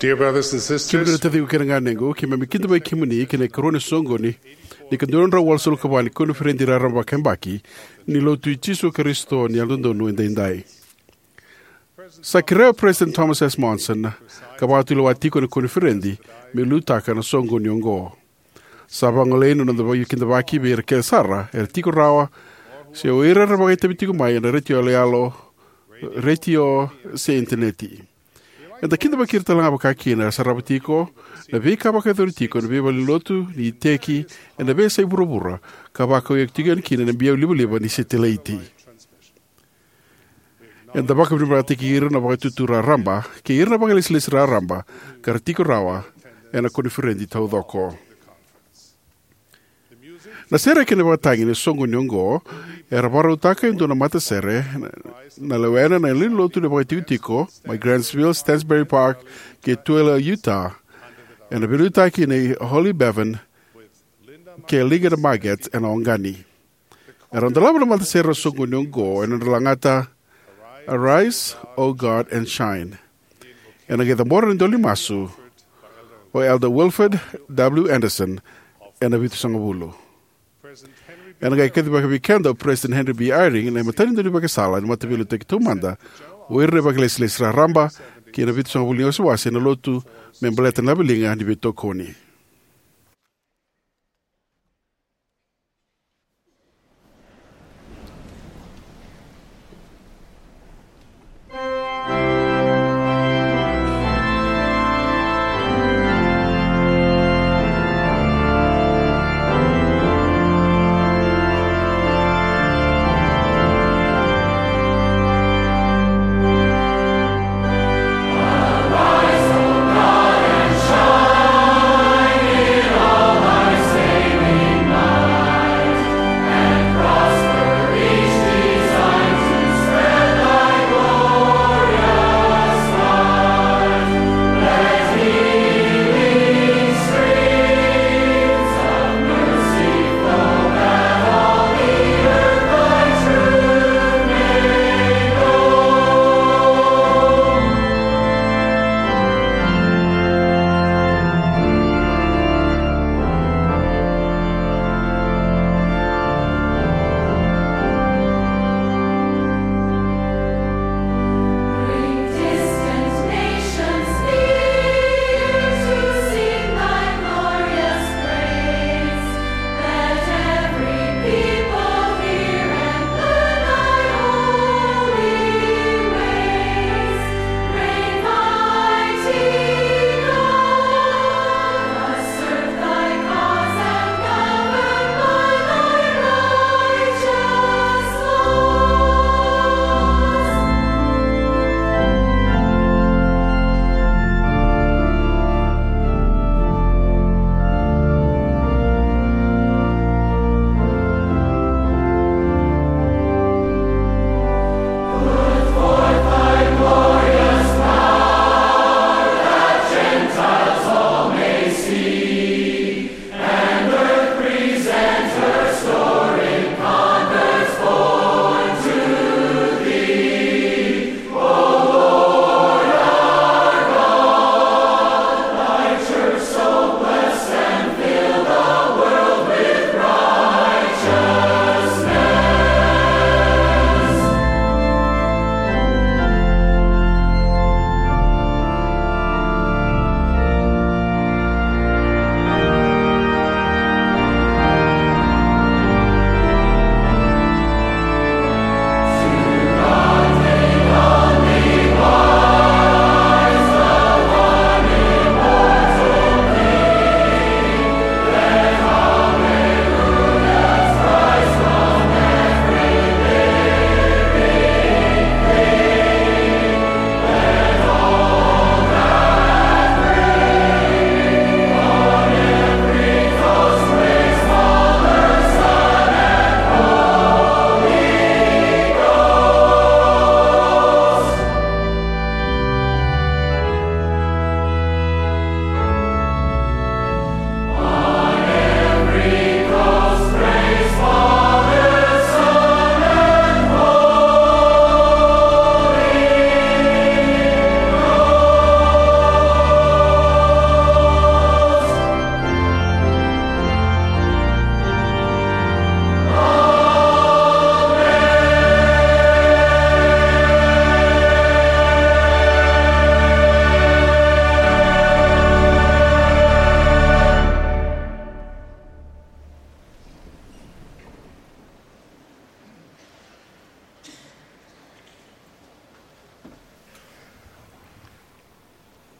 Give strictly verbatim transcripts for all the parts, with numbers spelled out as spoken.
Dear brothers and sisters, kemuni na taciqu kei na ganequ, keimami kidavaki kemuni ki na ikarua ni soqoni ni ka dua na drau walusagavulu ka va ni koniferedi raraba vakayabaki ni Lotu i Jisu Karisito ni Yalododonu Edaidai. Sa kerea o President Thomas S. Monson ka vakatulewa tiko na koniferedi me liutaka na soqoni oqo. Sa vagolei na noda veikidavaki vei ira kece sara era tiko rawa, se o ira era vakaitavi tiko mai ena retio yaloyalo, retio, se initaneti. Eda kidavaki ira talega vakakina era sarava tiko na veika vakayacori tiko ena veivalenilotu ni iteki ena veiyasai vuravura, ka vakaukauwataki tiko yani kina na biau livaliva ni setilaiti. Eda vakavinavinakataki ira na Vakaitutu Raraba kei ira na vakailesilesi raraba ka ra tiko rawa ena koniferedi taucoko. Na sere kei na ivakatagi ni soqoni oqo era vakarautaka e dua na matasere, na lewena na lewenilotu ni vakaitikotiko mai Grantsville, Stansbury Park, kei Tooele, Utah, ena veiliutaki nei Holly Bevan kei Linda Margetts ena Oqani. Era dolava na matasere ni soqoni oqo ena nodra lagata Arise, O God, and Shine. Ena qai cabora na idola ni masu o Elder Wilford W. Andersen ena vitusagavulu. Ena qai kacivaka vei keda o President Henry B. Eyring na imatai ni daunivakasala ni Mataveiliutaki Taumada, o ira na vakailesilesi raraba, kei na vitusagavulu ni wasewase ena Lotu me baleta na laveliga ni veitokoni.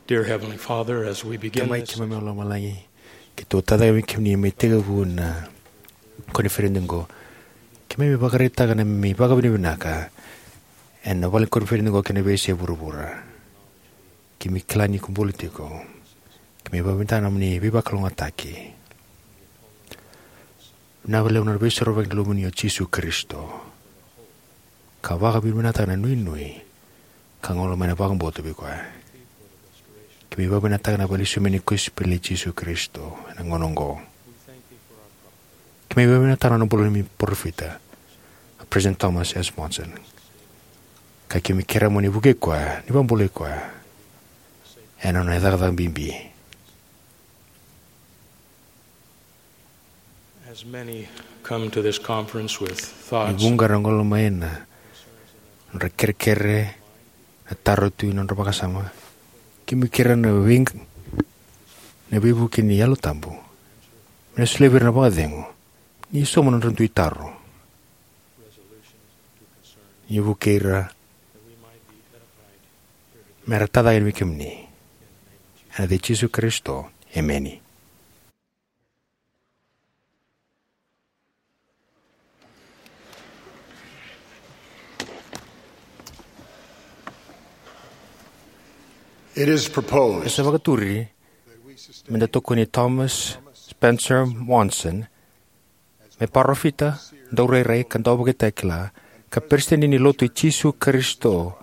Dear Heavenly Father, as we begin Tamai this keimami o lomalagi, keitou tacaka vei kemuni me tekivu na koniferedi oqo. Keimami vakaraitaka na neimami vakavinavinaka ena vale ni koniferedi oqo kei na veiyasai vuravura. Keimami kila ni ko bula tiko. Keimami vakavinavinaka na nomuni veivakalougatataki. Vinaka vakalevu na Veisorovaki ni Luvemuni o Jisu Karisito, ka vakavinavinakataka na nuinui ka gauna mai na vakabauta vei koya. Keimami vakavinavinakataka na vakalesui mai ni kosipeli i Jisu Karisito ena gauna oqo. Keimami vakavinavinakataka na bula ni parofita, President Thomas S. Monson, ka keimami kerea mo ni vukei koya, ni vakabulai koya ena nona cakacaka bibi. As many come to this conference with Ni thoughts vuqa era gole mai na nodra kerekere, na taro tu ena nodra vakasama. Keimami kerea na vei, na veivuke ni Yalo Tabu me na solia vei ira na vakacegu ni sauma na nodra dui taro. Ni vukei ira me ra tacake vei kemuni. Ena yaca i Jisu Karisito, emeni. It is proposed E sa vakaturi me da tokoni Thomas Spencer Monson me parofita, daurairai ka dauvakatakila, ka peresitedi ni Lotu i Jisu Karisito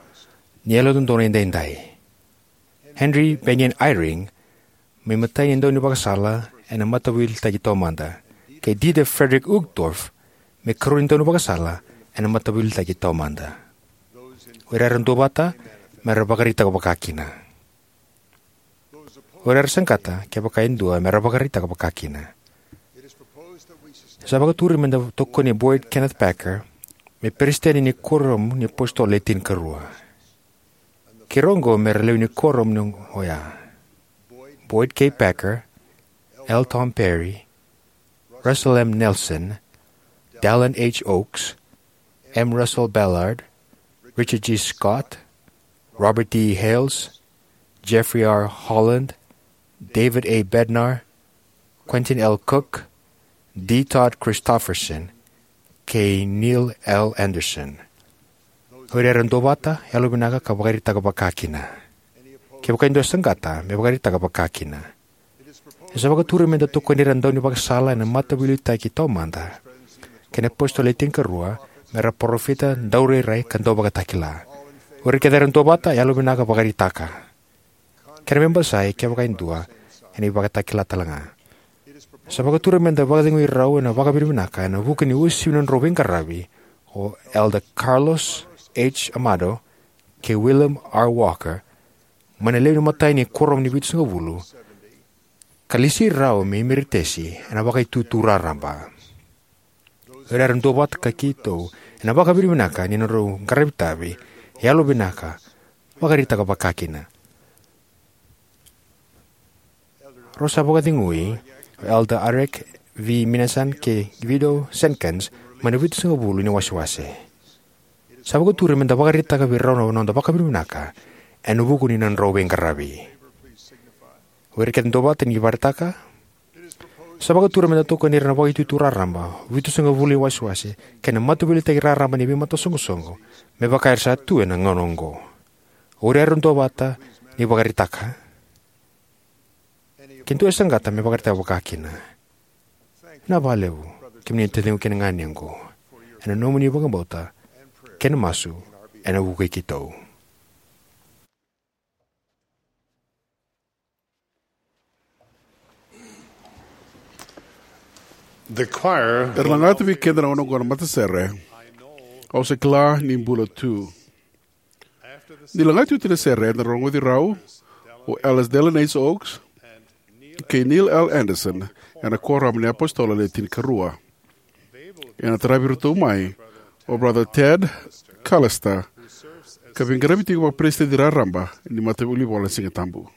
ni Yalododonu Edaidai. Henry Bennion Eyring me imatai ni daunivakasala ena Mataveiliutaki Taumada, kei Dieter Friedrich Uchtdorf me ikarua ni daunivakasala ena Mataveiliutaki Taumada. O ira era duavata me ra vakaraitaka vakakina. O ira era saqata, kevaka e dua, me ra vakaraitaka vakakina. Sa vakaturi me da tokoni Boyd Kenneth Packer me peresitedi ni Kuoramu ni iApositolo Le Tinikarua. Kei ira oqo me ra lewe ni kuoramu oya: Boyd K. Packer, L. Tom Perry, Russell M. Nelson, Dallin H. Oaks, M. Russell Ballard, Richard G. Scott, Robert D. Hales, Jeffrey R. Holland, David A. Bednar, Quentin L. Cook, D. Todd Christofferson, kei Neil L. Andersen. O ira era duavata, yalovinaka ka vakaraitaka vakakina. Kevaka e dua e saqata, me vakaraitaka vakakina. E sa vakaturi me da tokoni ira na daunivakasala ena Mataveiliutaki Taumada kei na iApositolo Le Tinikarua me ra parofita, daurairai ka dauvakatakila. O ira kece era duavata, yalovinaka, vakaraitaka. Kena me basai, kevaka e dua, ena ivakatakila talega. Sa vakaturi me da vakacegui rau ena vakavinavinaka ena vuku ni uasivi ni nodrau veiqaravi o Elder Carlos H. Amado kei William R. Walker mai na lewe ni imatai ni Kuoramu ni Vitusagavulu, ka lesi rau me emeritesi ena Vakaitutu Raraba. O ira era duavata ka keitou ena vakavinavinaka ni nodrau qaravi itavi, yalovinaka, vakaraitaka vakakina. Rau sa vakacegui o Elder Arek V. Minasan kei Guido Senkens mai na Vitusagavulu ni iWasewase. Sa vakaturi me da vakaraitaka vei rau na noda vakavinavinaka ena vuku ni nodrau veiqaravi. O ira kece duavata, ni vakaraitaka. Sa vakaturi me da tokoni ira na Vakaitutu Raraba, Vitusagavulu ni iWasewase kei na Mataveiliutaki Raraba ni Veimatasoqosoqo, me vaka era sa tu ena gauna oqo. O ira era duavata, ni vakaraitaka. Ke dua e saqata, me vakaraitaka vakakina. Vinaka vakalevu, kemuni na taciqu kei na ganequ, ena nomuni vakabauta kei na masu ena vukui keitou. The choir Era lagata vei keda na gauna oqo na matasere, Au Sa Kila Ni Bula Tu. Ni lagati oti na sere, eda rogoci rau o Elder Dallin H. Oaks kei Neil L. Andersen ena Kuoramu ni iApositolo Le Tinikarua. Ena taravi iratou mai o Brother Ted Callister, ka veiqaravi tiko vakaperesitedi raraba ni Mataveilivola ni Sigatabu.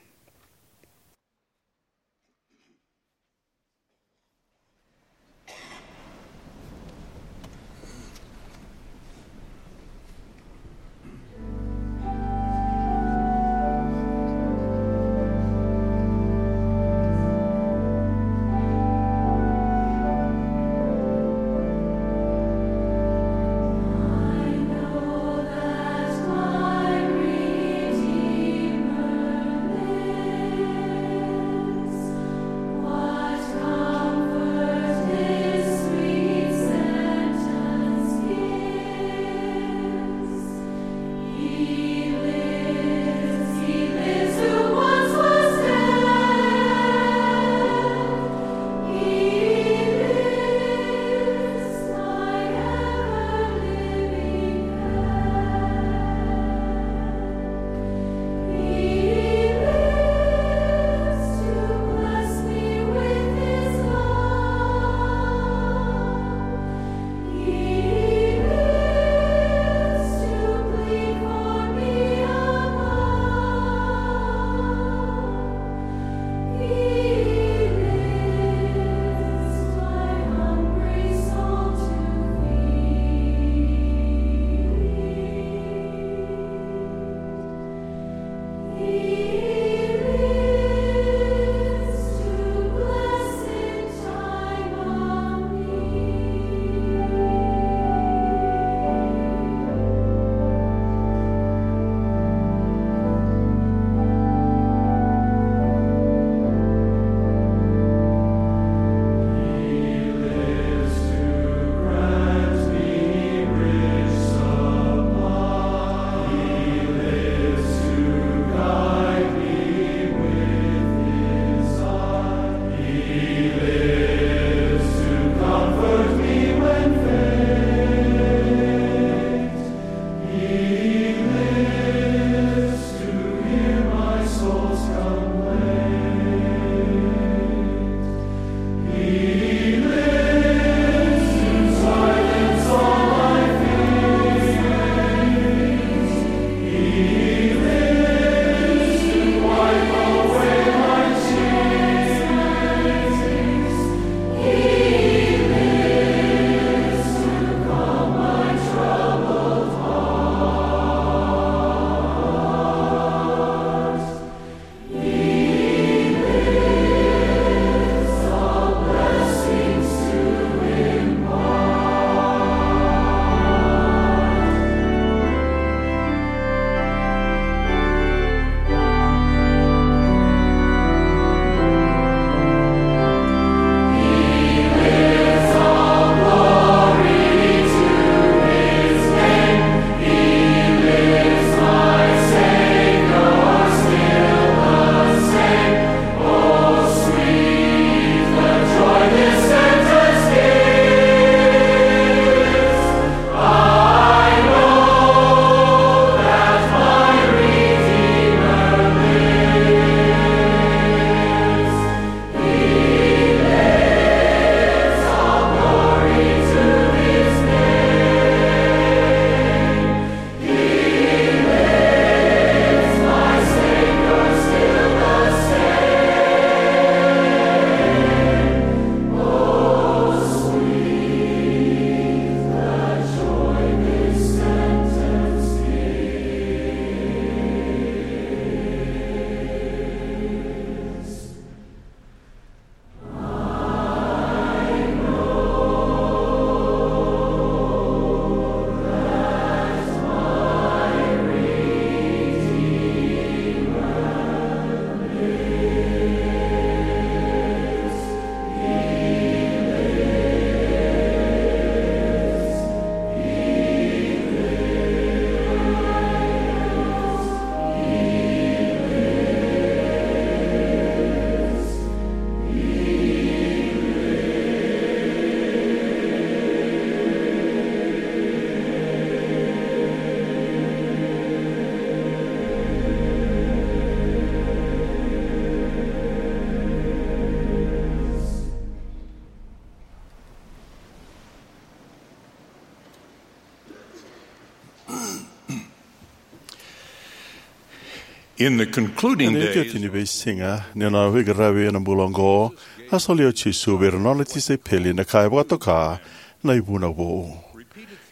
In the concluding Ena days, iotioti ni veisiga ni nona veiqaravi ena bula oqo, a solia o Jisu vei ira na nona tisaipeli na ka e vakatoka na ivunau vou.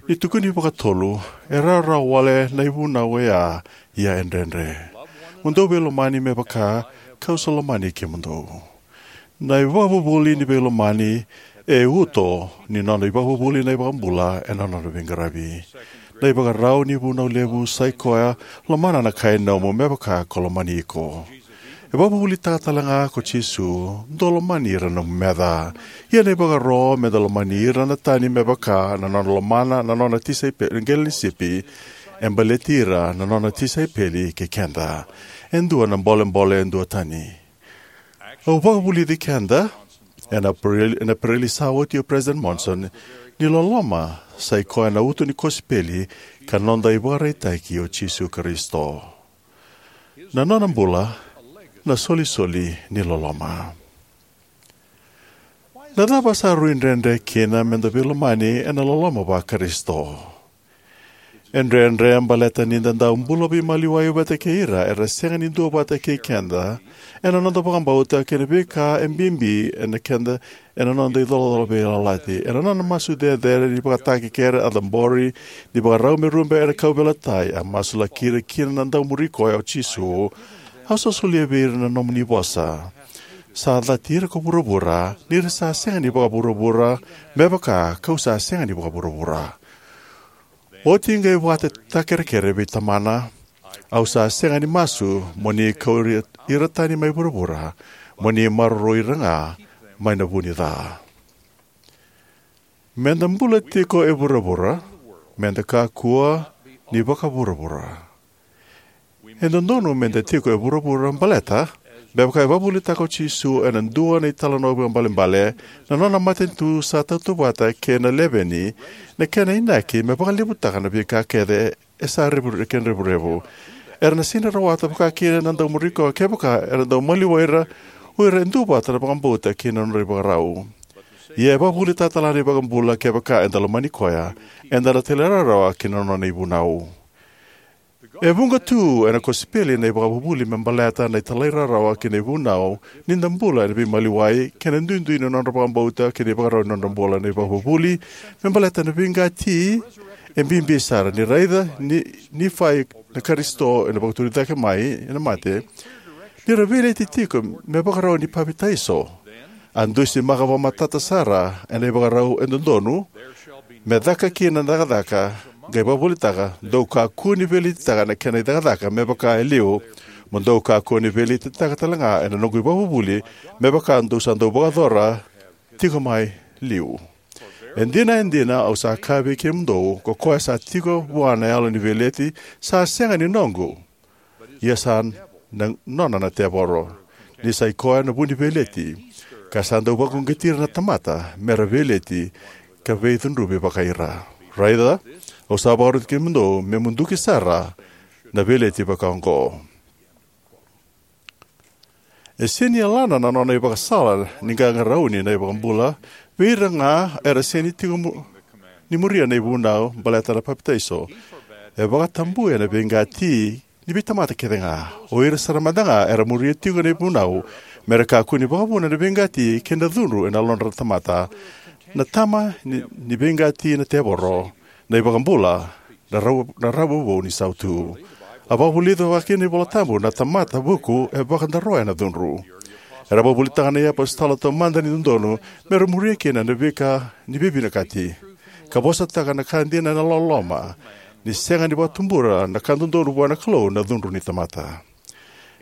Ni tukuni vakatolu, e rawarawa wale na ivunau oya, ia e dredre. Mo dou veilomani me vaka kau sa lomani kemudou. Na ivakavuvuli ni veilomani e uto ni nona ivakavuvuli na iVakabula ena nona veiqaravi. Na ivakarau ni vunau levu sai koya lomana na kai nomu me vaka ko lomani iko. E vakavuvulitaka tale ga ko Jisu, dou lomani ira na nomu meca. Ia na ivakaro me da lomani ira na tani me vaka na nona lomana na nona tisaipeli, qele ni sipi, e baleti ira na nona tisaipeli kei keda. E dua na bolebole e duatani. Au vakavulici keda ena April, ena April sa oti o President Monson, ni loloma sai koya na uto ni kosipeli ka noda ivakaraitaki o Jisu Karisito. Na nona bula, na solisoli ni loloma. Na cava sa rui dredre kina me da veilomani ena loloma va-Karisito? E dredre baleta ni da dau bula veimaliwai vata kei ira era sega ni duavata kei keda ena noda vakabauta kei na veika e bibi ena keda ena noda icolacola veiyalayalati. Ena nona masu cecere ni vakatakekere a cabori ni vakarau me rube ena kauveilatai, a masulaki ira kina na dau muri koya o Jisu, au sa solia vei ira na nomuni vosa. Sa cati ira ko vuravura, ni ra sa sega ni vakavuravura, me vaka kau sa sega ni vakavuravura. Oti qai vakatakerekere vei Tamana, au sa sega ni masu mo ni kauri ira tani mai vuravura, mo ni maroroi ira ga mai na vu ni ca. Me da bula tiko e vuravura, me da kakua ni vakavuravura. E dodonu me da tiko e vuravura baleta, me vaka e vakavuvulitaka o Jisu ena dua na italanoa vakaibalebale, na nona matanitu sa tautauvata kei na leveni, na kena inaki me vakalevutaka na veika kece e sa revu, kena revurevu. Era na sega ni rawata vaka kina na dau muri koya kevaka era dau maliwai ira o ira e duavata na vakabauta kei na nodra ivakarau. Ia e vakavuvulitaka tale ga na iVakabula kevaka eda lomani koya, eda na talairawarawa ki na nona ivunau. E vuqa tu ena kosipeli na ivakavuvuli me baleta na italairawarawa ki na ivunau ni da bula ena veimaliwai kei na duidui ni nodra vakabauta kei na ivakarau ni nodra bula. Na ivakavuvuli me baleta na veiqati e bibi sara. Ni raica ni, Nifai na Karisito ena vakaturi cake mai ena mate, ni ra veileti tiko me vakarau ni papitaiso, a dusimaka vakamatata sara ena ivakarau e dodonu me caka kina na cakacaka, qai vakavuvulitaka, dou kakua ni veiletitaka na kena icakacaka me vaka e liu, mo dou kakua ni veiletitaka tale ga ena noqu ivakavuvuli me vaka dou sa dau vakayacora tiko mai liu. E dina, e dina, au sa kaya vei kemudou, ko koya sa tiko vua na yalo ni veileti sa sega ni noqu, ia sa na, nona na tevoro, ni sai koya na vu ni veileti, ka sa dau vakauqeti ira na tamata me ra veileti ka veicudruvi vakai ira. Raica, au sa vakaroti kemudou me muduki sara na veileti vakaoqo. E sega ni yalana na nona ivakasala ni qaqarauni na iVakabula vei ira ga era sega ni tiko mu-, ni muria na ivunau baleta na papitaiso. E vakatabuya na veiqati ni veitamata kece ga. O ira sara mada ga era muria tiko na ivunau me ra kakua ni vakavuna na veiqati kei na cudru ena yalodra na tamata. Na tama ni, ni veiqati na tevoro, na iVakabula, na rau, na rau vou ni sautu. A vakavulica vaka kina na iVola Tabu, na tamata vuku e vakadaroya na cudru. Era vakavuvulitaka na iapositolo taumada ni dodonu me ra muria kina na veika ni veivinakati, ka vosataka na ka dina ena loloma, ni sega ni vakatubura na ka dodonu vua na Kalou na cudru ni tamata.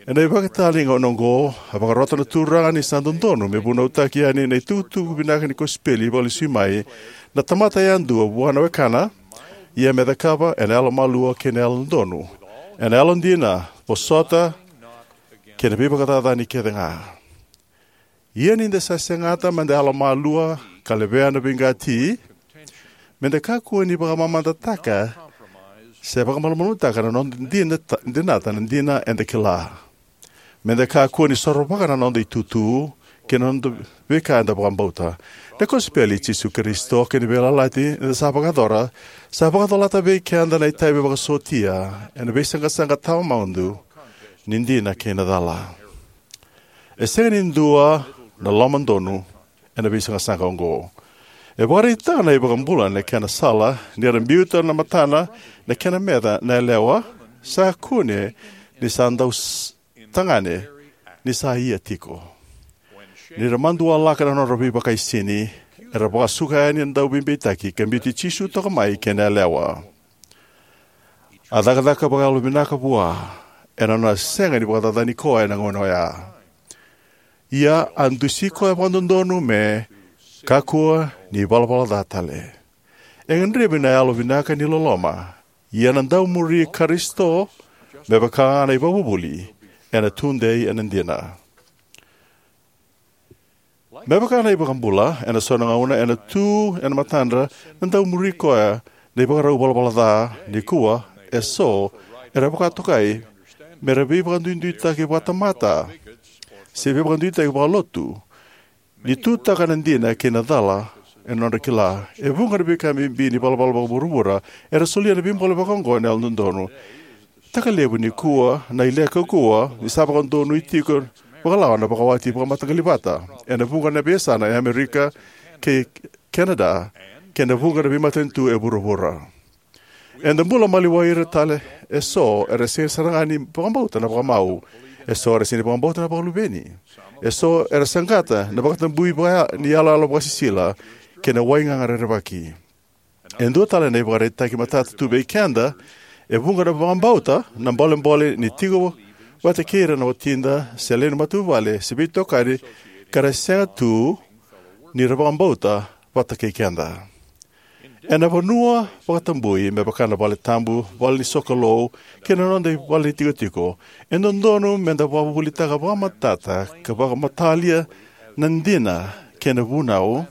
Ena ivakatali gauna oqo, a vakarota na Turaga ni sa dodonu me vunautaki yani na itukutuku vinaka ni kosipeli vakalesui mai na tamata yadua vua na wekana, ia me cakava ena yalomalua kei na yalododonu, ena yalodina, vosota kei na veivakacacani kece ga. Ia ni da sa segata me da yalomalua ka levea na veiqati, me da kakua ni vakamamadataka se vakamalumalumutaka na noda dina ta-, dinata na dina eda kila. Me da kakua ni sorovaka na noda itutu kei na noda veika eda vakabauta. Na kosipeli i Jisu Karisito kei na veiyalayalati eda sa vakayacora sa vakacolata vei keda na itavi vakasotia ena veisaqasaqa tawamudu ni dina kei na cala. E sega ni dua na lomadonu ena veisaqasaqa oqo. E vakaraitaka na iVakabula na kena sala ni ra biuta na matana na kena meca na yalewa sa kune ni sa dau s- tagane ni sa ia tiko. Ni ra madualaka na nodra veivakaisini, era vakasuka yani na dauveibeitaki ka biuti Jisu toka mai kei na yalewa. A cakacaka vakayalovinaka vua ena nona sega ni vakacacani koya ena gauna oya. Ia a dusi koya vakadodonu me kakua ni valavala ca tale. E gadrevi na yalovinaka ni loloma, ia na daumuri Karisito, me vaka ga na ivakavuvuli, ena tudei ena dina. Me vaka na iVakabula, ena so na gauna ena tu ena matadra na daumuri koya na ivakarau valavala ca. Nikua, eso era vakatokai me ra veivakaduiduitaki vakatamata se veivakaduiduitaki vakalotu, ni tutaka na dina kei na cala ena nodra kila e vuqa na veika bibi ni valavala vakavuravura. Era solia na veibole vakaoqo ena yalododonu. Takalevu nikua na ile kaukauwa ni sa vakadonui tiko vakalawa na vakawati vakamataqali vata ena vuqa na veiyasana e Amerika kei Kenada, kei na vuqa na veimatanitu e vuravura. Eda bula maliwai ira tale eso era sega sara ga ni vakabauta na vakamau. Eso era sega ni vakabauta na vakaluveni. Eso era saqata na vakatabui vaya ni yaloyalo vakasisila kei na waigaga rerevaki. E dua tale na ivakaraitaki matata tu vei keda, e vuqa na vakabauta na bolebole ni tiko vata kei ira na watida se lewe ni matavuvale se veitokani ka ra sega tu ni ra vakabauta vata kei keda. Ena vanua vakatabui me vaka na vale tabu, vale ni sokalou, kei na noda ivale ni tikotiko, e dodonu meda vakavuvulitaka vakamatata ka vakamatalia na dina kei na vunau,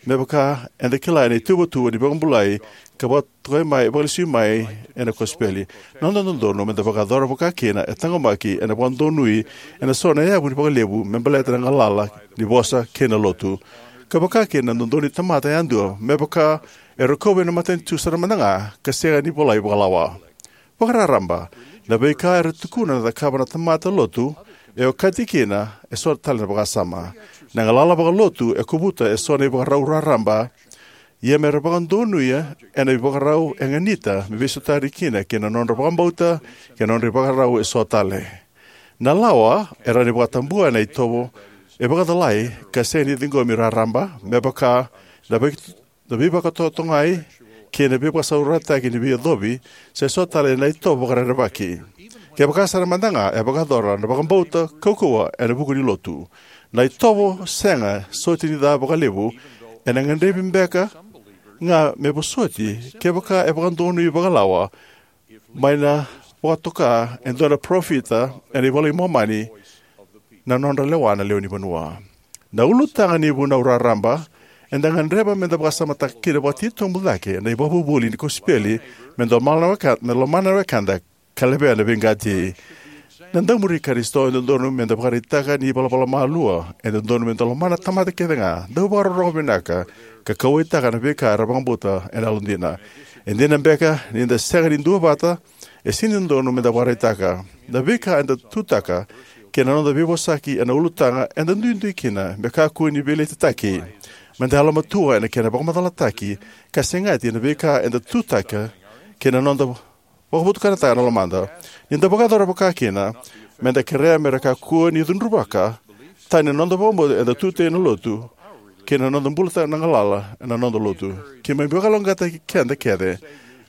me vaka eda kila ena ituvatuva ni vakabulai ka vakatokai mai, vakalesui mai ena kosipeli. Na noda dodonu meda vakayacora vakakina e taqomaki ena vakadonui ena so na yavu ni vakalevu me baleta na galala ni vosa kei na lotu. Ka vakakina na dodonu ni tamata yadua me vaka e rokovi ena matanitu sara mada ga ka sega ni volai vakalawa. Vakararaba, na veika era tukuna na cakava na tamata lotu e okati kina eso tale na vakasama. Na galala vakalotu e kovuta eso na ivakarau raraba, ia me ra vakadonuya ena ivakarau e ganita me veisotari kina kei na nodra vakabauta kei na nodra ivakarau eso tale. Na lawa e rawa ni vakatabua ena itovo e vakacalai ka sega ni ciqomi raraba, me vaka na vei na veivakatotogai kei na veivakasaurarataki ni veiyacovi, se so tale na itovo vakarerevaki. Kevaka sara mada ga e vakayacora na vakabauta kaukauwa ena vuku ni lotu, na itovo sega soti ni ca vakalevu ena gadrevi beka ga me vosoti kevaka e vakadonui vakalawa mai na vakatoka e dua na parofita ena iVola i Momani na nodra lewa na lewe ni vanua. Na ulutaga ni vunau raraba eda gadreva meda vakasamataka kina vakatitobu cake na ivakavuvuli ni kosipeli, meda lomana na weka- meda lomana na wekada ka levea na veiqati. Na daumuri Karisito e dodonu meda vakaraitaka ni valavala malua, e dodonu meda lomana tamata kece ga, dau vakarorogo vinaka, ka kauwaitaka na veika era vakabauta ena yalodina. E dina beka ni da sega ni duavata, e sega ni dodonu meda vakaraitaka. Na veika eda tutaka kei na noda veivosaki ena ulutaga eda duidui kina me kakua ni veiletitaki. Meda yalomatua ena kena vakamacalataki ka segati na veika eda tutaka kei na noda vakavotukanataka na lomada. Ni da vakayacora vakakina, meda kerea me ra kakua ni cudruvaka tani na noda vakabauta eda tutaka ena lotu kei na noda bulataka na galala ena noda lotu. Keimami vakalougatataki keda kece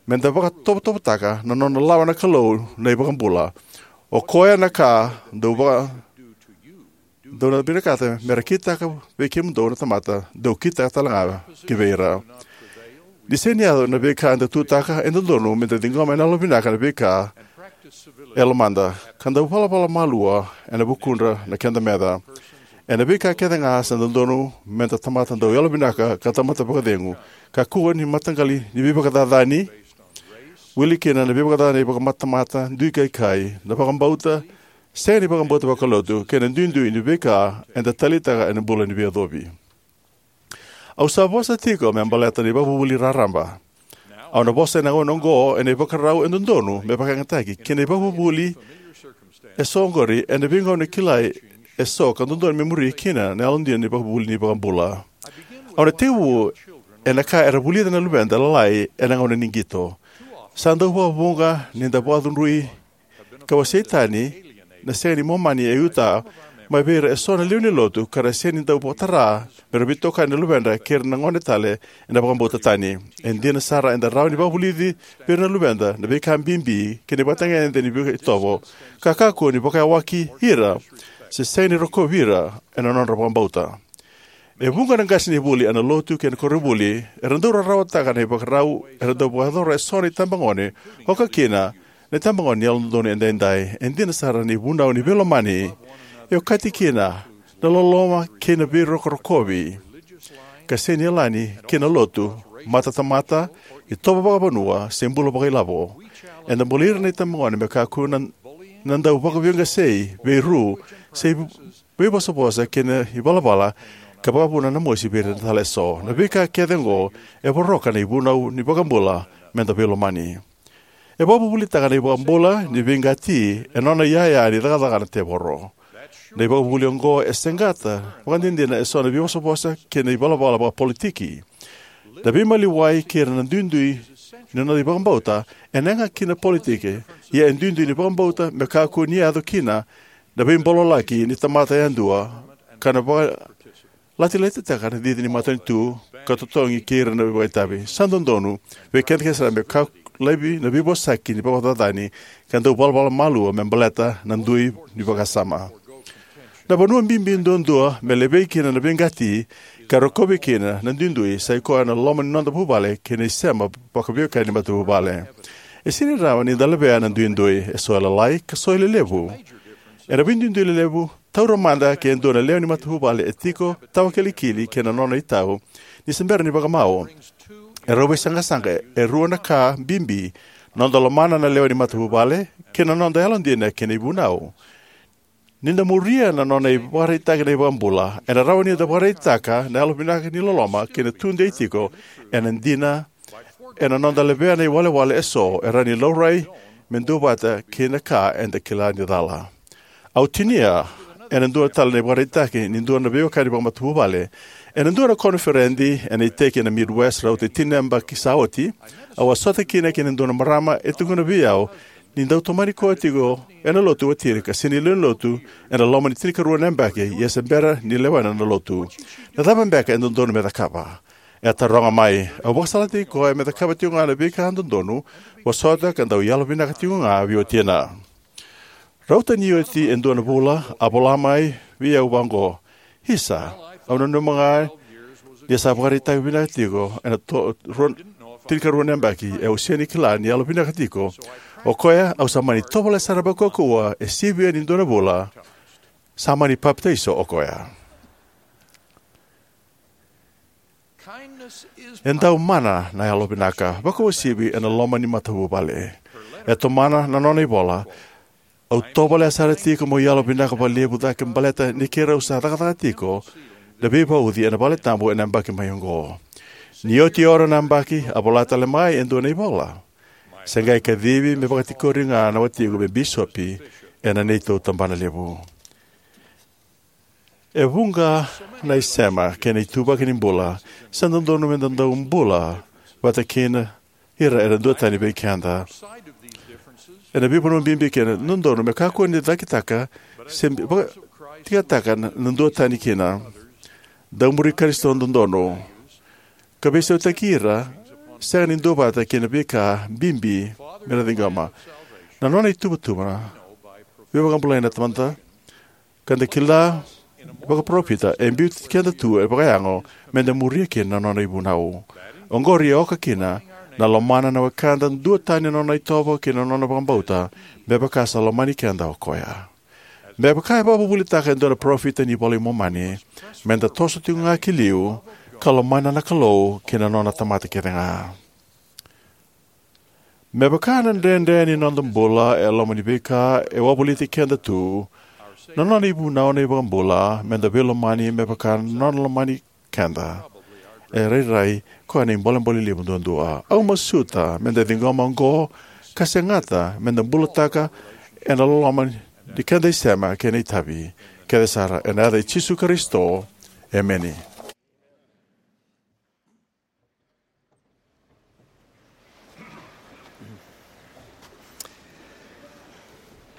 meda vakatovotovotaka na nona lawa na Kalou na iVakabula. O koya na ka dou vaka dou na vinakata me ra kitaka vei kemudou na tamata, dou kitaka tale ga ki vei ira. Ni sega ni yaco na veika eda tutaka, e dodonu meda ciqoma ena yalovinaka na veika e lomada, ka dau valavala malua ena vukudra na keda meca. Ena veika kece ga sa dodonu meda tamata dau yalovinaka ka tamata vakacegu, kakua ni mataqali ni veivakacacani, wili kina na veivakacacani vakamatamata, duikaikai, na vakabauta, sega ni vakabauta vakalotu, kei na duidui ni veika eda taleitaka ena bula ni veiyacovi. Au sa vosa tiko me baleta na ivakavuvuli raraba. Au na vosa ena gauna oqo ena ivakarau e dodonu me vakayagataki kei na ivakavuvuli eso oqori ena veigauna kilai eso ka dodonu me muri kina na yalodina ni vakavuvuli ni vakabula. Au na tekivu ena ka era vulica na luveda lalai ena gauna ni qito. Sa dau vakavuqa ni da vakacudrui ka wasei tani na sega ni Momani e Utah mai vei ira eso na lewe ni lotu ka ra sega ni dau vakatara me ra veitokani na luvedra kei ira na gone tale ena vakabauta tani. E dina sara, eda rawa ni vakavulici vei ira na luveda na veika bibi kei na ivakatagedegede ni veika itovo ka kakua ni vakayawaki ira se sega ni rokovi ira ena nodra vakabauta. E vuqa na qasenivuli ena lotu kei na koronivuli era dau rarawataka na ivakarau era dau vakayacora eso na itabagone, oka kina na itabagone ni Yalododonu Edaidai. E dina sara, na ivunau ni veilomani e okati kina na loloma kei na veirokorokovi ka sega ni yalani ki na lotu, matatamata, itovo vakavanua, se bula vakailavo. Eda bulai ira na itabagone me kakua na, na dau vakaveiqasei, veiru, se veivosavosa kei na ivalavala ka vakavuna na mosi vei ira tale eso. Na veika kece oqo e voroka na ivunau ni vakabula me da veilomani. E vakavuvulitaka na iVakabula ni veiqati e nona iyaya ni cakacaka na tevoro. Na ivakavuvuli oqo e saqata vakadinadina eso na veivosavosa kei na ivalavala vakapolitiki. Na veimaliwai kei ira na duidui ni noda ivakabauta ena yaga ki na politiki, ia e duidui ni vakabauta me kakua ni yaco kina na veibololaki ni tamata yadua ka na vakalatilati taka na cici ni matanitu ka totogi kei ira na vakaitavi. Sa dodonu vei keda kece sara me ka laivi na veivosaki ni vakacacani ka dau valavala malua me baleta na dui ni vakasama. Na vanua bibi duadua me levei kina na veiqati ka rokovi kina na duidui sa ikoya na loma ni noda vuvale kei na isema vakaveiwekani ni matavuvale. E sega ni rawa ni da levea na duidui, eso e lalai ka so e lelevu. Ena veiduidui lelevu, taura mada ke dua na lewe ni matavuvale e tiko tawakilikili kei na nona itau ni se bera ni vakamau. E rau veisaqasaqa e rua na ka bibi: noda lomana na lewe ni matavuvale kei na noda yalodina kei na ivunau. Ni da muria na nona ivakaraitaki na iVakabula, ena rawa ni da vakaraitaka na yalovinaka ni loloma kei na tudei tiko ena dina ena noda levea na iwalewale eso e rawa ni laurai me duavata kei na ka eda kila ni cala. Au tinia ena dua tale na ivakaraitaki ni dua na veiwekani vakamatavuvale. Ena dua na koniferedi ena iteki ena Midwest rauta ni tini na yabaki sa oti, au a sota kina kei na dua na marama e tukuna vei au ni dau tomani koya tiko ena lotu watiri ka sega ni lewe ni lotu ena loma ni tinikarua na yabaki, ia se bera ni lewena na lotu. Na cava beka e dodonu me cakava? E a taroga mai. Au vakasalataki koya me cakava tiko ga na veika dodonu, vosota ka dau yalovinaka tiko ga vei watina. Rauta ni oti e dua na vula, a vola mai vei au vaqo: Isa, au nanuma ga ni sa vakaraitaka vinaka tiko ena to, rua, tinikarua na yabaki, e au sega ni kila ni yalovinaka tiko o koya. Au sa mani tovolea sara vakaukauwa, e sivia ni dua na vula, sa mani papitaiso o koya. E dau mana na yalovinaka, vakauasivi ena loma ni matavuvale. E tomana na nona ivola: Au tovolea sara tiko meu yalovinaka vakalevu cake baleta ni keirau sa cakacaka tiko na veivauci ena valetabu ena yabaki mai oqo. Ni oti e ono na yabaki, a vola tale mai e dua na ivola: Se qai kacivi me vakatikori ga na watiqu me bisopi ena neitou tabanalevu. E vuqa na isema kei na ituvaki ni bula sa dodonu me da dau bula vata kei ira era duatani vei keda. Ena veivanua bibi kina, dodonu me kakua ni cakitaka se vakatikataka na duatani kina. Dau muri Karisito dodonu ka veisautaki ira sega ni duavata kei na veika bibi me na ciqoma. Na nona ituvatuva na veivakabulai na Tamada, ka da kila vakaparofita, e biuti keda tu e vakayago me da muria kina na nona ivunau. Oqori e oka kina na lomana na wekada duatani na nona itovo kei na nona vakabauta, me vaka sa lomani keda o koya. Me vaka e vakavuvulitaka e dua na parofita ni iVola i Momani, me da toso tiko ga ki liu ka lomana na Kalou kei na nona tamata kece ga. Me vaka na dredre ni noda bula e loma ni veika e wavoliti keda tu, na nona ivunau na iVakabula me da veilomani me vaka na nona lomani keda e rairai koya na ibolebole levu duadua. Au masuta me da ciqoma oqo ka segata me da bulataka ena loloma ni keda isema kei na itavi kece sara, ena yaca i Jisu Karisito, emeni.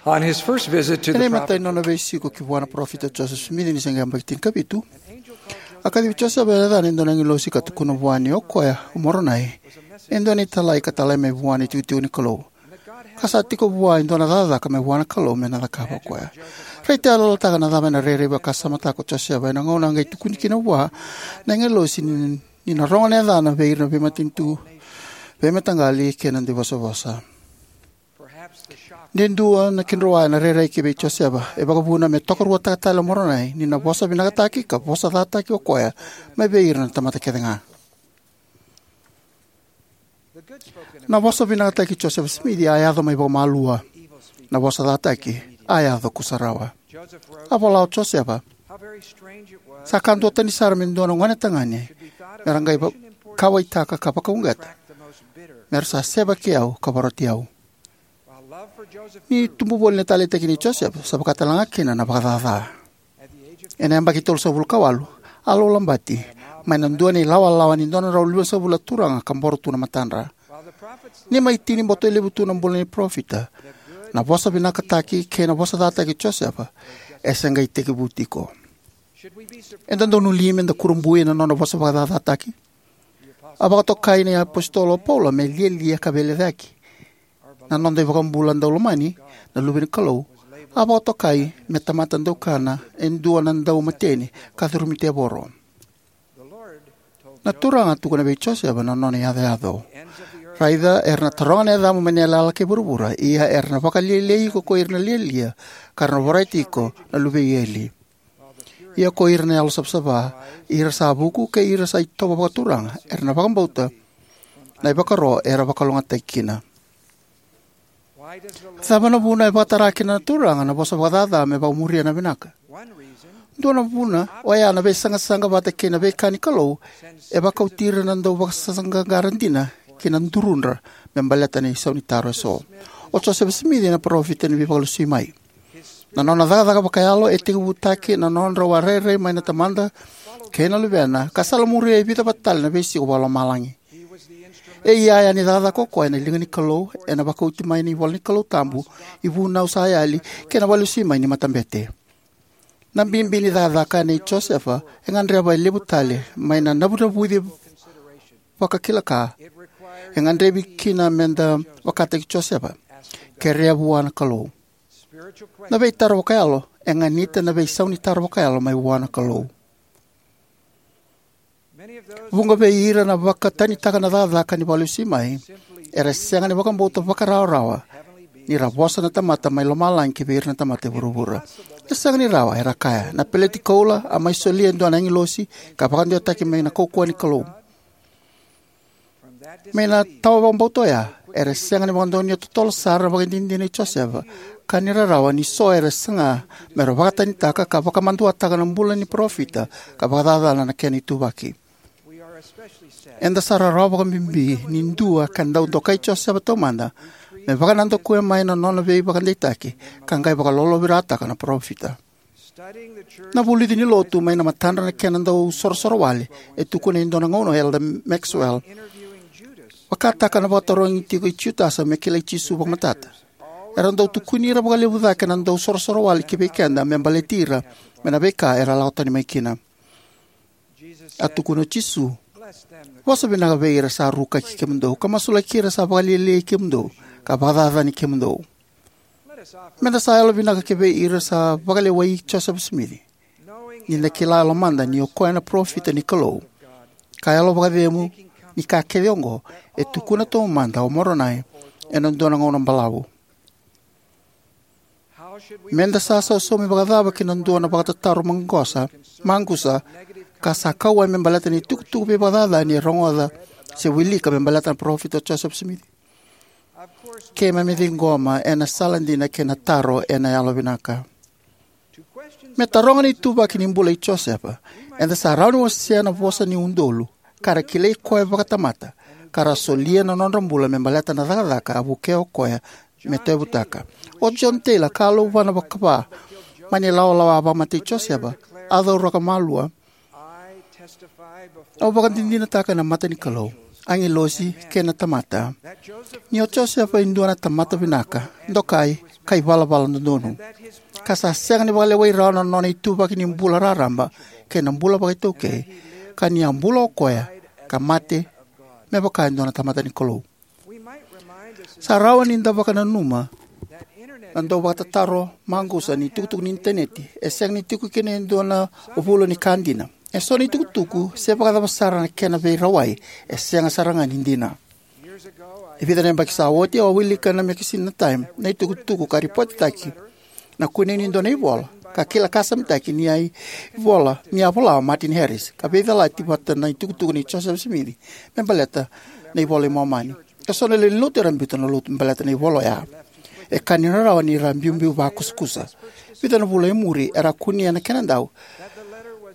On his first visit to Ena the imatai prophet, nona veisiko ki vua na parofita o Joseph Smith ni se qai yabaki tinikavitu, a kacivi Josefa e yacana e dua na agilosi ka tukuna vua ni o koya o Moronai e dua na italai ka talai mai vua na itikotiko ni Kalou, ka sa tiko vua e dua na cakacaka mai vua na Kalou me na cakava o koya. Raica yaloyalataka na cava ena rairai vakasamataka o Josefa ena gauna a qai tukuni kina vua na agilosi ni, ni na rogo na yacana vei ira na veimatanitu, veimataqali kei na dauvosavosa. De dua na kidroa ena rairai ki vei Josefa e vakavuna me tokaruataka tale o Moronai ni na vosa vinakataki ka vosa cataki o koya mai vei ira na tamata kece ga. Na vosa vinakataki Josefa Smith a yaco mai vakamalua. Na vosa cataki a yaco kusarawa. A vola o Josefa: Sa ka duatani sara me dua na gonetagane me ra qai va-, kauwaitaka ka vakauqeta me ra sa sevaki au ka varoti au. Ni tubu voli na taleitaki nei Josefa, sa vaka tale ga kina na vakacaca. Ena yabaki tolusagavulu ka walu, a laulabati mai na dua na ilawalawa ni dua na drau limasagavulu na turaga ka boro tu na matadra. Ni mai tini boto levu tu na bula ni parofita, na vosa vinakataki kei na vosa cataki Josefa e se qai tekivu tiko. Eda donu li meda kurabui ena nona vosa vakacacataki? A vakatokai na iapositolo o Paula me lialia ka veilecayaki. Na noda iVakabula daulomani, na Luve ni Kalou, a vakatokai me tamata daukana e dua na daumateni ka curumi tevoro. Na Turaga a tukuna vei Josefa na nona iyacoyaco: Raica, era na taroga na yacamu mai na yalayala kei vuravura, ia era na vakalialiai iko ko ira na lialia, ka ra na vorati iko na luve i eli. Ia ko ira na yalo savasava, ira sa vuku kei ira sa itovo vakaturaga, era na vakabauta na ivakaro era vakalougatataki kina. Cava na vuna e vakatara kina na Turaga na vosa vakacaca me vakamuria na vinaka? Dua na vuna oya na veisaqasaqa vata kei na veika ni Kalou e vakauti ira na dauvakasaqaqara dina ki na durudra me baleta na isaunitaro eso. O Josefa Simici na parofita ni Veivakalesui mai. Na nona cakacaka vakayalo e tekivutaki na nodrau a rairai mai na Tamada kei na Luvena, ka salamuria e vica vata tale na veisiko vakalomalagi. E iyaya ni cakacaka o koya ena liga ni Kalou, ena vakauti mai ni ivola ni Kalou tabu, ivunau sa yali, kei na vakalesui mai ni matabete. Na bibi ni cakacaka nei Josefa e gadreva e levu tale mai na navunavuci vakakila ka e gadrevi kina meda vakataki Josefa. Kerea vua na Kalou. Na veitaro vakayalo e ganita na veisaunitaro vakayalo mai vua na Kalou. Vuqa vei ira na vakatanitaka na cakacaka ni vakalesui mai era sega ni vakabauta vakarawarawa ni ra vosa na tamata mai lomalagi ki vei ira na tamata e vuravura. E sega ni rawa, era kaya, na peleti koula a mai solia e dua na agilosi ka vakadewataki mai na kaukauwa ni Kalou. Mai na tawa vakabauta oya, era sega ni vakadonuya totolo sara na ivakadinadina nei Josefa, ka ni rarawa ni so era saga mera vakatanitaka ka vakamaduataka na bula ni parofita ka vakacacana na kena ituvaki. Eda sa rarawa vakabibi ni dua ka dau dokai Josefa taumada me vakanadakuya mai na nona veivakadeitaki ka qai vakalolovirataka na parofita. Na vulici ni lotu mai na matadra na kena dau sorosorowale e tukuna e dua na gauna o Elder Maxwell. Vakataka na vakatarogi tiko i Jutasa me kilai Jisu vakamatata, era dau tukuni ira vakalevu cake na dau sorosorowale ki vei keda me baleti ira mai na veika era lako tani mai kina. A tukuna o Jisu: Vosa vinaka vei ira sa rukaki kemudou, ka masulaki ira sa vakalialiai kemudou ka vakacacani kemudou. Meda sa yalovinaka ki vei ira sa vakalewai Josefa Simici, ni da kila e lomada ni o koya na parofita ni Kalou, ka yalo vakacegu ni ka kece oqo e tukuna taumada o Moronai ena dua na gauna balavu. Meda sa sausaumi vakacava ki na dua na vakatataro maqosa, maqusa, ka sa kauwai me baleta na itukutuku veivakacacani e rogoca se wilika me baleta na parofita o Josefa Simici? Keimami ciqoma ena sala dina kei na taro ena yalovinaka. Me taroga na ituvaki ni bula i Josefa, eda sa rawa ni wasea na vosa ni udolu ka ra kilai koya vakatamata, ka ra solia na nodra bula me baleta na cakacaka a vukea o koya me tauyavutaka. O John Taylor, ka a lauvana vakava mai na ilawalawa a vakamatei Josefa, a cauraka malua: Au vakadinadinataka ena mata ni Kalou, agilosi, kei na tamata, ni o Josefa e dua na tamata vinaka, dokai, ka ivalavala dodonu, ka sa sega ni vakalewai rawa na nona ituvaki ni bula raraba kei na bula vakaitaukei, ka ni a bula o koya ka mate me vaka e dua na tamata ni Kalou. Sa rawa ni da vakananuma na dauvakatataro maqusa ni itukutuku ni Initaneti e sega ni tiko kina e dua na vula ni ka dina. Eso na itukutuku, se vakacava sara na kena veirawai, e sega sara ga ni dina. E vica na yabaki sa oti, au a wilika na mekasini na Time na itukutuku ka ripotitaki na kunei ni dua na ivola ka kila kasamitaki ni a ivola, ni a vola o Martin Harris, ka veicalati vata na itukutuku nei Joseph Smith me baleta na iVola i Momani. Eso na lewe ni Lotu era biuta na Lotu me baleta na ivola oya. E ka ni rarawa ni ra biubiu vakusakusa. Vica na vula e muri era kunea na kenadau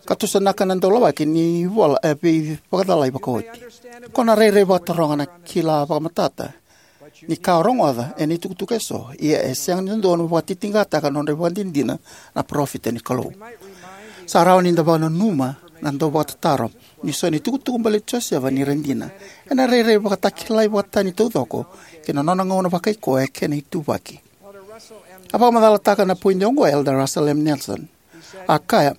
ka tusanaka na daulawaki ni ivola e veivakacalai vakaoti. Ko na rairai vakataroga na kila vakamatata ni ka o rogoca ena itukutuku eso, ia e sega ni dodonu me vakatitiqataka na nodra ivakadinadina na parofita ni Kalou. Sa rawa ni da vakananuma na dauvakatataro ni so na itukutuku baleti Josefa ni ra dina, ena rairai vakatakilai vakatani taucoko ki na nona gauna vakaikoya kei na ituvaki. A vakamacalataka na poidi oqo o Elder Russell M. Nelson. A kaya: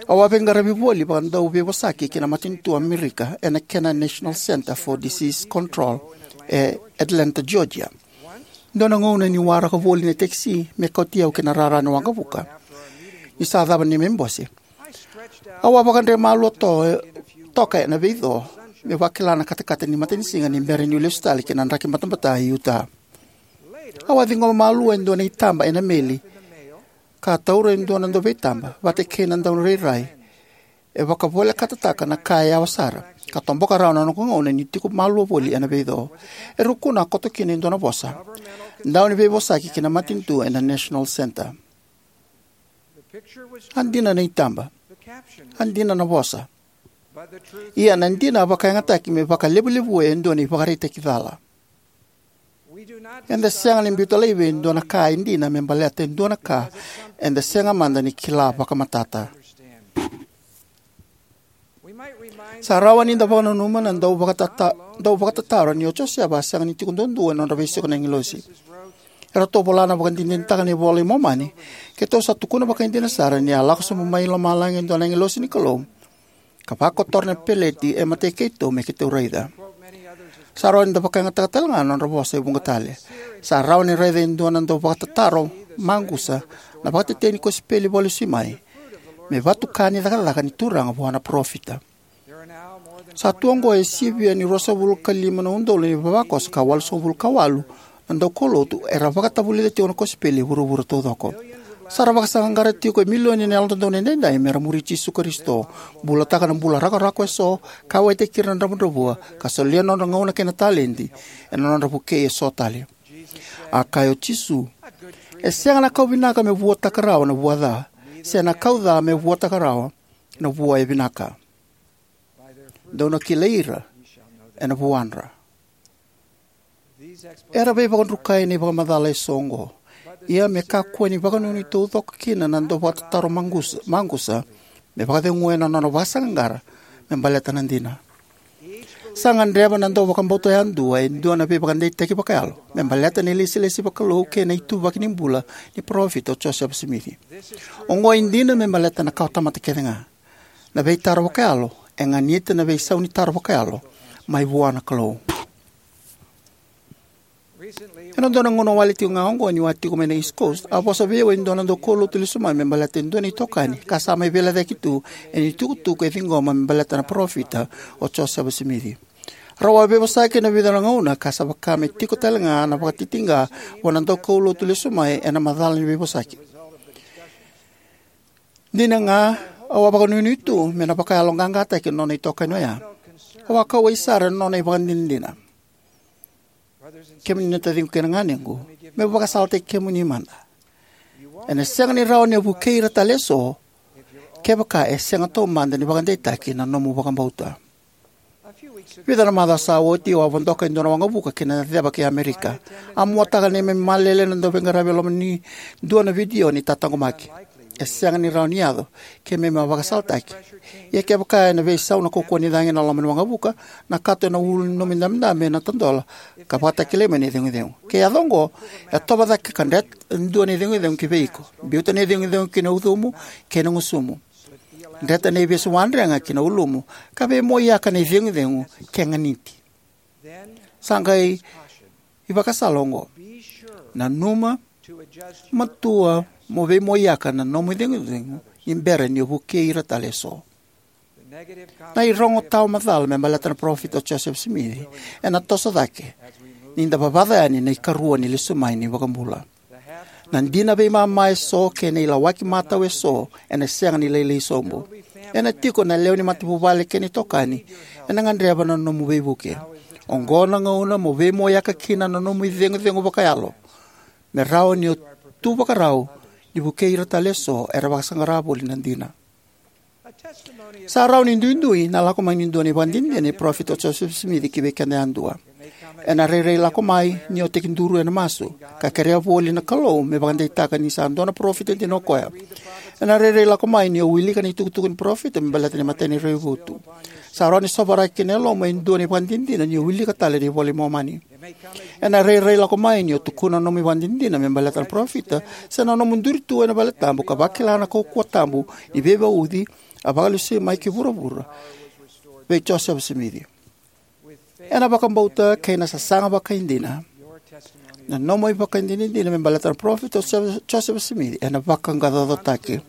Au a veiqaravi voli vakadauveivosaki ki na matanitu o Amerika ena kena National Center for Disease Control e Atlanta, Georgia. Dua na gauna niu waraka voli na tekisi me kauti au ki na rara ni waqavuka, ni sa cava na neimami bose, au a vakadre malua to-, toka ena veico meu vakila na katakata ni matanisiga ni bera niu lesu tale ki na draki batabata e Utah. Au a ciqoma malua e dua na itaba ena meli ka taura e dua na dauveitaba vata kei na daunirairai e vakavolekataka na ka e yawa sara, ka toboka rawa na noqu gauna niu tiko malua voli ena veico. E rukuna a koto kina e dua na vosa: Dauniveivosaki ki na matanitu ena National Center. A dina na itaba, a dina na vosa, ia na dina a vakayagataki me vakalevulevua e dua na ivakaraitaki cala. Eda sega ni biuta laivi e dua na ka e dina me baleta e dua na ka eda sega mada ni kila vakamatata. Sa rawa ni da vakananuma na dauvakatata-, dauvakatataro ni o Josefa a sega ni tiko duadua ena nodra veisiko na agilosi. Eratou vola na vakadinadinataka na iVola i Momani: Keitou sa tukuna vakaidina sara ni a lako sobu mai lomalagi e dua na agilosi ni Kalou ka vakotora na peleti e matai keitou me keitou raica. Sa rawa ni da vakayagataka tale ga na nodra vosa e vuqa tale. Sa rawa ni raica e dua na dauvakatataro maqusa na vakatetei ni kosipeli vakalesui mai me vatuka ni cakacaka ni Turaga vua na parofita. Sa tu oqo e sivia ni ruasagavulu ka lima na udolu na ivavakoso ka walusagavulu ka walu na daukaulotu era vakatavulica tiko na kosipeli e vuravura taucoko. Sa ra vakasaqaqara tiko e milioni na Yalododonu Edaidai me ra muri Jisu Karisito, bulataka na bula rakorako eso, kauwaitaki ira na dravudravua, ka solia na nodra gauna kei na taledi ena nodra vukei eso tale. A kaya o Jisu: E sega na kau vinaka me vuataka rawa na vua ca, se na kau ca me vuataka rawa na vua e vinaka. Dou na kilai ira ena vuadra. Era veivakadrukai na ivakamacala eso oqo, ia me kakua ni vakanuinui taucoko kina na dauvakatataro maqusa, maqusa me vakaceguya na nona vakasaqaqara me baleta na dina. Sa gadreva na dauvakabauta yadua e dua na veivakadeitaki vakayalo me baleta na ilesilesi vakalou kei na ituvaki ni bula ni parofita o Josefa Simici. Oqo e dina me baleta na kawatamata kece ga. Na veitaro vakayalo e ganita na veisau ni taro vakayalo mai vua na Kalou. Ena dua na gauna wale tiko ga oqo, niu a tiko mai na East Coast, a vosa vei au e dua na daukaulotu lesu mai me baleta e dua na itokani ka sa mai veilecayaki tu ena itukutuku e ciqoma me baleta na parofita o Josefa Simici. Rau a veivosaki ena vica na gauna ka sa vaka me tiko tale ga na vakatitiqa vua na daukaulotu lesu mai ena macala ni veivosaki. Dina ga, au a vakanuinui tu me na vakayaloqaqataki na nona itokani oya. Au a kauwai sara ena nona ivakadinadina. Kemuni na taciqu kei na ganequ, meu vakasalataki kemuni mada. Ena sega ni rawa ni o vukei ira tale eso kevaka e sega taumada ni vakadeitaki na nomu vakabauta. Vica na macawa sa oti, au a vodoka e dua na waqavuka ki na Ceva kei Amerika. A muataka na neimami malele na dauveiqaravi e loma ni dua na vidio ni tataqomaki. E sega ni rawa ni yaco, keimami a vakasalataki. Ia kevaka ena veisau na kaukauwa ni cagi ena loma ni waqavuka, na kato ena ulu ni nomu idabedabe ena tadola, ka vakatakilai mai na icegucegu. Ke yaco oqo, yatova cake ka dreta e dua na icegucegu ki vei iko. Biuta na icegucegu ki na ucumu kei na gusumu. Dreta na ivesu wadrega ki na ulumu, ka veimoiyaka na icegucegu ke ganiti. Sa qai ivakasala oqo: nanuma matua mo veimoiyaka na nomu icegucegu ni bera ni o vukei ira tale eso. Na irogo tawamacala me baleta na Parofita o Josefa Simici ena toso cake ni da vavaca yani na ikarua ni lesu mai ni iVakabula. Na dina veimama eso kei na ilawaki matau eso ena sega ni lailai sobu. Ena tiko na lewe ni matavuvale kei na itokani ena gadreva na nomu veivuke. Oqo na gauna mo veimoiyaka kina na nomu icegucegu vakayalo, me rawa ni o tu vakarau ni vukei ira tale eso era vakasaqara voli na dina. Sa rawa ni duidui na lako mai ni dua na ivakadinadina ni Parofita o Josefa Simici ki vei keda yadua. Ena rairai lako mai ni o tekiduru ena masu, ka kerea voli na Kalou me vakadeitaka ni sa dua na parofita dina o koya. Ena rairai lako mai ni o wilika na itukutuku ni parofita me baleta na imatai ni raivotu. Sa rawa ni sovaraki ki na yalomu e dua na ivakadinadina ni o wilika tale na iVola i Momani. Ena rairai lako mai ni o tukuna na nomu ivakadinadina me baleta na parofita, se na nomu duri tu ena valetabu ka vakila na kaukauwa tabu ni veivauci a vakalesui mai ki vuravura vei Josefa Simici. Ena vakabauta kei na sasaga vakaidina, na nomu ivakadinadina me baleta na Parofita o Josefa Simici ena vaqaqacotaki.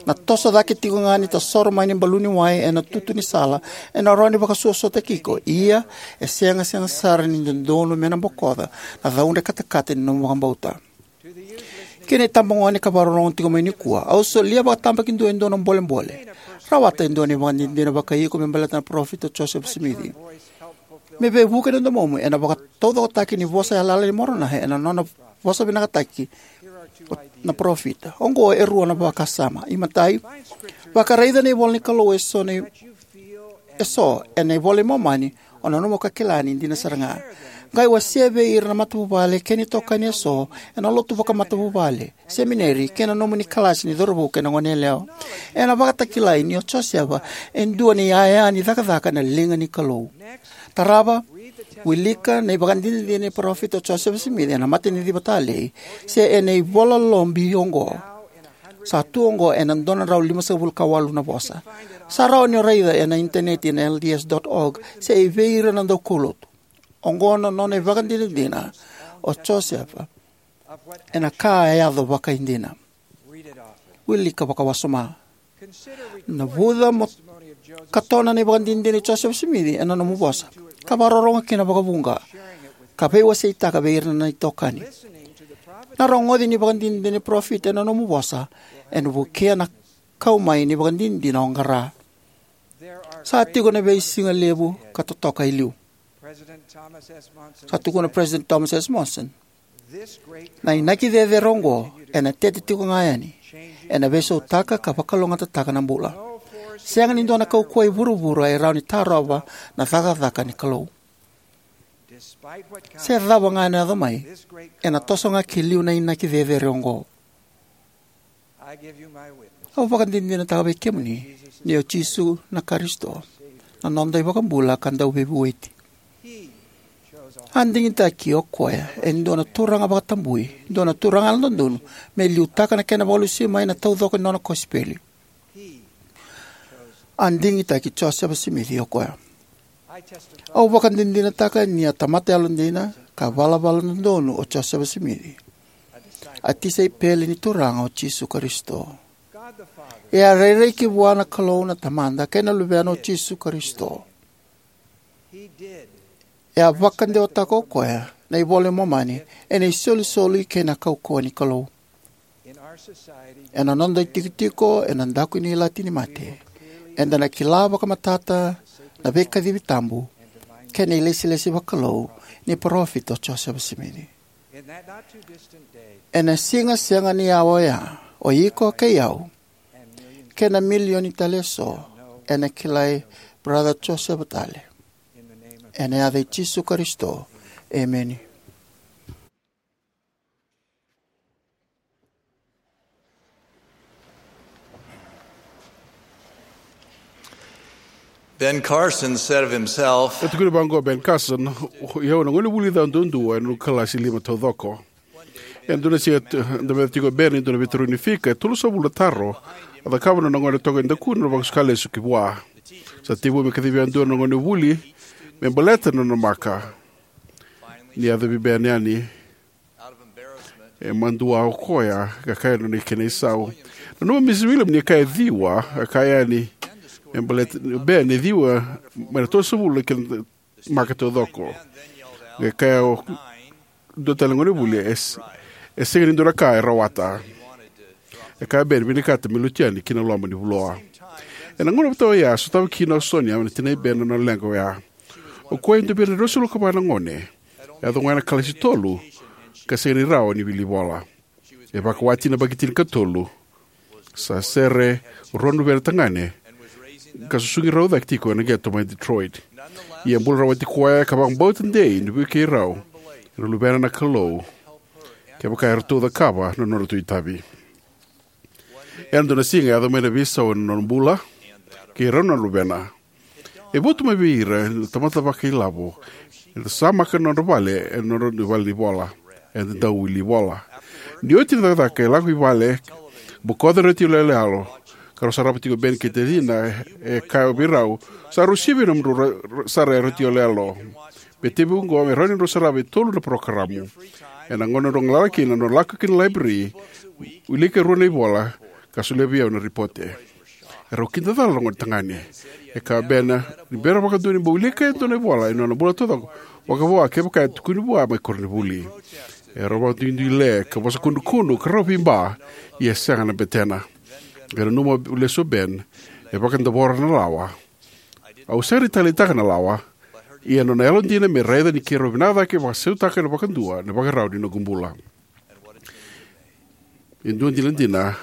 Na toso cake tiko ga ni tasoro mai ni baluni wai ena tutu ni sala ena rawa ni vakasuasuataki iko, ia e sega sega sara ni dodonu me na bokoca na caudre katakata ni nomu vakabauta. Ki na itabagone ka vakarorogo tiko mai nikua, au solia vakatabakidua e dua na bolebole. Rawata e dua na ivakadinadina vakaiiko me baleta na Parofita o Josefa Simici. Me veivuke na domomu ena vakataucokotaki ni vosa yalayala nei Moronai ena nona vosavinakataki na parofita. Oqo e rua na vakasama. Imatai, vakaraica na ivola ni Kalou eso na eso ena iVola i Momani, o nanuma ka kila ni dina sara ga. Qai wasea vei ira na matavuvale kei na itokani eso ena lotu vakamatavuvale, semineri, kei na nomuni kalasi ni cauravou kei na goneyalewa. Ena vakatakilai ni o Josefa e dua na iyaya ni cakacaka ena liga ni Kalou. Tarava, wilika na ivakadinadina ni Parofita o Josefa Simici ena Mataniciva Talei se ena ivola lobi oqo. Sa tu oqo ena dua na drau limasagavulu ka walu na vosa. Sa rawa ni o raica ena initaneti ena L D S dot org se e vei ira na daukaulotu. Oqo na nona ivakadinadina o Josefa ena ka e yaco vakaidina. Wilika vakawasoma. Navuca mo katona na ivakadinadina i Josefa Simici ena nomu vosa, ka vakarorogo kina vakavuqa, ka veiwaseitaka vei ira na itokani. Na rogoci ni ivakadinadina ni parofita ena nomu vosa ena vukea na kau mai ni ivakadinadina o qara. Sa tiko na veisiga levu ka totoka e liu. Sa tukuna President Thomas S. Monson, na inaki cecere oqo ena tete tiko ga yani, ena veisautaka ka vakalougatataka na bula. Sega ni dua na kaukauwa e vuravura e rawa ni tarova na cakacaka ni Kalou. Se cava ga ena yaco mai, ena toso ga ki liu na inaki cecere oqo. Au vakadinadinataka vei kemuni ni o Jisu na Karisito, na noda iVakabula ka Dauveivueti. A digitaki o koya e dua na turaga vakatabui, dua na turaga yalododonu, me liutaka na kena vakalesui mai na taucoko ni nona kosipeli. A digitaki Josefa Simici o koya. Au vakadinadinataka ni a tamata yalodina ka valavala dodonu o Josefa Simici, a tisaipeli ni Turaga o Jisu Karisito. E a rairai ki vua na Kalou na Tamada kei na Luvena o Jisu Karisito. E a vakadewataka o koya na iVola i Momani ena isolisoli kei na kaukauwa ni Kalou. Ena noda itikotiko ena daku ni ilati ni mate, eda na kila vakamatata na veikacivi tabu kei na ilesilesi vakalou ni Parofita o Josefa Simici. Ena siga sega ni yawa oya, o iko kei au kei na milioni tale eso ena kilai Brother Josefa tale. Ena yaca i Jisu Karisito, emeni. Ben Carson said of himself, E tukuna vaqo o Ben Carson, "O au na gonevuli ca duadua ena noqu kalasi lima taucoko." Ena dua na siga, e dau meca tiko o Ben e dua na veitarogi ni fika e tolusagavulu na taro a cakava na nona gone toka e dakuna na vakasuka lesu ki vua. Sa tekivu me kacivi yadua na gonevuli me baleta na nona maka. Ni yacovi Ben yani, e madua o koya ka kaya na nona kena isau. Nanuma o Misi William ni kaya ciwa, ka kaya yani me baleta o Ben e ciwa mai na tolusagavulu na kena maka taucoko. Qai kaya o dua tale na gonevuli, "E s-, e sega ni dua na ka e rawata." E kaya o Ben, "Vinakata me lutu yani ki na loma ni vuloa." Ena gauna vata oya, sotava kina o Sonia, na tinai Ben, na nona leqa oya. O koya e dua vei ira na ruasagavulu ka va na gone. E yaco ga ena kalasi tolu, ka sega ni rawa ni wili vola. E vakawati na yabaki tinikatolu. Sa sere rua na luvena tagane ka susugi rau cake tiko ena qeto mai Detroit. Ia e bula rawati koya ka vakabauta dei ni vukei rau na luvena na Kalou kevaka eratou cakava na nodratou itavi. Ena dua na siga e yaco mai na veisau ena nona bula kei rau na luvena. E votu mai vei ira na tamata vakailavo eda sa maka na nodra vale ena nodra vale ni vola. Eda dau wili vola. Ni oti na cakacaka, e lako i vale, bokoca na retio yaloyalo ka rau sarava tiko o Ben kei tacina. E kaya vei rau, "Sa rau sivia nomudrau ra-, ra-, sara e retio yaloyalo." Me tekivu oqo me rawa ni drau sarava e tolu na parokaramu. Ena gauna drau galala kina, drau lako ki na laiberi, wilika e rua na ivola ka solia vei au na ripote. Erau kidacala na gone tagane. E kaya o Ben ni bera vakadua ni bau wilika e dua na ivola ena nona bula taucoko, vakavo kevaka e tukuni vua mai koronivuli. Erau vakaduiduile ka vosa kudrukudru ka rau veiba, ia e sega na betena. Qai nanuma lesu o Ben, e vakadavora na lawa. Au sega ni taleitaka na lawa, ia nona yalodina me raica ni keirau vinaka cake vakasautaka vakadua na ivakarau ni noqu bula. E dua dinadina,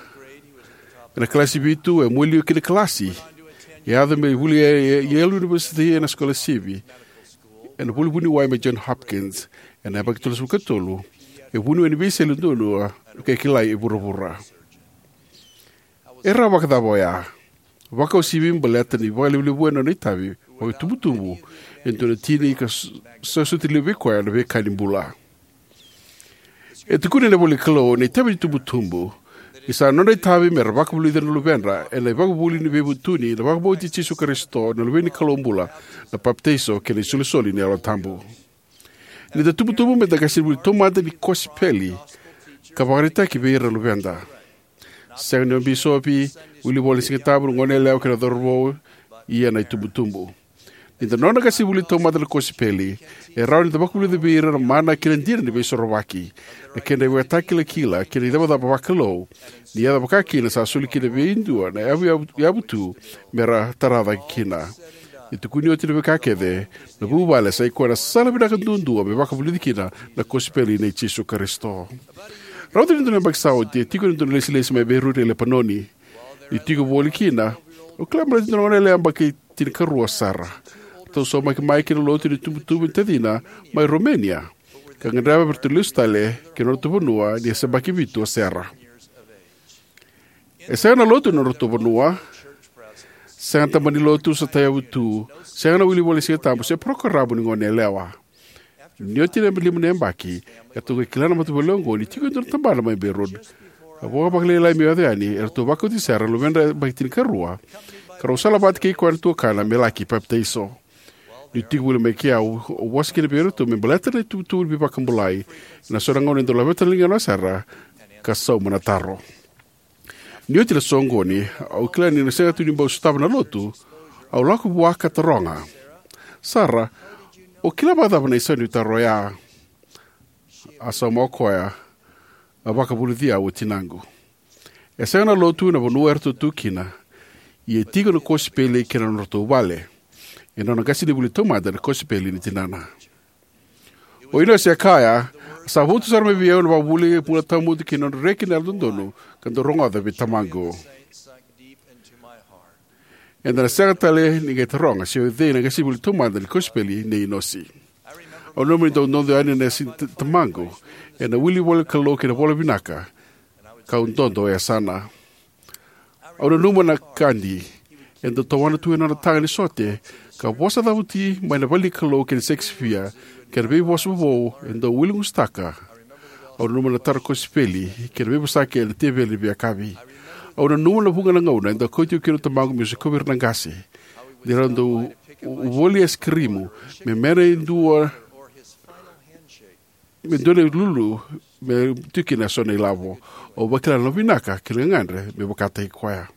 ena kalasi vitu, e mualia ki na kalasi. E yaco me vuli e, e Yale University ena sikolasivi, ena vuli vuniwai mai John Hopkins, ena yabaki tolusagavulu ka tolu. E vuniwai ni veisele duadua ka kilai e vuravura. E rawa vakacava oya? Vakauasivi baleta ni vakalevulevu ena nona itavi vakaitubutubu e dua na tina ka s-, sa soti levu vei koya na veika ni bula. E tukuni ena ivola ni Kalou na itavi ni tubutubu ni sa nodra itavi mera vakavulici ira na luvedra ena ivakavuvuli ni veivutuni, na vakabauti Jisu Karisito na Luve ni Kalou bula, na papitaiso kei na isolisoli ni Yalo Tabu. Ni da tubutubu, meda qasenivuli taumada ni kosipeli ka vakaraitaki vei ira na luveda. Sega ni o bisopi, wilivola ni Siga Tabu, na goneyalewa kei na cauravou, ia na itubutubu. Ni da nona qasenivuli taumada na kosipeli, e rawa ni da vakavulica vei ira na mana kei na dina ni Veisorovaki, na kedra ivakatakilakila kei na icavacava vakalou, ni yaco vaka kina sa soli kina vei dua na yavu, yavu, yavu tu mera tara cake kina. Ni tukuni oti na veika kece, na vuvale sa i koya na sala vinaka duadua me vakavulici kina na kosipeli nei Jisu Karisito. Rauta ni dua na yabaki sa oti, e tiko ena dua na ilesilesi mai Beirut e Lepanoni. Niu tiko voli kina, au kila baleta e dua na goneyalewa yabaki tinikarua sara. Ratou saumaki mai ki na lotu ni tubutubu ni tacina mai Romania ka gadreva me ratou lesu tale ki na nodratou vanua ni se yabaki vitu o Sera. E sega na lotu ena nodratou vanua, sega na tabana ni lotu sa tauyavu tu, sega na wilivola ni Siga Tabu se parokaramu ni goneyalewa. Ni oti na lima na yabaki, eratou qai kila na matavuvale oqo ni tiko e dua na tabana mai Beirut. A vo vakalailai meu yaco yani, eratou vakauti Sera, na luvedra yabaki tinikarua, ka rau sala vata kei koya na tuakana me laki papitaiso. Niu tiko voli mai kea, au vosa kina vei iratou me baleta na itubutubu ni veivakabulai. Ena so na gauna e dau laveta na ligana o Sera ka sauma na taro. Ni oti na soqoni, au kila ni na sega tu ni bau sotava na lotu, au lako vua ka taroga, "Sara, o kila vakacava na isau ni taro oya?" A sauma o koya, "A vakavulici au o tinaqu." E sega na lotu ena vanua eratou tu kina, ia e tiko na kosipeli kei na nodratou vale. E nona qasenivuli taumada na kosipeli ni tinana. O Inose e kaya, "Sa votu sara mai vei au na vakavuvuli, bula tawamudu kei na nodra reki na Yalododonu ka dau rogoca vei tamaqu." Eda na sega tale ni qai taroga se o cei na qasenivuli taumada ni kosipeli nei Inosi. Au nanuma ni dau dodo yani na yasa ni tamaqu ena wili ivolanikalou kei na ivola vinaka, kau dodo e yasana. Au nanuma na kadi e dau tawana tu ena nona taga ni sote ka vosa cavuti mai na vale ni Kalou kei na Shakespeare kei na veivosa vovou e dau wiligusutaka. Au nanuma na taro ni kosipeli kei na veivosaki ena teveli ni veiyakavi. Au nanuma na vuqa na gauna e dau kauti au kina o tamaqu meu sikovi ira na qase ni ra dau voli aisikirimu me mena e dua me dua na ilulu me tiko kina eso na ilavo. Au vakila na nona vinaka kei na gagadre me vakataki koya.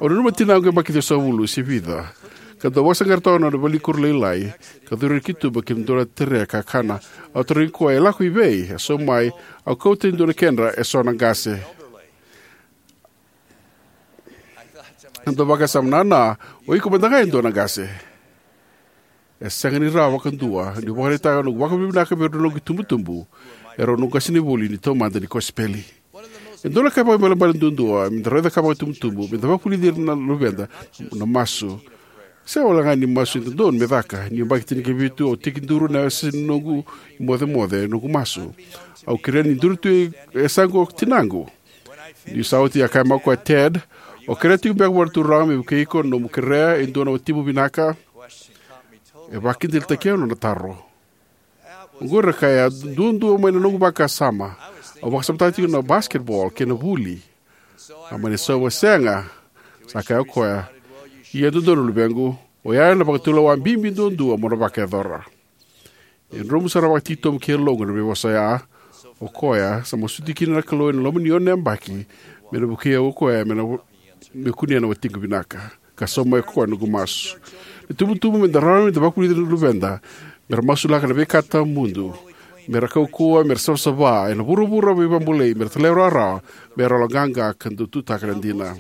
Au nanuma na tinaqu yabaki ciwasagavulu se vica ka dau vakasaqara toka na nona valenikuro lailai ka curu ena katuba ki na dua na tray ni kakana. Au tarogi koya e lako i vei. A sauma mai, au kauta e dua na kedra eso na qase. Au dau vakasama, "Nana, o iko mada ga e dua na qase." E sega ni rawa vakadua niu vakaraitaka noqu vakavinavinaka vei rau na noqu itubutubu, erau noqu qasenivuli ni taumada ni kosipeli. E dua na ka vakaibalebale duadua meda rawa ni cakava vakaitubutubu meda vakavulici ira na luveda na masu. Sega walega ni masu e dodonu me caka. Niu yabaki tinikavitu au tekiduru ena yasa ni noqu imocemoce noqu masu. Au kerea ni duri tu e yasaqu o tinaqu. Niu sa oti, a kaya mai o koya, "Ted, o kerea tiko beka vua na Turaga me vukei iko na nomu kerea e dua na watimu vinaka?" E vakakidaitaki au na nona taro. Oqori, a kaya, duadua mai na noqu vakasama. Au vakasamataka tiko na basketball kei na vuli. A mani sauma, "Sega," sa kaya o koya. "Ia dodonu, luvequ, oya na vakatulewa bibi duadua mo na vakayacora." E dromu sara vakatitobu ki yaloqu na veivosa oya. O koya sa masuti kina na Kalou ena loma ni ono na yabaki me na vukei au o koya me na, me kunea na watiqu vinaka. Ka sauma mai o koya na noqu masu. Na itubutubu meda rawa meda vakavulici ira na luveda mera masulaka na veika tawamudu, mera kaukauwa, mera savasava ena vuravura veivakabulai, mera talairawarawa, mera yaloqaqa ka dau tutaka na dina.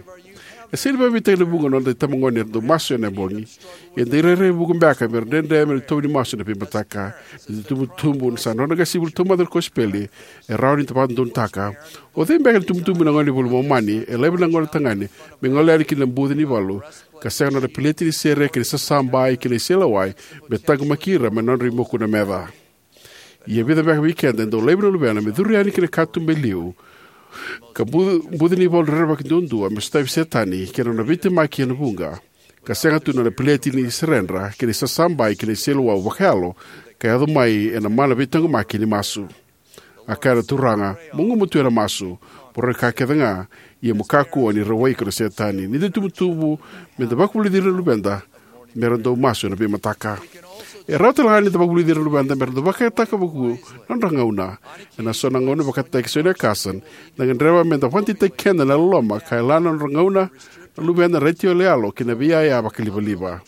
E sega ni vakaivakarautaki na vuqa na noda itabagone era dau masu ena bogi. Ia e dau rairai vuqa beka mera dredre mera itovo ni masu ena veimataka. Ni da tubutubu sa nodra qasenivuli taumada na kosipeli, e rawa ni da vakadodonutaka. O cei beka na tubutubu ena gauna ni iVola i Momani e laiva na gone tagane me gole yani ki na buca ni valu ka sega nona peleti ni sere kei na sasabai kei na iseleiwau me taqomaki ira mai na nodra imoku na meca? Ia e vica beka vei keda e dau laiva na luvena me curu yani ki na katuba e liu ka bu-, buca ni valu rerevaki duadua me sotavi Setani kei na nona veitemaki ena vuqa, ka sega tu nona peleti ni seredra kei na isasabai kei na iseleiwau vakayalo ka yaco mai ena mana veitaqomaki ni masu. A kaya na Turaga, "Mo gumatua ena masu, mo raica na ka kece ga, ia mo kakua ni rawai iko na Setani." Ni da tubutubu meda vakavulici ira na luveda mera dau masu ena veimataka. E rawa talega ni da vakavulici ira na luveda mera dau vakayagataka vakavuku na nodra gauna. Ena so na gauna, vakataki Sonia Carson, da gadreva meda vakadeitaki keda ena loloma ka yalana na nodra gauna na luveda, na retioyaloyalo kei na veiyaya vakalivaliva,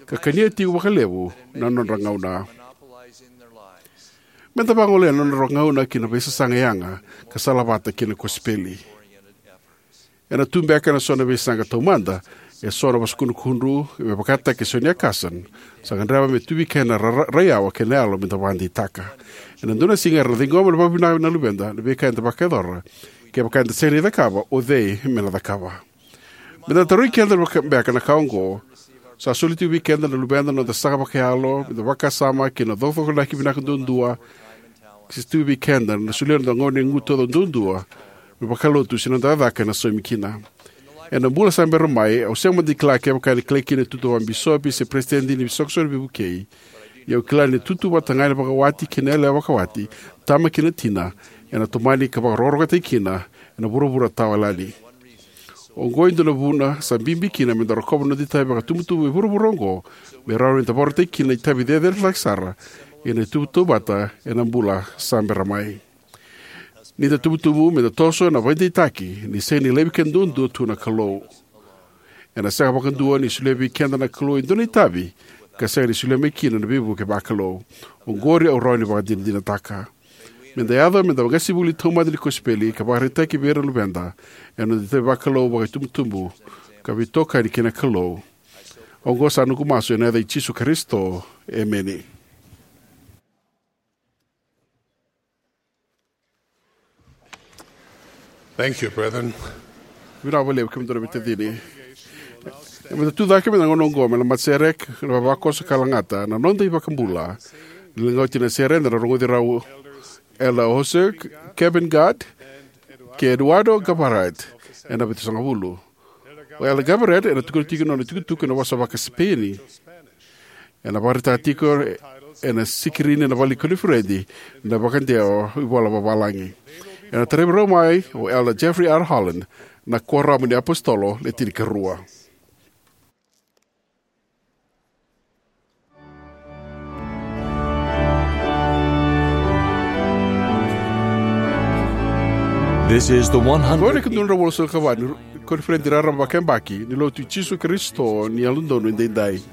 ka kania tiko vakalevu na nodra gauna. Meda vagolea na nodra gauna ki na veisasaga yaga ka salavata kei na kosipeli. Ena tu beka ena so na veisaqa taumada eso na vosa kudrukudru, me vakataki Sonia Carson, sa gadreva me tu vei keda na ra-, ra-, raiyawa kei na yalo meda vakadeitaka. Ena dua na siga era na ciqoma vakavinaka na luveda na veika eda vakayacora, kevaka eda sega ni cakava, o cei me na cakava? Meda tarogi keda beka na ka oqo: Sa soli tiko vei keda na luveda na noda sasaga vakayalo meda vakasama kina na cokocokonaki vinaka duadua, se tu vei keda na solia na noda gauna, igu taucoko duadua me vakalotu, se na noda cakacaka ena saumi kina? Ena bula sa bera mai, au sega mada ni kila kevaka ena kilai kina na itutu vakabisopi se peresitedi ni isoqosoqo ni veivukei. Ia au kila ni na tutu vata ga ena vakawati kei na yalewa vakawati, tama kei na tina, ena tomani ka vakarokorokotaki kina ena vuravura tawayalani. Oqo e dua na vuna sa bibi kina meda rokova na noda itavi vakatubutubu e vuravura oqo, me rawa nida vakarautaki kina na itavi cecere cake sara ena itubutubu vata ena bula sa bera mai. Nida tubutubu, meda toso ena vakadeitaki ni sega ni laivi keda duadua tu na Kalou. Ena sega vakadua ni solia vei keda na Kalou e dua na itavi ka sega ni solia mai kina na veivuke vakalou. Oqori au rawa ni vakadinadinataka. Meda yaco meda vaqasenivuli taumada ni kosipeli ka vakaraitaki vei ira na luveda ena noda itavi vakalou, vakaitubutubu, ka veitokani kei na Kalou. Oqo sa noqu masu ena yaca i Jisu Karisito. Emeni. Thank you, brethren. Vinaka vakalevu kemudou na veitacini. Meda tu cake mai na gauna oqo me na masereka na vavakoso ka lagata na noda iVakabula. Ni lagauti na sere eda na rogoci rau Elder Jose Kevin Gad kei Eduardo Gabaret ena vitusagavulu. O Elder Gabaret ena tukuna tiko na nona itukutuku ena vosa vakaSipeni. Ena vakaraitaka tiko ena sikirini ena vale ni koniferedi na vakadewa ivola vavalagi. Ena tarai rau mai o Elder Jeffrey R. Holland, na Kuoramu ni iApositolo Le Tinikarua. This is the Oqo na one hundred ika dua na drau walusagavulu ka va ni koniferedi raraba vakayabaki ni Lotu i Jisu Karisito ni Yalododonu Edaidai.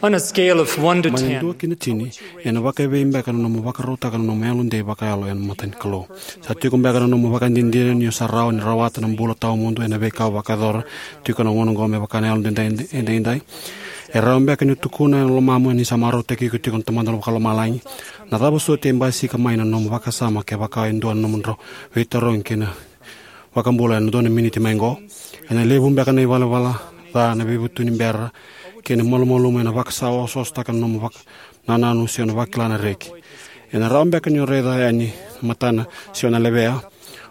On a scale of one to ten, mai na dua ki na tini, ena vakaevei beka na nomu vakarautaka na nomu yalodei vakayalo ena mata ni Kalou? Sa tiko beka na nomu vakadinadina ni o sa rawa ni rawata na bula tawamudu ena veika o vakayacora tiko na gauna oqo me vaka na yalodei edaidai? E rawa beka ni o tukuna ena lomamu ni sa marautaki iko tiko na Tamada Vakalomalagi? Na cava soti e basika mai na nomu vakasama kevaka e dua na nomudrau veitarogi kei na iVakabula ena dua na miniti mai oqo? Ena levu beka na ivalavala ca, na veivutuni bera, kei na malumalumu ena vakasaososotaka na nomu vakanananu se na vakila na reki. Ena rawa beka ni o raica yani na matana se o na levea,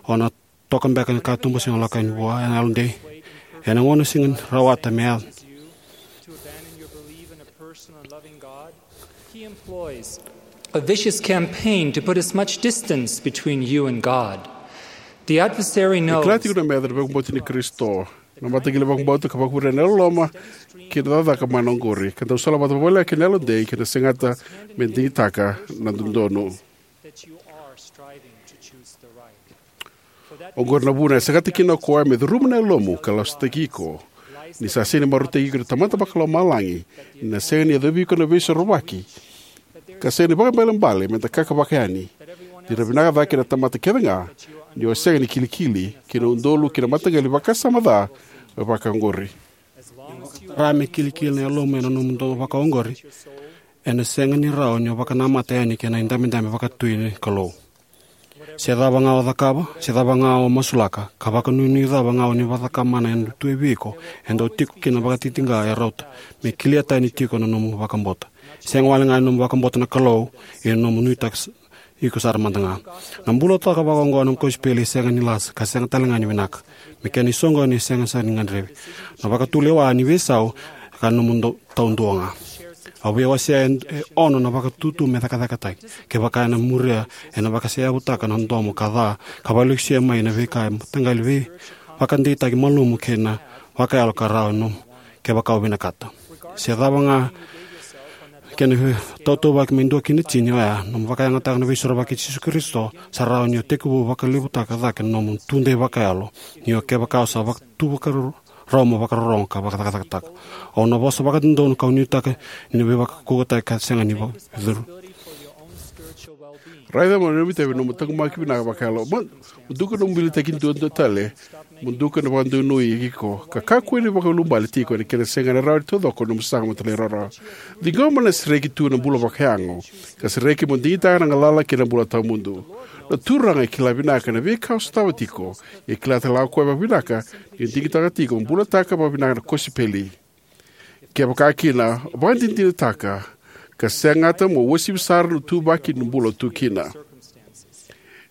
o na toka beka na katuba se na lako yani vua ena yalodei. Ena gauna sega ni rawata me yaco. He employs a vicious campaign to put as much distance between you and God. The adversary knows. E kila tiko na meca na vakabauti ni Karisito, na mataqali vakabauta ka vakavure na loloma kei na cakacaka mana oqori, ka dau salavata vakavoleka kei na yalodei kei na segata me digitaka na dodonu. Oqori na vuna e segata kina o koya me curuma na yalomu ka lasutaki iko, ni sa sega ni marautaki iko na Tamada Vakalomalagi, ni na sega ni yacovi iko na Veisorovaki, ka sega ni vakaibalebale me da kakavaka yani, ni ra vinaka cake na tamata kece ga, ni o sega ni kilikili ki na udolu kei na mataqali vakasama ca vakaoqori. Rawa me kilikili na yalomu ena nomu domo vakaoqori, ena sega ni rawa ni o vakanamata yani kei na idabedabe vakatui ni Kalou. Se cava ga o cakava, se cava ga o masulaka, ka vakanuinui cava ga o ni vakacakamana ena tu e vei iko, e dau tiko kina na vakatitiqa e rauta me kilia tani tiko na nomu vakabauta. Sega wale ga ni nomu vakabauta na Kalou, ia na nomu nuitaka s- iko sara mada ga. Na bulataka vakaoqo na nomu kosipeli e sega ni lasa, ka sega tale ga ni vinaka. Me kena isoqoni e sega sara ni gadrevi. Na vakatulewa ni veisau, ka nomu dau- taudua ga. Au via wasea e- e ono na vakatutu me cakacakataki. Kevaka ena muria, ena vakaseyavutaka na domo ka ca, ka valesuya mai na veika e mataqali vei vakadeitaki malumu kei na vakayalo ka rawa nomu, kevaka o vinakata. Se cava ga kena vei- tautauvaki me dua kina tini oya, nomu vakayagataka na veisorovaki i Jisu Karisito, sa rawa ni o tekivu vakalevutaka cake na nomu tudei vakayalo, ni o kevaka o sa vaka- tu vakarau mo vakarorogo ka vakacakacakataka. Au na vosa vakadodonu kau nuitaka ni na veivakaukauwataki ka sega ni vakacuru. Raica mo na nomu itavi nomu taqomaki vinaka vakayalo. Mo duka nomu bilitaki duadua tale. Mo duka na vakadonui iko ka kakua ni vakaiulubale tiko ena kena sega na rawa ni taucoko nomu saga mo talairawarawa. Ciqoma na sereki tu na bula vakayago, ka sereki mo digitaka na galala kei na bula tawamudu. Na Turaga e kila vinaka na veika o sotava tiko. E kila tale ga o koya vakavinaka ni digitaka tiko mo bulataka vakavinaka na kosipeli. Kevaka kina, vakadinadinataka ka segata mo uasivi sara na tuvaki ni bula tu kina.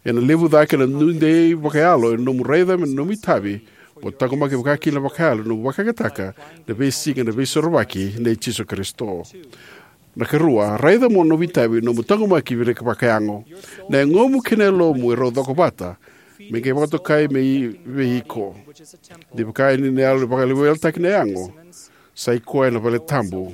Ena levu cake na tudei vakayalo ena nomu raica me na nomu itavi mo taqomaki vakakina vakayalo na nomu vakayagataka na veisiga na veisorovaki nei Jisu Karisito. Na karua, raica mo nomu itavi nomu taqomaki vinaka vakayago. Na yagomu kei na yalomu e rau coko vata me qai vakatokai me i- vei iko. Ni vaka ni na yalo e vakaleweletaki na yago, sa i koya na vale tabu.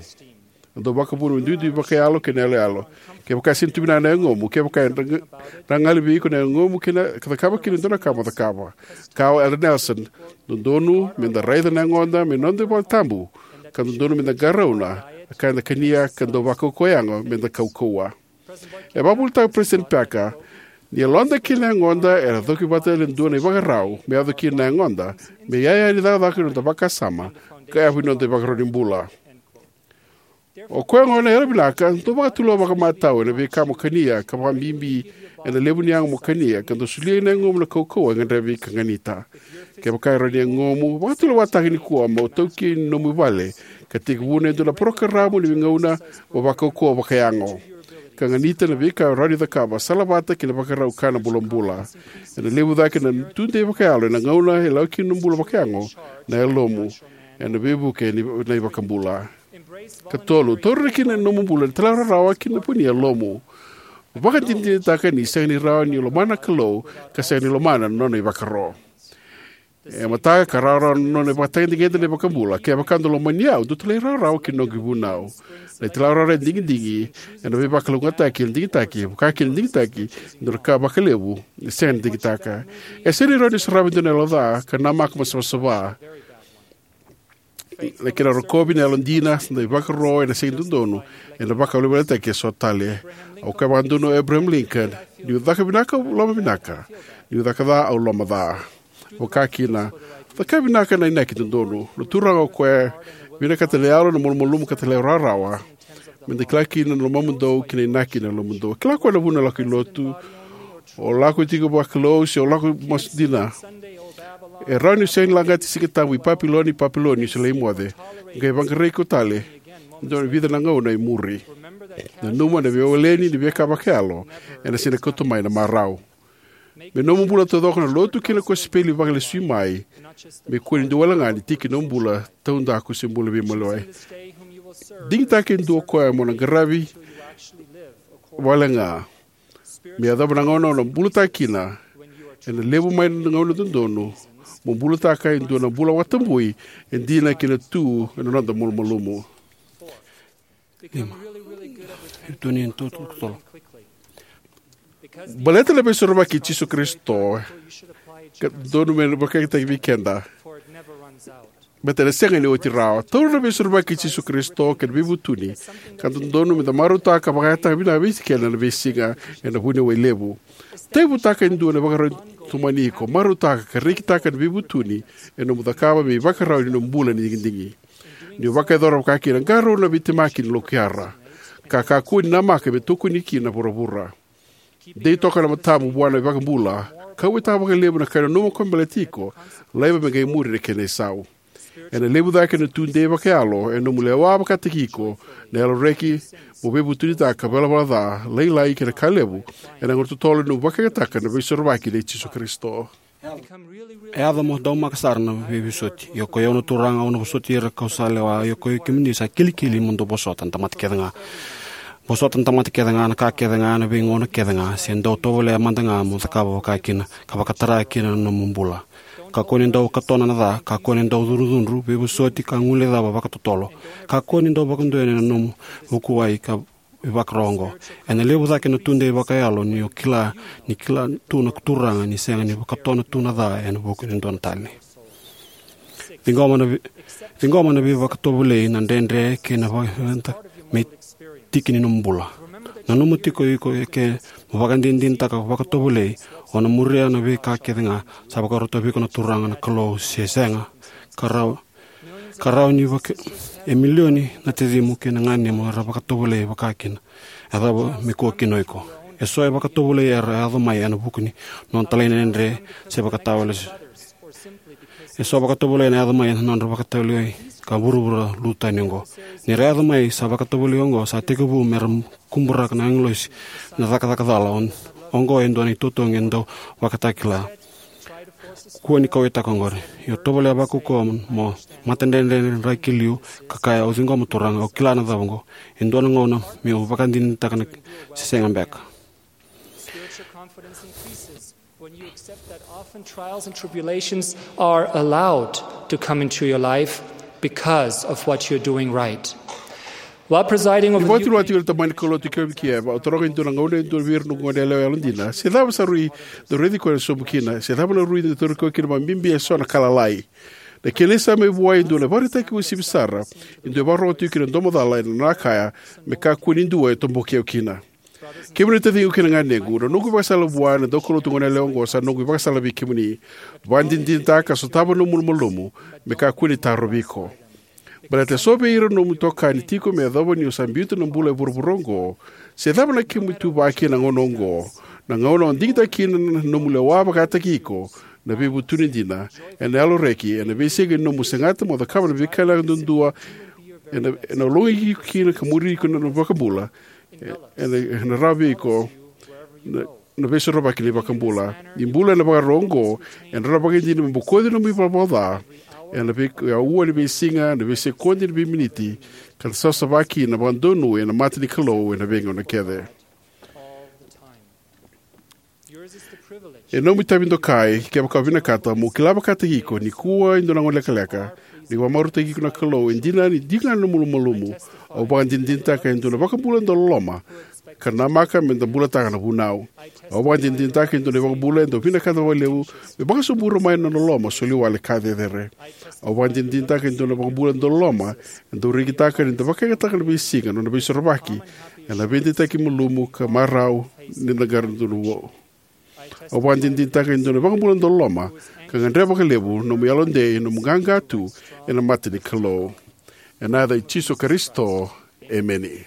E dau vakavuna me duidui vakayalo kei na yaloyalo. Kevaka e sega ni tu vinaka na yagomu, kevaka e dra- dragali vei iko na yagomu kei na ka cakava kina e dua na ka mo cakava. Ka o Elder Nelson, dodonu me da raica na yagoda me noda vale tabu, ka dodonu me da qarauna na ka eda kania ka dau vakaukauwa yago me da kaukauwa. E vakavuvulitaka President Packer, ni yaloda kei na yagoda era coki vata ena dua na ivakarau me yaco kina na yagoda me iyaya ni cakacaka ni noda vakasama ka yavu ni noda ivakarau ni bula. O koya gona e yalovinaka, dou vakatulewa vakamatau ena veika mo kania, ka vakabibi ena levu ni yago mo kania, ka dou solia na yagomu na kaukauwa e gadrevi ka ganita. Kevaka e rawa ni yagomu, vakatulewataka nikua mo taukei ni nomu vale ka tekivuna e dua na parokaramu ni veigauna mo vakaukauwa vakayago, ka ganita na veika e rawa ni cakava, salavata kei na vakarau ka na bulabula. Ena levu cake na tudei vakayalo ena gauna e lako kina na bula vakayago na yalomu ena veivuke ni na iVakabula. Ka tolu, taura kina na nomu bula na talairawarawa ki na vu ni yalomu. Vakadinadinataka ni sega ni rawa ni lomana na Kalou ka sega ni lomana na nona ivakaro. E mataka ka rawarawa na nona ivakatagedegede na iVakabula. Kevaka dou lomani au, dou talairawarawa ki na noqu ivunau. Na italairawarawa e digidigi ena veivakalougatataki ena digitaki, vaka kina na digitaki e dua na ka vakalevu e sega ni digitaka. E sega ni rawa ni saravi e dua na yalo ca ka namaka mo savasava. Na kena rokovi na yalodina, na ivakaro ena sega ni dodonu ena vakaweleweletaki eso tale. Au kaya vakadodonu o Abraham Lincoln, niu caka vinaka au lomavinaka, niu caka ca au lomaca. Vaka kina, caka vinaka na inaki dodonu. Na Turaga o koya e vinakata na yalo, na malumalumu ka talairawarawa, me da kila kina na lomamudou kei na inaki na yalomudou. Kila o koya na vuna o lako i lotu, o lako tiko vakalou se o lako masu dina. E rawa ni o sega ni lagati Siga Tabu i Papiloni, Papiloni, o sa lai moce, qai vaqarai iko tale ena dua na vica na gauna e muri. Nanuma na veiwaleni ni veika vakayalo ena sega ni kauta mai na marau. Me nomu bula taucoko na lotu kei na kosipeli vakalesui mai, me kua ni dua wale ga ni tiki ni nomu bula taudaku se bula veimaliwai. Digitaka e dua o koya mo na qaravi wale ga. Me yacova na gauna o na bulataka kina, ena levu mai na gauna dodonu mo bulataka e dua na bula vakatabui e dina ki na tu ena noda malumalumu. Lima. Baleta na veisorovaki i Jisu Karisito, ka dodonu me vakayagataki vei keda. Baleta ena sega ni oti rawa. Taura na veisorovaki i Jisu Karisito kei na veivutuni, ka dodonu me da marautaka ka vakayagataka vinaka vei keda na veisiga ena vuniwai levu. Taivutaka e dua na ivakarau tomani iko, marautaka ka rekitaka na veivutuni e nomu cakava me ivakarau ni nomu bula ni digidigi. Niu vakayacora vakakina, qarauna na veitemaki ni lokuyara, ka kakua ni namaka me tokoni kina na vuravura. Dei toka na matamu vua na iVakabula, kauwaitaka vakalevu na ka e nanuma ko baleti iko, laiva me qai muri na kena isau. Ena levu cake na tudei vakayalo e nomu lewa vakataki iko na yalo reki mo veivutunitaka ka valavala ca lailai kei na ka levu ena gauna totolo ni nomu vakayagataka na veisorovaki nei Jisu Karisito. E yaco mo daumaka sara na veivosoti. Ia ko i au na Turaga, au na vosoti ira kau sa lewa. Ia ko i kemuni sa kilikili mo dou vosota na tamata kece ga. Vosota na tamata kece ga, na ka kece ga, na veigauna kece ga, se dau tovolea mada ga mo cakava vaka kina, ka vakatara kina na nomu bula. Kakua ni dau katona na ca, kakua ni dau cudrucudru, veivosoti ka guilecava vakatotolo. Kakua ni dau vakadonuya na nomu vukuwai ka ivakarau oqo. Ena levu cake na tudei vakayalo ni o kila, ni kila tu na Turaga ni sega ni vakatona tu na ca ena vuku ni dua na tani. Ciqoma na vei-, ciqoma na veivakatovolei, na dredre kei na vakavinaka me tiki ni nomu bula. Nanuma tiko iko e ke mo vakadinadinataka vakatovolei, o na muria na veika kece ga sa vakarota vei iko na Turaga na Kalou se sega. Ka rawa, ka rawa ni vaka e milioni na tacimu kei na ganemu era vakatovolei vaka kina. E cava me kua kina o iko? Eso e vakatovolei era yaco mai ena vuku ni nona talai na dredre se vakatawale. Eso vakatovolei na yaco mai na nodra vakatovolei ka vuravura lutu tani oqo. Ni ra yaco mai sa vakatovolei oqo, sa tekivu mera kuburaka na agilosi na cakacaka cala. On-, oqo e dua na itotogi e dau vakatakila. Kua ni kauwaitaka oqori. Io, tovolea vakaukauwa mo matadredredre draki liu ka kaya, au ciqoma Turaga, au kila na cava oqo. E dua na gauna meu vakadinadinataka na se sega beka. Spiritual confidence increases when you accept that often trials and tribulations are allowed to come into your life because of what you're doing right. While presiding over Ni the vakatulewataki na tamani Kalou tiko mai Kiev, au taroga e dua na gauna e dua vei ira na noqu goneyalewa yalodina, se cava sa rui dau raici koya ena sobu kina, se cava na rui dau tauri koya kina vakabibi eso na ka lalai. Na kena isau mai vua e dua na ivakaraitaki uasivi sara, e dua e vakarorogo tiko kina na domo cala ena nona kaya, me kakua ni dua e toboki au kina. Kemuni na taciqu kei na ganequ, na noqu ivakasala vua na daukaulotu goneyalewa oqo sa noqu ivakasala vei kemuni. Vakadinadinataka ka sotava na nomu malumalumu, me kakua ni tarovi iko. Baleta eso vei ira na nomu itokani tiko me yacova ni o sa biuta na bula e vuravura oqo, se cava na kemu ituva kina na gauna oqo, na gauna o digitaka kina na nomu lewa vakataki iko, na veivutuni dina, ena yalo reki, ena veisiga ni nomu segata mo cakava na veika levu duadua, ena, ena logi iko kina ka muri iko na iVakabula, e, ena, ena rawa vei iko na, na veisorovaki ni iVakabula. Ni bula ena ivakarau oqo, ena rawa vakaidina me bokoci na nomu ivalavala ca ena vei-, aua ni veisiga, na veisekodi, na veiminiti, ka na savasava kina na vakadonui ena mata ni Kalou ena veigauna kece. E nomu itavi dokai, kevaka o vinakata, mo kila vakataki iko nikua e dua na gauna lekaleka, ni vakamarautaki iko na Kalou e dina, ni dina na nomu malumalumu. Au vakadinadinataka e dua na iVakabula dau loloma, ka namaka me da bulataka na vunau. Au vakadinadinataka e dua na iVakabula e dau vinakata vakalevu me vakasobura mai na nona loloma soli wale ka cecere. Au vakadinadinataka e dua na iVakabula dau loloma, e dau rekitaka ni da vakayagataka na veisiga na nona veisorovaki, ena veideitaki malumu ka marau ni da qara donu vou. Au vakadinadinataka e dua na iVakabula dau loloma, ka gadreva vakalevu nomu yalodei, nomu qaqa tu ena mata ni Kalou. Ena yaca i Jisu Karisito, emeni.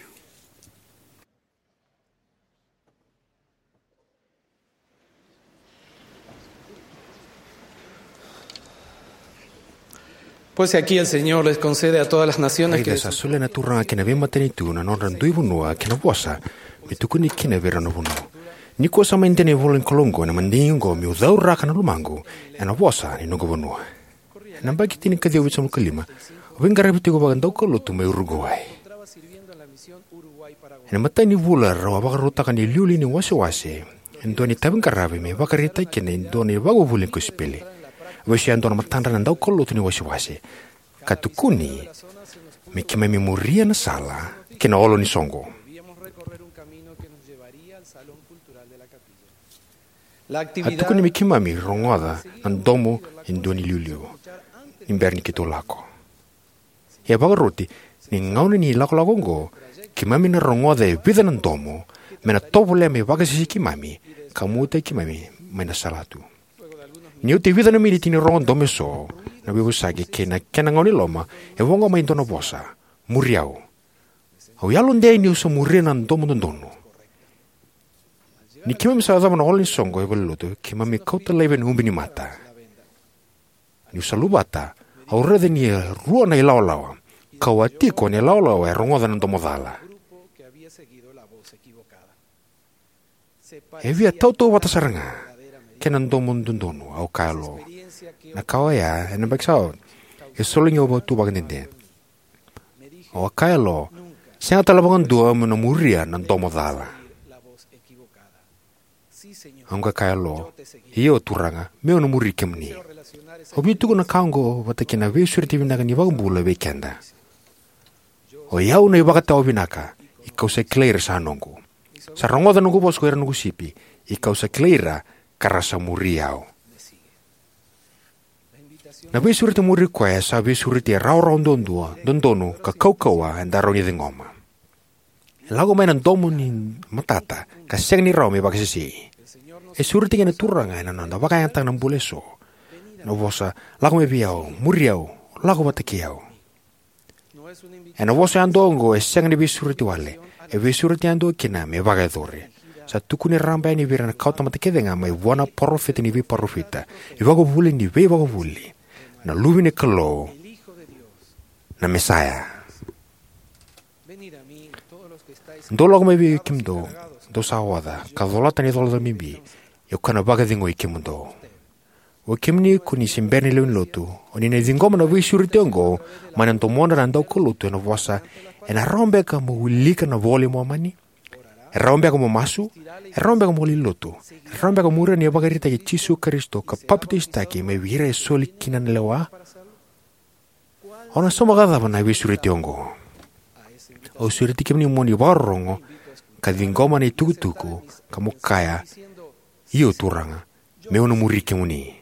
Pues aquí el Señor les concede a todas las naciones que Raica sa solia na Turaga kei na veimatanitu na nodra dui vanua kei na vosa me tukuni kina vei ira na vanua. Nikua sa mai dina na ivola ni Kalou oqo ena madigi oqo, meu cauraka na lomaqu ena vosa ni noqu vanua. Ena yabaki tinikaciwa vitusagavulu ka lima, au veiqaravi tiko vakadaukaulotu mai Uruguai. Ena imatai ni vula rau a vakarautaka na iliuliu ni wasewase e dua na itaviqaravi me vakaraitaki kina e dua na ivakavuvuli ni kosipeli. A vesuya e dua na matadra na daukaulotu ni wasewase ka tukuni me keimami muria na sala ki na olo ni soqo. A tukuni me keimami rogoca na domo e dua na iliuliu ni bera ni keitou lako. Ia vakaroti, ni gauna ni lakolako oqo, keimami na rogoca e vica na domo me na tovolea me vakasisiki keimami ka muataki keimami mai na salatu. Ni oti e vica na miniti ni rogo domo eso, na veivosaki kei na kena gauna ni loma, e voqa mai e dua na vosa: Muri au. Au yalodei niu sa muria na domo dodonu. Ni keimami sa yacova na holo ni soqo e valenilotu, keimami kauta laivi na ubi ni mata. Niu sa luvata, au raica ni rua na ilawalawa, kau a tiko na ilawalawa e rogoca na domo cala. E via tautauvata sara ga kei na domo dodonu, au kaya lo. Na ka oya, ena yabaki sa oti, e soli au tu vakadede. Au a kaya lo, sega tale vakadua meu na muria na domo cala. Au qai kaya lo, io Turaga, meu na muri kemuni. Au via tukuna na ka oqo vata kei na veisureti vinaka ni iVakabula vei keda. O i au na ivakatawa vinaka, ia kau sa kilai ira sa noqu. Sa rogoca na noqu vosa ko ira na noqu sipi, ia kau sa kilai ira, ka ra sa muri au. Na veisureti muri koya sa veisureti e rawarawa duadua, dodonu, ka kaukauwa, eda rawa ni ciqoma. E lako mai na domo ni matata, ka sega ni rawa me vakasesei. E sureti kina na Turaga ena noda vakayagataka na bula eso. Na vosa, lako mai vei au, muri au, lako vata kei au. Ena vosa yadua oqo, e sega ni veisureti wale, e veisureti yadua kina me vakayacori. Sa tukuni raraba yani vei ira na kawatamata kece ga mai vua na parofita ni veiparofita, iVakavuvuli ni veivakavuvuli, na Luve ni Kalou, na Mesaia. Dou lako mai vei kemudou, dou sa oca, ka colata na icolacola bibi, ia kau na vakacegui kemudou. O kemuni ko ni se bera ni lewe ni lotu, o ni na ciqoma na veisureti oqo mai na domodra na daukaulotu, ena vosa, e na rawa beka mo wilika na iVola i Momani? E rawa beka mo masu? E rawa beka mo laki lotu? E rawa beka mo muria na ivakaraitaki i Jisu Karisito ka papitaisotaki mai vei ira e soli kina na lewa? O na sauma vakacava na veisureti oqo? Au sureti kemuni mo ni vakarorogo ka ciqoma na itukutuku, ka mo kaya, io Turaga, meu na muri kemuni.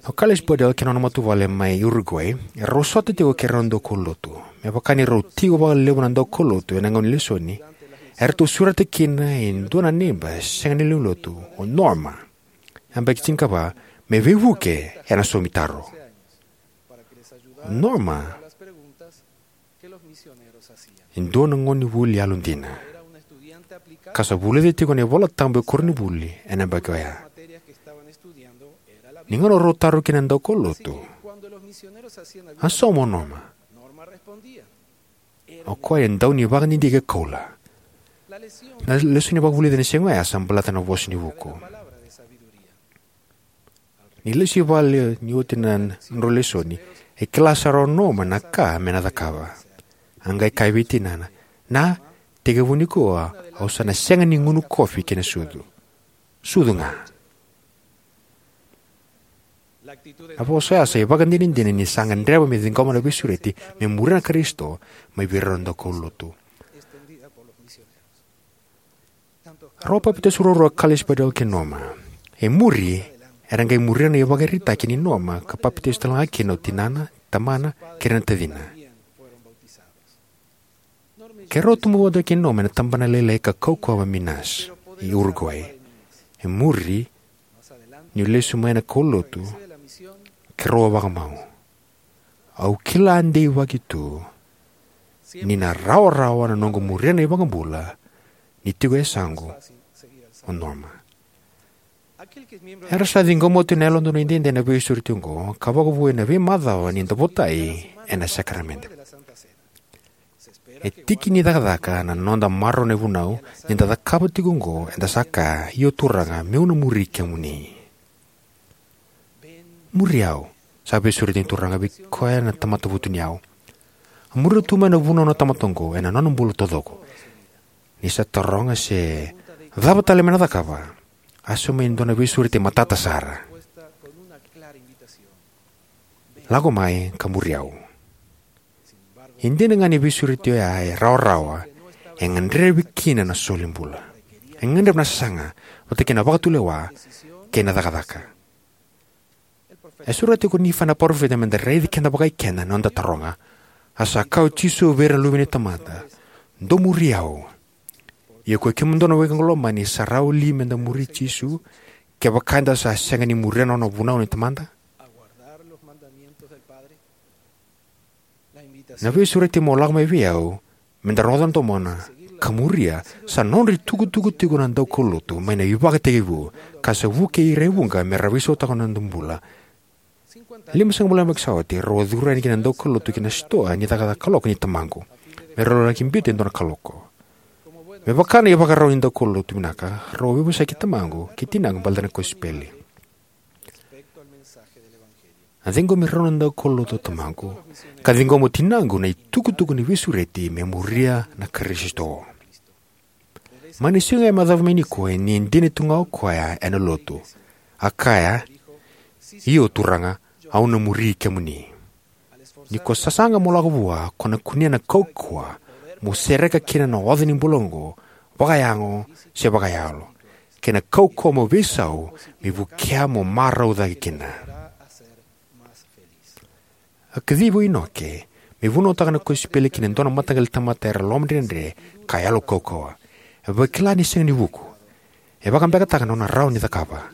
O Carlos Badell kei na nona matavuvale mai Uruguay, erau sota tiko kei rau na daukaulotu. Me vaka ni rau tiko vakalevu na daukaulotu ena gauna ni lesoni, eratou sureta kina e dua na neiba sega ni lewe ni lotu, o Norma. Yabaki tinikava, me veivuke ena saumitaro. O Norma e dua na gonevuli yalodina, ka sa vulica tiko na iVolatabu e koronivuli ena yabaki oya. Ni gauna rau taro kina na daukaulotu, a sauma o Norma. O koya e dau ni vakadidike koula. Na lesoni vakavulici ena siga oya sa baleta na vosa ni vuku. Ni lesu i vale ni oti na nodrau lesoni, e kila sara o Norma na ka me na cakava. A qai kaya vei tinana, na, tekivu nikua au sa na sega ni gunu kofi kei na sucu. Sucu ga. Na vosa oya sa ivakadinadina ni sa gadreva me ciqoma na veisureti me muria na Karisito mai vei rau na daukaulotu. Rau a papitaiso ruarua o Carlos Badell kei Norma. E muri, era qai muria na ivakaraitaki nei Norma ka papitaiso talega kina o tinana, tamana, kei ira na tacina. Keirau a tubu vata kei Norma ena tabana lailai ka kaukauwa mai Minas, e Uruguay. E muri, niu lesu mai na kaulotu, keirau a vakamau. Au kila deivaki tu ni na rawarawa na noqu muria na iVakabula ni tiko e yasaqu o Norma. Era sa ciqoma oti na Yalododonu Edaidai na veisureti oqo ka vakavoui ena veimacawa ni da votai ena sakaramede. E tiki ni cakacaka na noda marau na ivunau ni da cakava tiko oqo, eda sa kaya, io Turaga, meu na muri kemuni. Muri au, sa veisureti ni Turaga vei koya na tamata vutuniyau. A muria tu mai na vunau na tamata oqo ena nona bula taucoko. Ni sa taroga se cava tale me na cakava, a sauma e dua na veisureti matata sara. Lako mai ka muri au. E dina ga ni veisureti oya e rawarawa, e gadrevi kina na solibula. E gadrevi na sasaga, vata kei na vakatulewa kei na cakacaka. E sureta tiko o Nifai na parofita me da raici keda vakaikeda na noda taroga. A sa kaya o Jisu vei ira na luve ni tamata, dou muri au. Ia ko kemudou na wekaqu lomani, sa rawa li me da muri Jisu, Kevaka eda sa sega ni muria na nona vunau ni Tamada? Na veisureti mo lako mai vei au, me da rogoca na domona, ka muria, sa nodra itukutuku tiko na daukaulotu mai na ivakatekivu, ka sa vukei ira e vuqa me ra veisautaka na noda bula. Limasagavulu na yabaki sa oti, rau a curu yani kina na daukaulotu ki na sitoa ni cakacaka kaloko nei tamaqu, me rau laki biuta e dua na kaloko. Me vaka na ivakarau ni daukaulotu vinaka, rau a veivosaki tamaqu kei tinaqu baleta na kosipeli. A ciqomi rau na daukaulotu o tamaqu, ka ciqoma o tinaqu na itukutuku ni veisureti me muria na Karisito. Mai na siga e macava mai nikua, e dina tu ga o koya ena lotu. A kaya, "Io, Turaga, au na muri kemuni." Ni ko sasaga mo lako vua, ko na kunea na kaukauwa mo sereka kina na oca ni bula oqo, vakayago se vakayalo, kei na kaukauwa mo veisau me vukea mo marau cake kina. A kacivi o Inoke me vunautaka na kosipeli ki na dua na mataqali tamata era lomadredredre ka yalo kaukauwa. E vakila ni sega ni vuku. E vakabekataka na nona rawa ni cakava.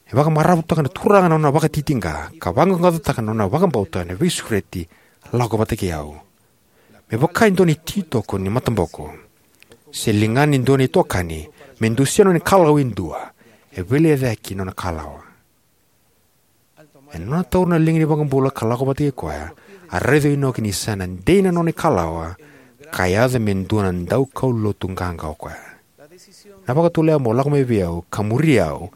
E vakamaravutaka na Turaga na nona vakatitiqa, ka vaqaqacotaka na nona vakabauta ena veisureti, "Lako vata kei au." Me vaka e dua na ititoko ni mataboko se ligana e dua na itokani me dusia na nona ikalawa e dua, e veilecayaki na nona ikalawa. Ena nona taura na liga ni iVakabula ka lako vata kei koya, a raica o Inoke ni sa na dei na nona ikalawa, ka yaco me dua na daukaulotu qaqa o koya. Na vakatulewa mo lako mai vei au ka muri au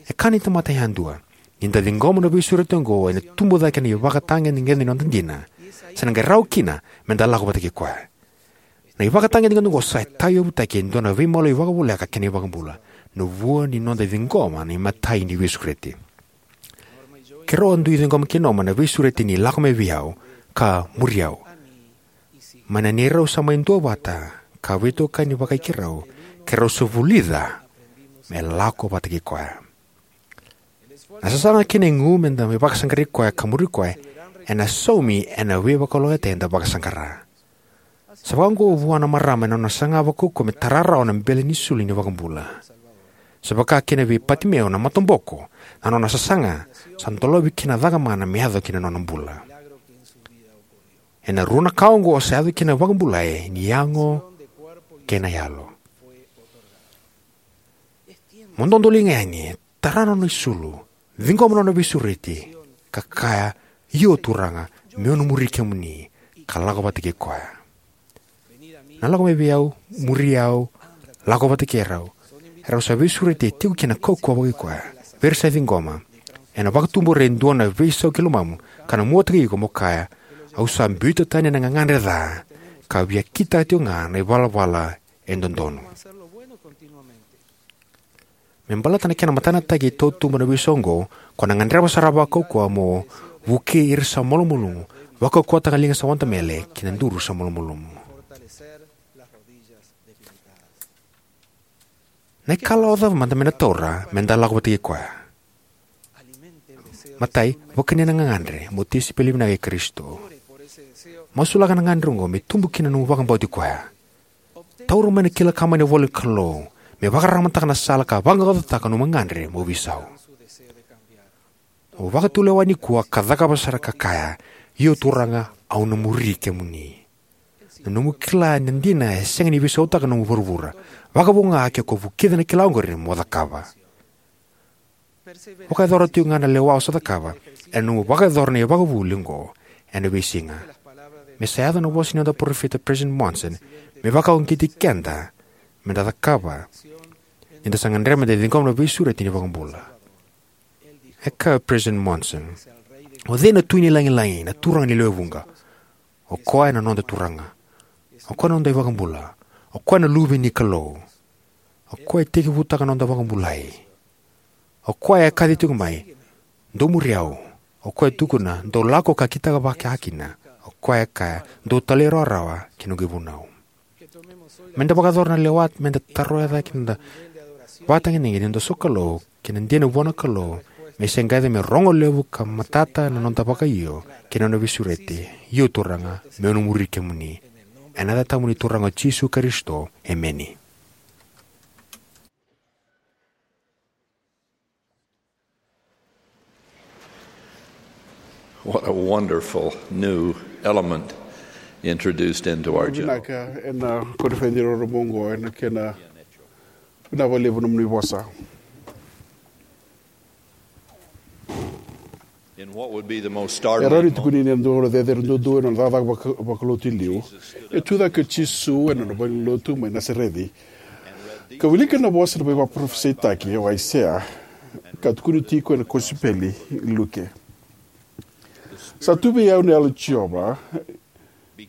e ka ni tamata yadua. Ni da ciqoma na veisureti oqo, ena tubu cake na ivakatagedegede ni noda dina. Sa na qai rawa kina me da lako vata kei koya. Na ivakatagedegede oqo sa tauyavutaki e dua na veimaloi vakavoleka kei na iVakabula, na vua ni noda ciqoma na imatai ni veisureti. Keirau a dui ciqoma kei Norma na veisureti ni "Lako mai vei au" ka "Muri au." Mai na neirau sa mai duavata ka veitokani vakai keirau, keirau sa vulica me lako vata kei koya. Na sasaga kei na igu me da mai vakasaqarai koya ka muri koya ena saumi ena veivakalougatataki eda vakasaqara. Sa vakaoqo vua na marama ena nona saga vakaukauwa me tara rawa na bele ni sulu ni iVakabula. Sa vaka kina vei Patimeo na mataboko, na nona sasaga sa dolavi kina na cakamana me yaco ki na nona bula. Ena rua na ka oqo sa yaco kina na vakabulai ni yago kei na yalo. Mo dodoliga yani, tara na nona isulu, ciqoma na nona veisureti, ka kaya, "Io, Turaga, meu na muri kemuni," ka lako vata kei koya. Na "Lako mai vei au, muri au, lako vata kei rau," e rau sa veisureti e tiko kina na kaukauwa vakaikoya vei ira sa ciqoma. Ena vakatubura e dua na veisau ki lomamu, ka na muataki iko mo kaya, "Au sa biuta tani na gagadre ca, ka via kitaka tiko ga na ivalavala e dodonu." Me baleta na kena matanataki e tautuba na veisau oqo, ko na gadreva sara vakaukauwa mo vukei ira sa malumalumu, vakaukauwataka na liga sa wadamele kei na duru sa malumalumu. Na ikalawa cava mada me na taura me da lako vata kei koya? Matai, vakania na gagadre mo tisaipeli vinaka i Karisito. Masulaka na gagadre oqo me tubu kina na nomu vakabauti koya. Taura mai na kila ka mai na ivola ni Kalou me vakararamataka na sala ka vaqaqacotaka na nomu gagadre mo veisau. Mo vakatulewa nikua ka cakava sara ka kaya, "Io, Turaga, au na muri kemuni." Na nomu kila na dina e sega ni veisautaka na nomu vuravura, vakavo ga ke ko vukica na kila oqori mo cakava. Vakayacora tiko ga na lewa o sa cakava ena nomu vakayacora na ivakavuvuli oqo ena veisiga. Me sa yaco na vosa ni noda parofita President Monson, me vakauqeti keda me da cakava ni da sa gadreva me da ciqoma na veisureti ni iVakabula. E kaya o President Monson, "O cei na tui ni lagilagi, na turaga ni lewe vuqa? O koya na noda Turaga. O koya na noda iVakabula. O koya na Luve ni Kalou. O koya e tekivutaka na noda vakabulai. O koya e kaci tiko mai, 'Dou muri au.' O koya e tukuna, 'Dou lako ka kitaka vaka kina.' O koya e kaya, 'Dou talairawarawa ki na noqu ivunau.'" Me da vakayacora na lewa me da taroya cake na noda vakatagedegede, na noda sokalou kei na dina vua na Kalou, me se qai yaco me rogo levu ka matata na noda vakaio kei na nona veisureti. "Io, Turaga, meu na muri kemuni." Ena yaca tabu ni Turaga o Jisu Karisito, emeni. What a wonderful new element introduced into our journey. Vinaka ena koniferedi rorogo oqo ena kena vinaka vakalevu nomuni vosa. In what would be the most E rawa ni startling tukuni ni dua na cecere duadua ena nona cakacaka vaka- vakalotu i liu. E tu cake o Jisu ena nona valenilotu mai Nasareci, ka wilika na vosa na veivakaparafasaitaki o Aisea, ka tukuni tiko ena kosipeli i Luke. Sa tu vei au na Yalo i Jiova,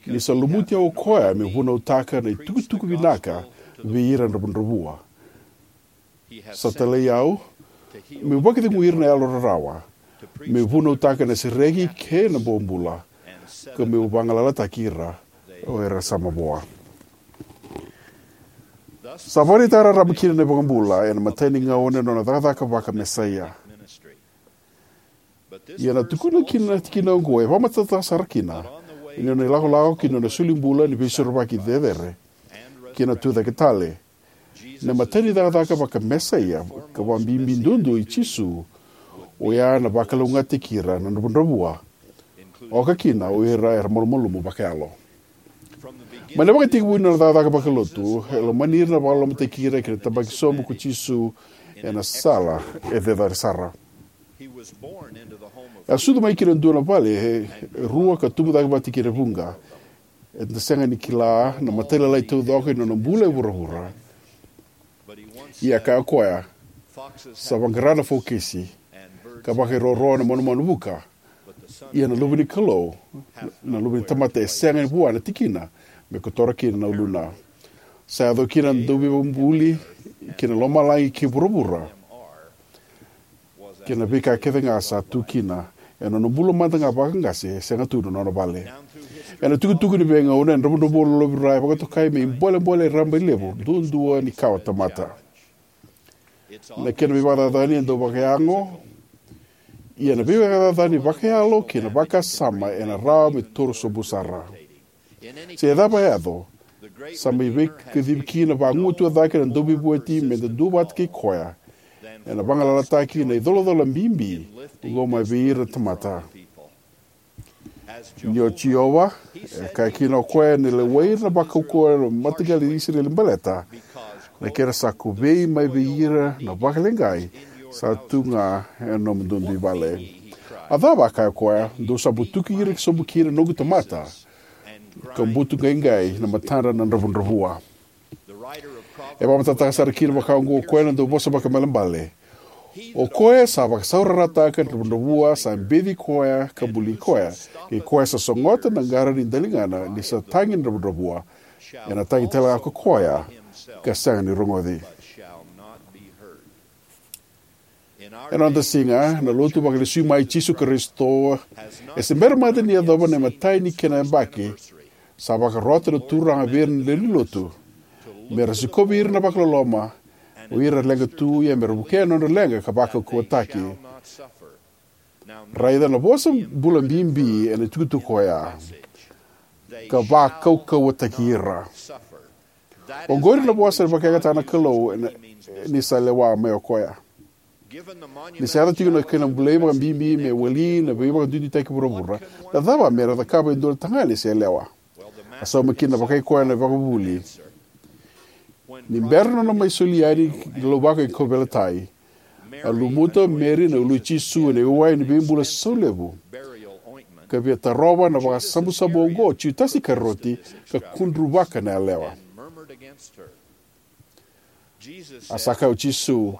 ni sa lumuti au o koya meu vunautaka na itukutuku vinaka vei ira na dravudravua. Sa talai au meu vakacegui ira na yalo rarawa, meu vunautaka na sereki kei na bobula, ka meu vagalalataki ira o ira sa mavoa. Sa vakaraitaka raraba kina na iVakabula ena imatai ni gauna ena nona cakacaka vaka-Mesaia. Ia na tukuna kina na tikina oqo e vakamatatataka sara kina ni nona ilakolako ki na nona solibula ni veisorovaki cecere kei na tucake tale. Na imatai ni cakacaka vaka-Mesaia ka vakabibi duadua i Jisu, oya na vakalougatataki ira na dravudravua, oka kina o ira era malumalumu vakayalo. Mai na ivakatekivu ni nona cakacaka vakalotu, e lomani ira na vakalolomataki ira kei na tabaki sobu ko Jisu ena sala e cecere sara. E a sucu mai ki na dua na vale e rua ka tubu cake vata kei ira e vuqa. Eda sega ni kila na matailalai taucoko ni nona bula e vuravura. Ia e kaya o koya, sa vaqara na fokisi ka vakairoro na manumanu vuka. Ia na Luve ni Kalou, na Luve ni tamata, e sega ni vua na tikina me kotora kina na uluna. Sa yaco kina na dauveivakabuli ki na lomalagi kei vuravura, kei na veika kece ga sa tu kina ena nona bula mada ga vakaqase, e sega tu na nona vale. Ena tukutuku ni veigauna, na dravudravua lolovira e vakatokai me ibolebole rabailevu duadua ni kawa tamata. Na kena veivakacacani e dau vakayago, ia na veivakacacani vakayalo kei na vakasama ena rawa me toro sobu sara. Se cava e yaco, sa mai veikacivi kina vagumatua cake na Dauveivueti meda duavata kei koya ena vagalalataki na icolacola bibi oqo mai vei ira na tamata. Ni o Jiova, e kaya kina o koya, ena lewai ira na vakaukauwa na mataqali i Isireli baleta na kena sa kovei mai vei ira na vakaleqai sa tu ga ena nomudou dui vale. A cava, a kaya o koya, dou sa butuki ira sobu kina na noqu tamata, ka butuqaiqai na matadra na dravudravua. E vakamatatataka sara kina vakaoqo o koya na dauvosa vakaibalebale. O koya sa vakasaurarataka na dravudravua sa beci koya ka buli koya, kei koya sa sogota na qara ni daligana ni sa tagi na dravudravua, ena tagi talega ko koya ka sega ni rogoci. Ena noda siga, na lotu vakalesui mai i Jisu Karisito e se bera mada ni yacova na imatai ni kena yabaki. Sa vakarota na Turaga vei ira na lewe ni lotu me ra sikovi ira na vakaloloma, o ira era leqa tu, ia me ra vukea na nodra leqa ka vakaukauwataki. Raica na vosa bula bibi ena itukutuku oya: ka vakaukauwataki ira. Oqori na vosa e vakayagataka na Kalou ena, ni sa lewa mai o koya. Ni sa yaco tiko na kena bulai vakabibi me wali na veivakaduiduitaki vuravura, na cava me ra cakava e dua na tagane se yalewa? A sauma kina vakai koya na ivakavuvuli. Ni bera nona mai soli yani na lauvako e kauveilatai, a lumuta o Meri na ulu i Jisu ena iwai ni veibula saulevu, ka via tarova na vakasabusabu oqo o Jutasi Isikarioti, ka kudruvaka na yalewa. A sa kaya o Jisu,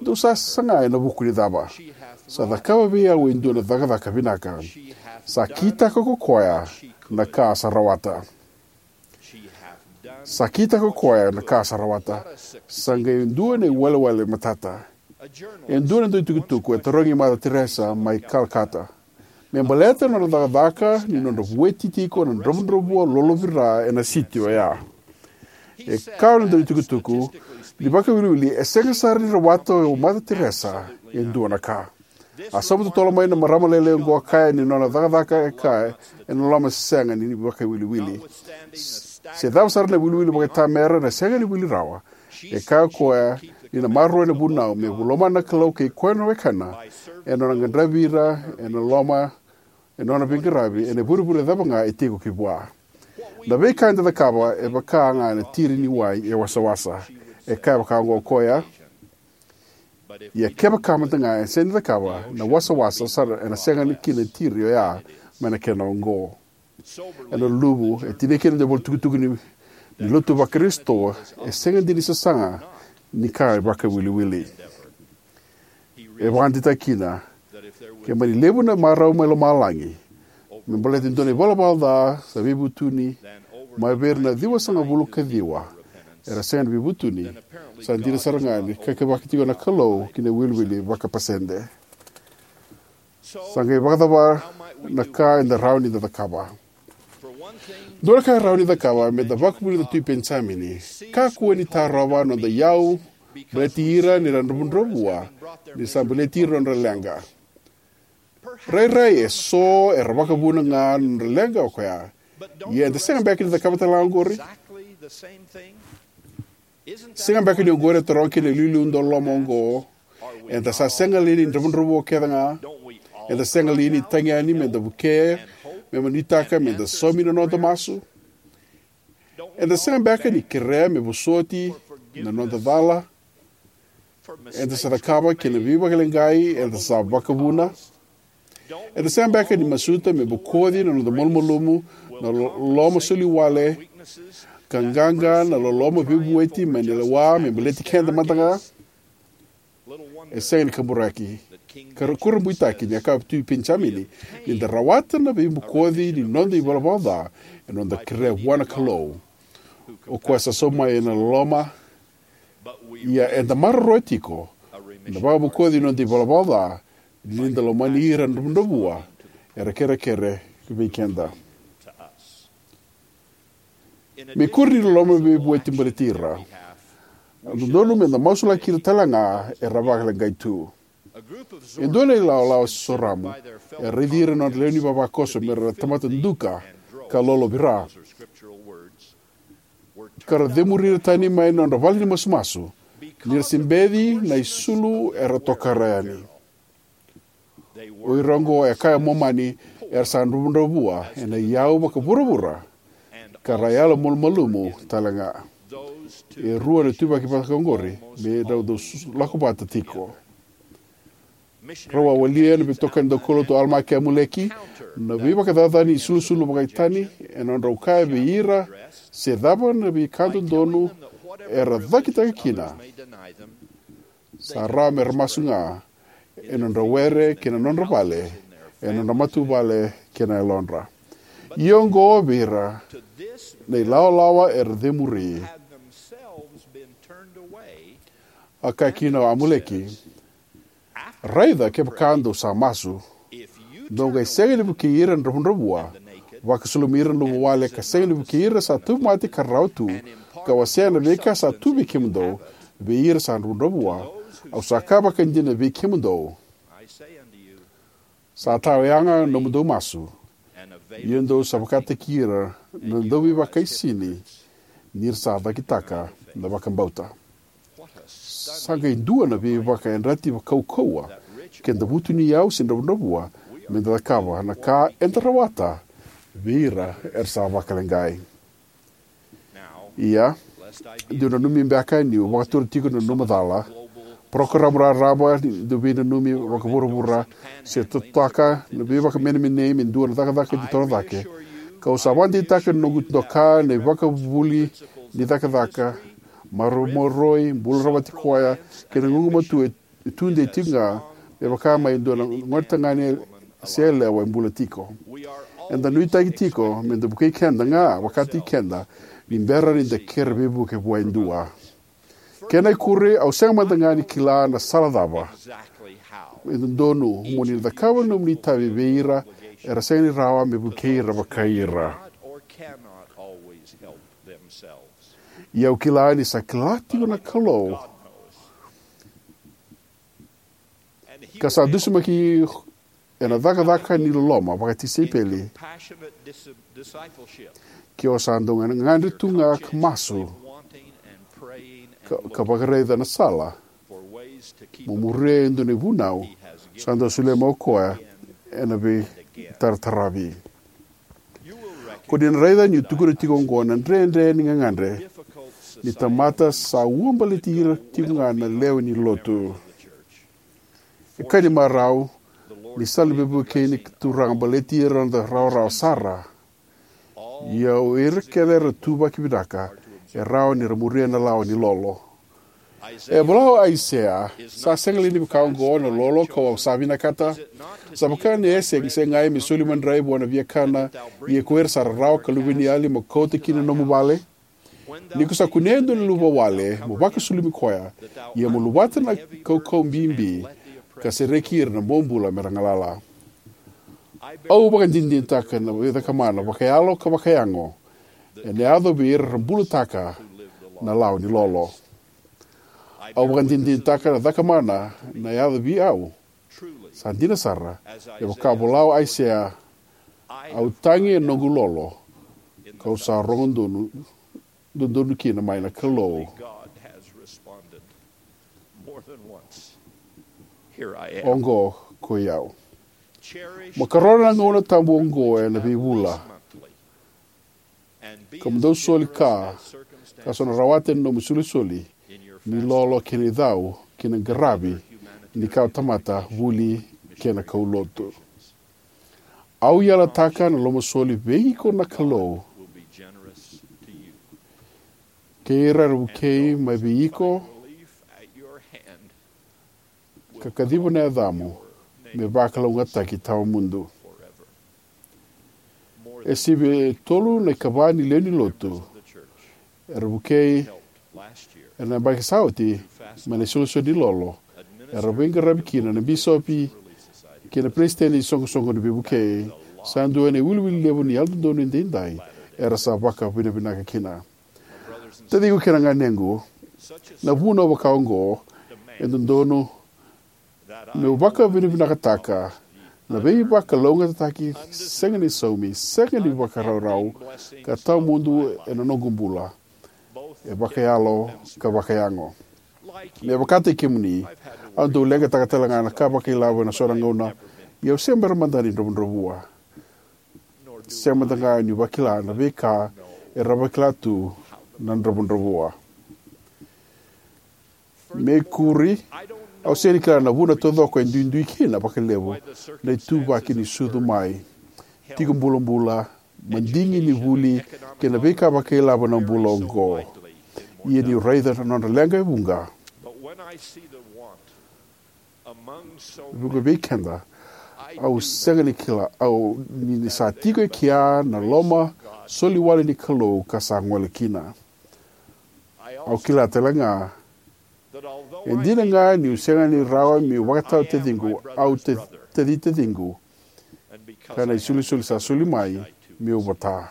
"Dou sa saga ena vuku ni cava? Sa cakava vei au e dua na cakacaka vinaka. Sa kitaka ko koya na ka sa rawata. Sa kitaka ko koya na ka sa rawata." Sa qai dua na iwalewale matata. E dua na dauitukutuku e tarogi Mother Teresa mai Calcutta me baleta na nona cakacaka ni nodra vueti tiko na dravudravua lolovira ena siti oya. E kaya na dauitukutuku ni vakawiliwili, e sega sara ni rawata o Mother Teresa e dua na ka. A sauma totolo mai na marama lailai oqo, a kaya ni nona cakacaka e kaya ena loma sega ni vakawiliwili. Se cava sara na wiliwili vakaitamera, na sega ni wili rawa. E kaya o koya ni na maroroya na vunau me lomana na Kalou kei koya na wekana ena nona qadravi ira ena loma e nona veiqaravi ena ivurevure cava ga e tiko ki vua. Na veika eda cakava e vaka ga na tiri ni wai e wasawasa. E kaya vaka oqo o koya: Ia kevaka mada ga e sega ni cakava, na wasawasa sara ena sega kina na tiri oya mai na kena oqo. Ena luluvu, e tinia kina na ivolatukutuku ni, ni lotu vaKarisito, e sega dina ni sasaga ni ka e vakawiliwili. E vakadeitaka kina, ke mani levu na marau mai lomalagi me baleta e dua na ivalavala ca sa veivutuni mai vei ira na ciwasagavulu ka ciwa era sega ni veivutuni, sa dina sara ga ni kakavaki tiko na Kalou ki na iwiliwili vakapasede. Sa qai vakacava na ka eda rawa ni da cakava? Dua na ka e rawa ni cakava me da vakavuna na Tui Penijamini: kakua ni tarova na noda iyau baleti ira ni ra dravudravua, ni ra sa baleti ira na nodra leqa. Rairai eso era vakavuna ga na nodra leqa o koya. Ia eda sega beka ni cakava tale ga oqori? Sega beka ni oqori e taroga kina na iliuliu dauloloma oqo? Eda sa sega li ni dravudravua kece ga? Eda sega li ni tagi yani me da vuke, me da nuitaka me da saumi na noda masu? Eda sega beka ni kerea me vosoti na noda cala eda sa cakava kei na veivakaleqai eda sa vakavuna? Eda sega beka ni masuta me bokoci na noda malumalumu, na lo-, loloma soli wale, ka qaqa na loloma veivueti mai na lewa me baleti keda mada ga? E sega ni kaburaki ka ra-, kurabuitaki ni a kaya o Tui Penijamini: Ni da rawata na veibokoci ni noda ivalavala ca, ena noda kerea vua na Kalou, o koya sa sauma mai ena loloma. Ia eda maroroya tiko na vakabokoci ni noda ivalavala ca, ni da lomani ira na dravudravua era kerekere vei keda. Me ikuri ni loloma veivueti baleti ira, e dodonu me da masulaki ira tale ga era vakaleqai tu. E dua na ilawalawa soramu e raici ira na nodra lewe ni vavakoso me ra tamata duka ka lolovira, ka ra cemuri ira tani mai na nodra vale ni masumasu, ni ra se beci na isulu era tokara yani. O ira oqo, e kaya o Momani, era sa dravudravua ena iyau vakavuravura, ka ra yalomalumalumu tale ga. E rua na ituvaki vaka oqori me rau dau su-, lako vata tiko. Rau a walia na veitokani daukaulotu o Alama kei Amuleki na veivakacacani isulusulu vakaitani, ena nodrau kaya vei ira se cava na veika dodonu era cakitaka kina, sa rawa me ra masu ga ena nodra were kei na nodra vale, ena nodra matavuvale kei na yalodra. Ia oqo vei ira na ilawalawa era cemuri. A kaya kina o Amuleki: Raica kevaka dou sa masu, dou qai sega ni vukei ira na dravudravua, vakasulumi ira na luvawale, ka sega ni vukei ira sa tauvimate ka rarawa tu, ka wasea na veika sa tu vei kemudou vei ira sa dravudravua, au sa kaya vakaidina vei kemudou, sa tawayaga na nomudou masu, ia dou sa vakataki ira na dauveivakaisini, ni ra sa cakitaka na vakabauta. Sa qai dua na veivakayadrati kaukauwa, ke da vutuniyau se dravudravua, me da cakava na ka eda rawata vei ira era sa vakaleqai. Ia, dou nanumi beka niu vakatura tiko na nanuma cala, parokaramu raraba ni dau veinanumi vakavuravura, se totaka na veivakamenemenei me dua na cakacaka ni torocake. Kau sa vakadeitaka na noqu doka na ivakavuvuli ni cakacaka, maroroi, bula rawati koya, kei na gugumatua e tudei tiko ga, me vaka mai e dua na gone tagane se yalewa e bula tiko. Eda nuitaki tiko me da vukei keda ga vakataki keda ni bera ni da kere veivuke vua e dua. Kena ikuri, au sega mada ga ni kila na sala cava e dodonu mo ni na cakava na nomuni itavi vei ira era sega ni rawa me vukei ira vakai ira. Ia au kila ni sa kila tiko na Kalou ka sa dusimaki ena cakacaka ni loloma vakatisaipeli. Ke o sa dau gagadre tu ga ka masu ka, ka vakaraica na sala mo muria e dua na ivunau sa dau solia mai o koya ena vei tarataravi. Ko ni na raica niu tukuna tiko oqo na dredre ni gagadre ni tamata sa ua baleti ira tiko ga na lewe ni lotu. E ka ni marau ni sa na veivuke ni Turaga baleti ira na noda rawarawa sara. Ia o ira kece era tuvaki vinaka e rawa ni ra muria na lawa ni lolo. E vola o Aisea, sa sega li ni vaka oqo na lolo kau sa vinakata? Sa vaka na yasa e segai me soli madrai vua na viakana, ia ko ira sa rarawa ka luveniyali mo kauta ki na nomu vale? Ni ko sa kunea e dua na luvawale, mo vakasulumi koya, ia mo luvata na kaukau bibi, ka sereki ira na bobula me ra galala. Au vakadinadinataka na veicakamana vakayalo ka vakayago ena yaco vei ira era bulataka na lawa ni lolo. Au vakadinadinataka na cakamana na yaco vei au. Sa dina sara, e vaka vola o Aisea, au tagi ena noqu lolo, kau sa rogo donu, dodonu kina mai na Kalou. Oqo ko i au. Mo karona na gauna tabu oqo ena veivula, ka mo dau soli ka, ka so na rawata ena nomu isolisoli ni lolo kei na icau kei na qaravi ni kawatamata, vuli kei na kaulotu. Au yalataka na lomasoli vei iko na Kalou kei ira era vukei mai vei iko, ka kaciva na yacamu me vakalougatataki tawamudu. E sivia e tolu na ikava ni lewe ni lotu era vukei ena yabaki sa oti mai na isolisoli ni lolo, era veiqaravi kina na bisopi kei na peresitedi ni soqosoqo ni veivukei. Sa dua na iwiliwili levu ni Yalododonu Edaidai era sa vakavinavinaka kina. Taciqu kei na ganequ, na vunau vaka oqo e dodonu meu vakavinavinakataka na veivakalougatataki sega ni saumi, sega ni vakaraurau, ka tawamudu ena noqu bula, e vakayalo ka vakayago. Me vakataki kemuni, au dau leqataka tale ga na ka vakailavo ena so na gauna, ia au se bera mada ni dravudravua. Se mada ga niu vakila na veika era vakila tu na dravudravua. Me kuri, au sega ni kila na vuna taucoko e duidui kina vakalevu na ituvaki ni sucu mai, tiko bulabula, madigi ni vuli, kei na veika vakailavo ena bula oqo. Ia niu raica na nodra leqa e vuqa, vuqa vei keda, au sega ni kila au ni sa tiko e kea na loma soli wale ni Kalou ka sa gole kina. Au kila tale ga, e dina ga niu sega ni rawa meu vakatau taciqu, au ta-, taci taciqu, ka na isolisoli sa soli mai meu vota.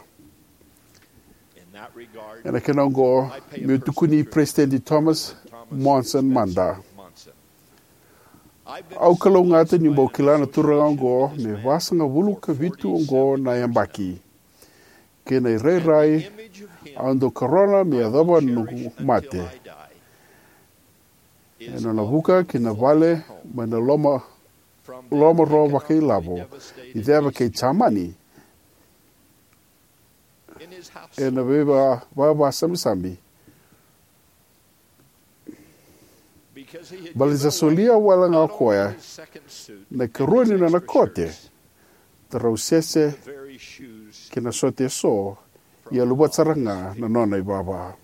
Ena kena oqo, meu tukuni Peresitedi Thomas Monson mada. Au kalougata niu bau kila na turaga oqo me vasagavulu ka vitu oqo na yabaki. Kei na irairai au dau karona me yacova na noqu mate, ena nona vuka ki na vale mai na loma, loma ro vakailavo ni ceva kei Jamani, ena veiva-, vavasamisami. Baleta ni sa solia wale ga o koya na ikarua ni nona kote, tarausese, kei na sote eso, ia luvata sara ga na nona ivava.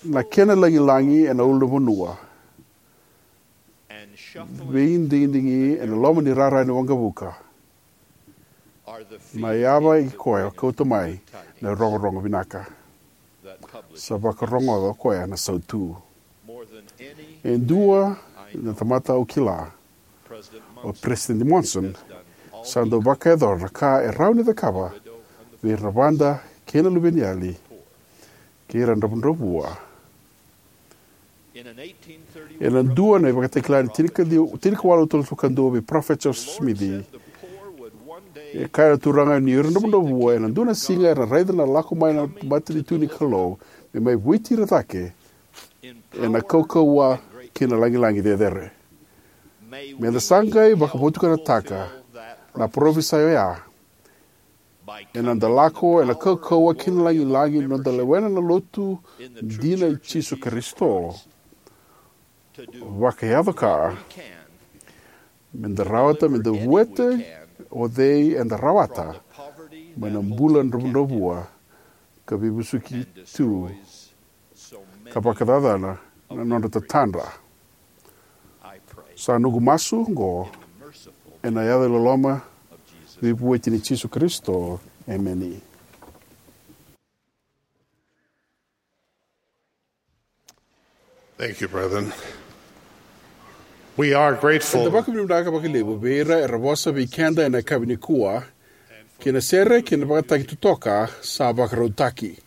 Na kena lagilagi ena ulunivanua, veidigidigi ena loma ni rara ni waqavuka, na yava i koya kauta mai na rogorogo vinaka. Sa vakarogoca o koya na sautu. E dua na tamata au kila, o Peresitedi Monson, sa dau vakayacora na ka e rawa ni cakava vei ira na vada kei na luveniyali kei ira na dravudravua. Ena dua na ivakatakila ni tinikaciwa, tinikawalu tolusagavulu ka dua vei Parofita Josefa Simici, e kaya na Turaga ni o ira na dravudravua ena dua na siga era na raica na lako mai na matanitu ni Kalou me mai vueti ira cake ena kaukauwa kei na lagilagi cecere. Me da sa qai vakavotukanataka na parofisai oya ena noda lako ena kaukauwa kei na lagilagi ni noda lewena na lotu dina i Jisu Karisito, vakayaco ka me da rawata me da vueti o cei eda rawata mai na bula dravudravua ka veivesuki tu ka vakacacana na nodra tatadra. Sa noqu masu oqo ena yaca loloma veivueti ni Jisu Karisito. Emeni. Thank you, brethren. We are grateful. Eda vakavinavinaka vakalevu vei ira era vosa vei keda ena yakavi nikua kei na sere kei na vakataki totoka sa vakarautaki.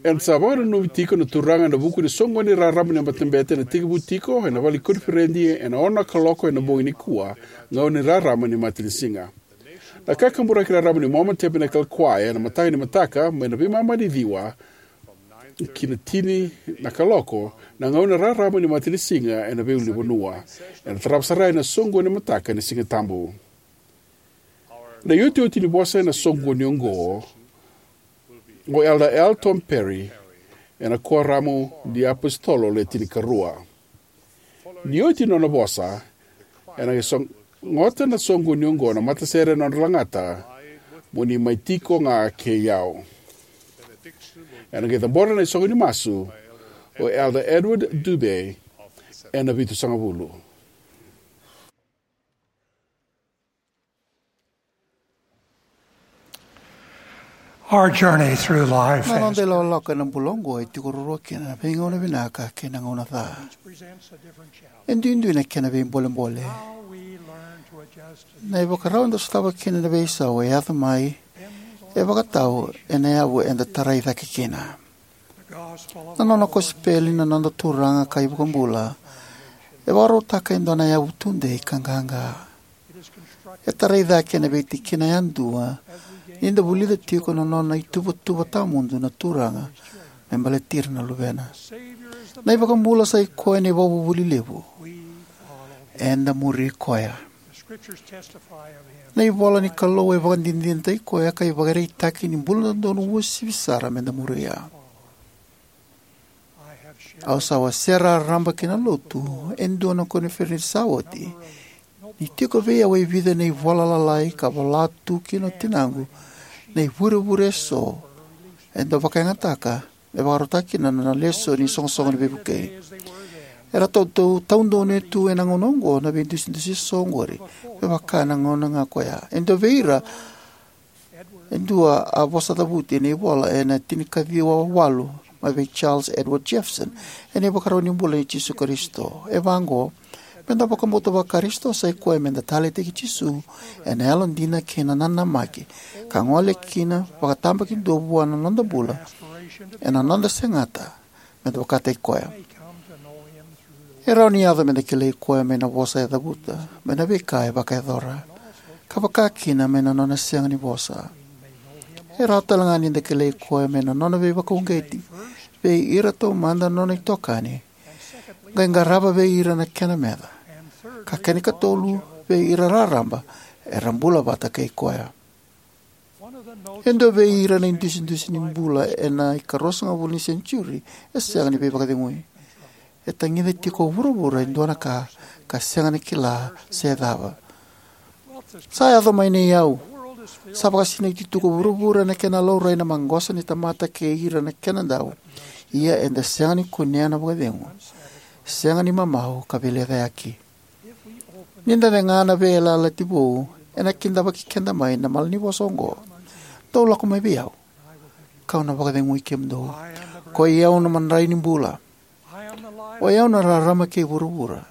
Eda sa vakananumi tiko na Turaga ena vuku ni soqoni raraba ni matabete ena tekivu tiko ena vale ni koniferedi ena ono na kaloko ena bogi nikua, gauna ni rarama ni matanisiga. Na kakaburaki raraba ni Mormon Tabernacle Choir ena mataka ni mataka mai na veimama ni ciwa ki na tini na kaloko na gauna raraba ni matanisiga ena veiulunivanua, ena tarava sara ena soqoni ni mataka ni Siga Tabu. Na iotioti ni vosa ena soqoni oqo, o Elder L. Tom Perry ena Kuoramu ni iApositolo Le Tinikarua. Ni oti nona vosa, ena qai sogota na soqoni oqo na matasere ena nodra lagata, Mo Ni Mai Tiko Ga Kei Au. Ena qai cabora na isoqoni masu o Elder Edward Dube ena vitusagavulu. Our journey through life Na noda ilakolako ena bula oqo e tiko ruarua kina na veigauna vinaka kei na gauna ca. E duidui na kena veibolebole. Na ivakarau eda sotava kina na veisau e yaco mai e vakatau ena yavu eda tarai cake kina. Na nona kosipeli na noda Turaga ka iVakabula e vakarautaka e dua na yavu tudei ka qaqa. E tarai cake ena veitikina yadua ni da vulica tiko na nona ituvatuva tawamudu na Turaga me baleti ira na luvena. Na iVakabula sa i koya na ivakavuvuli levu. Eda muri koya. Na ivola ni Kalou e vakadinadinataki koya ka ivakaraitaki ni bula dodonu uasivi sara me da muria. Au sa wasea raraba ki na lotu e dua na koniferedi sa oti ni tiko vei au e vica na ivola lalai ka vola tu kina o tinaqu na ivurevure eso e dau vakayagataka me vakarautaka kina na nona lesoni ni soqosoqo ni veivukei. Era taudonu tu ena gauna oqo na veidusidusi eso oqori me vaka na gauna ga koya. E dua vei ira e dua a vosa cavuti ena ivola ena tinikaciwa walu mai vei Charles Edward Jefferson ena ivakarau ni bula nei Jisu Karisito. E vaqo: Me da vakabauta Vakarisito sa i koya me da taleitaki Jisu ena yalodina kei na nanamaki ka gole kina vakatabakidua vua na noda bula ena noda segata me da vakataki koya. E rawa ni yaco me da kilai koya mai na vosa e cavuta, mai na veika e vakayacora, ka vakakina mai na nona sega ni vosa. E rawa talega ni da kilai koya mai na nona veivakauqeti vei ira taumada na nona itokani, qai qarava vei ira na kena meca, ka kena ikatolu vei ira raraba era bula vata kei koya. E dua vei ira na idusidusi ni bula ena ikaruasagavulu ni senitiuri e sega ni veivakacegui. E tagica tiko o vuravura e dua na ka ka sega ni kila se cava. Sa yaco mai na iyau. Sa vakasinaiti tu ko vuravura ena kena laurai na maqosa ni tamata kei ira na kenadau. Ia eda sega ni kunea na vakacegu, sega ni mamau ka veilecayaki. Ni da cega na veiyalayalati vou, ena kidavaki keda mai na malanivosa oqo: Dou lako mai vei au, kau na vakacegui kemudou. Koi au na madrai ni bula. Oi au na rarama kei vuravura.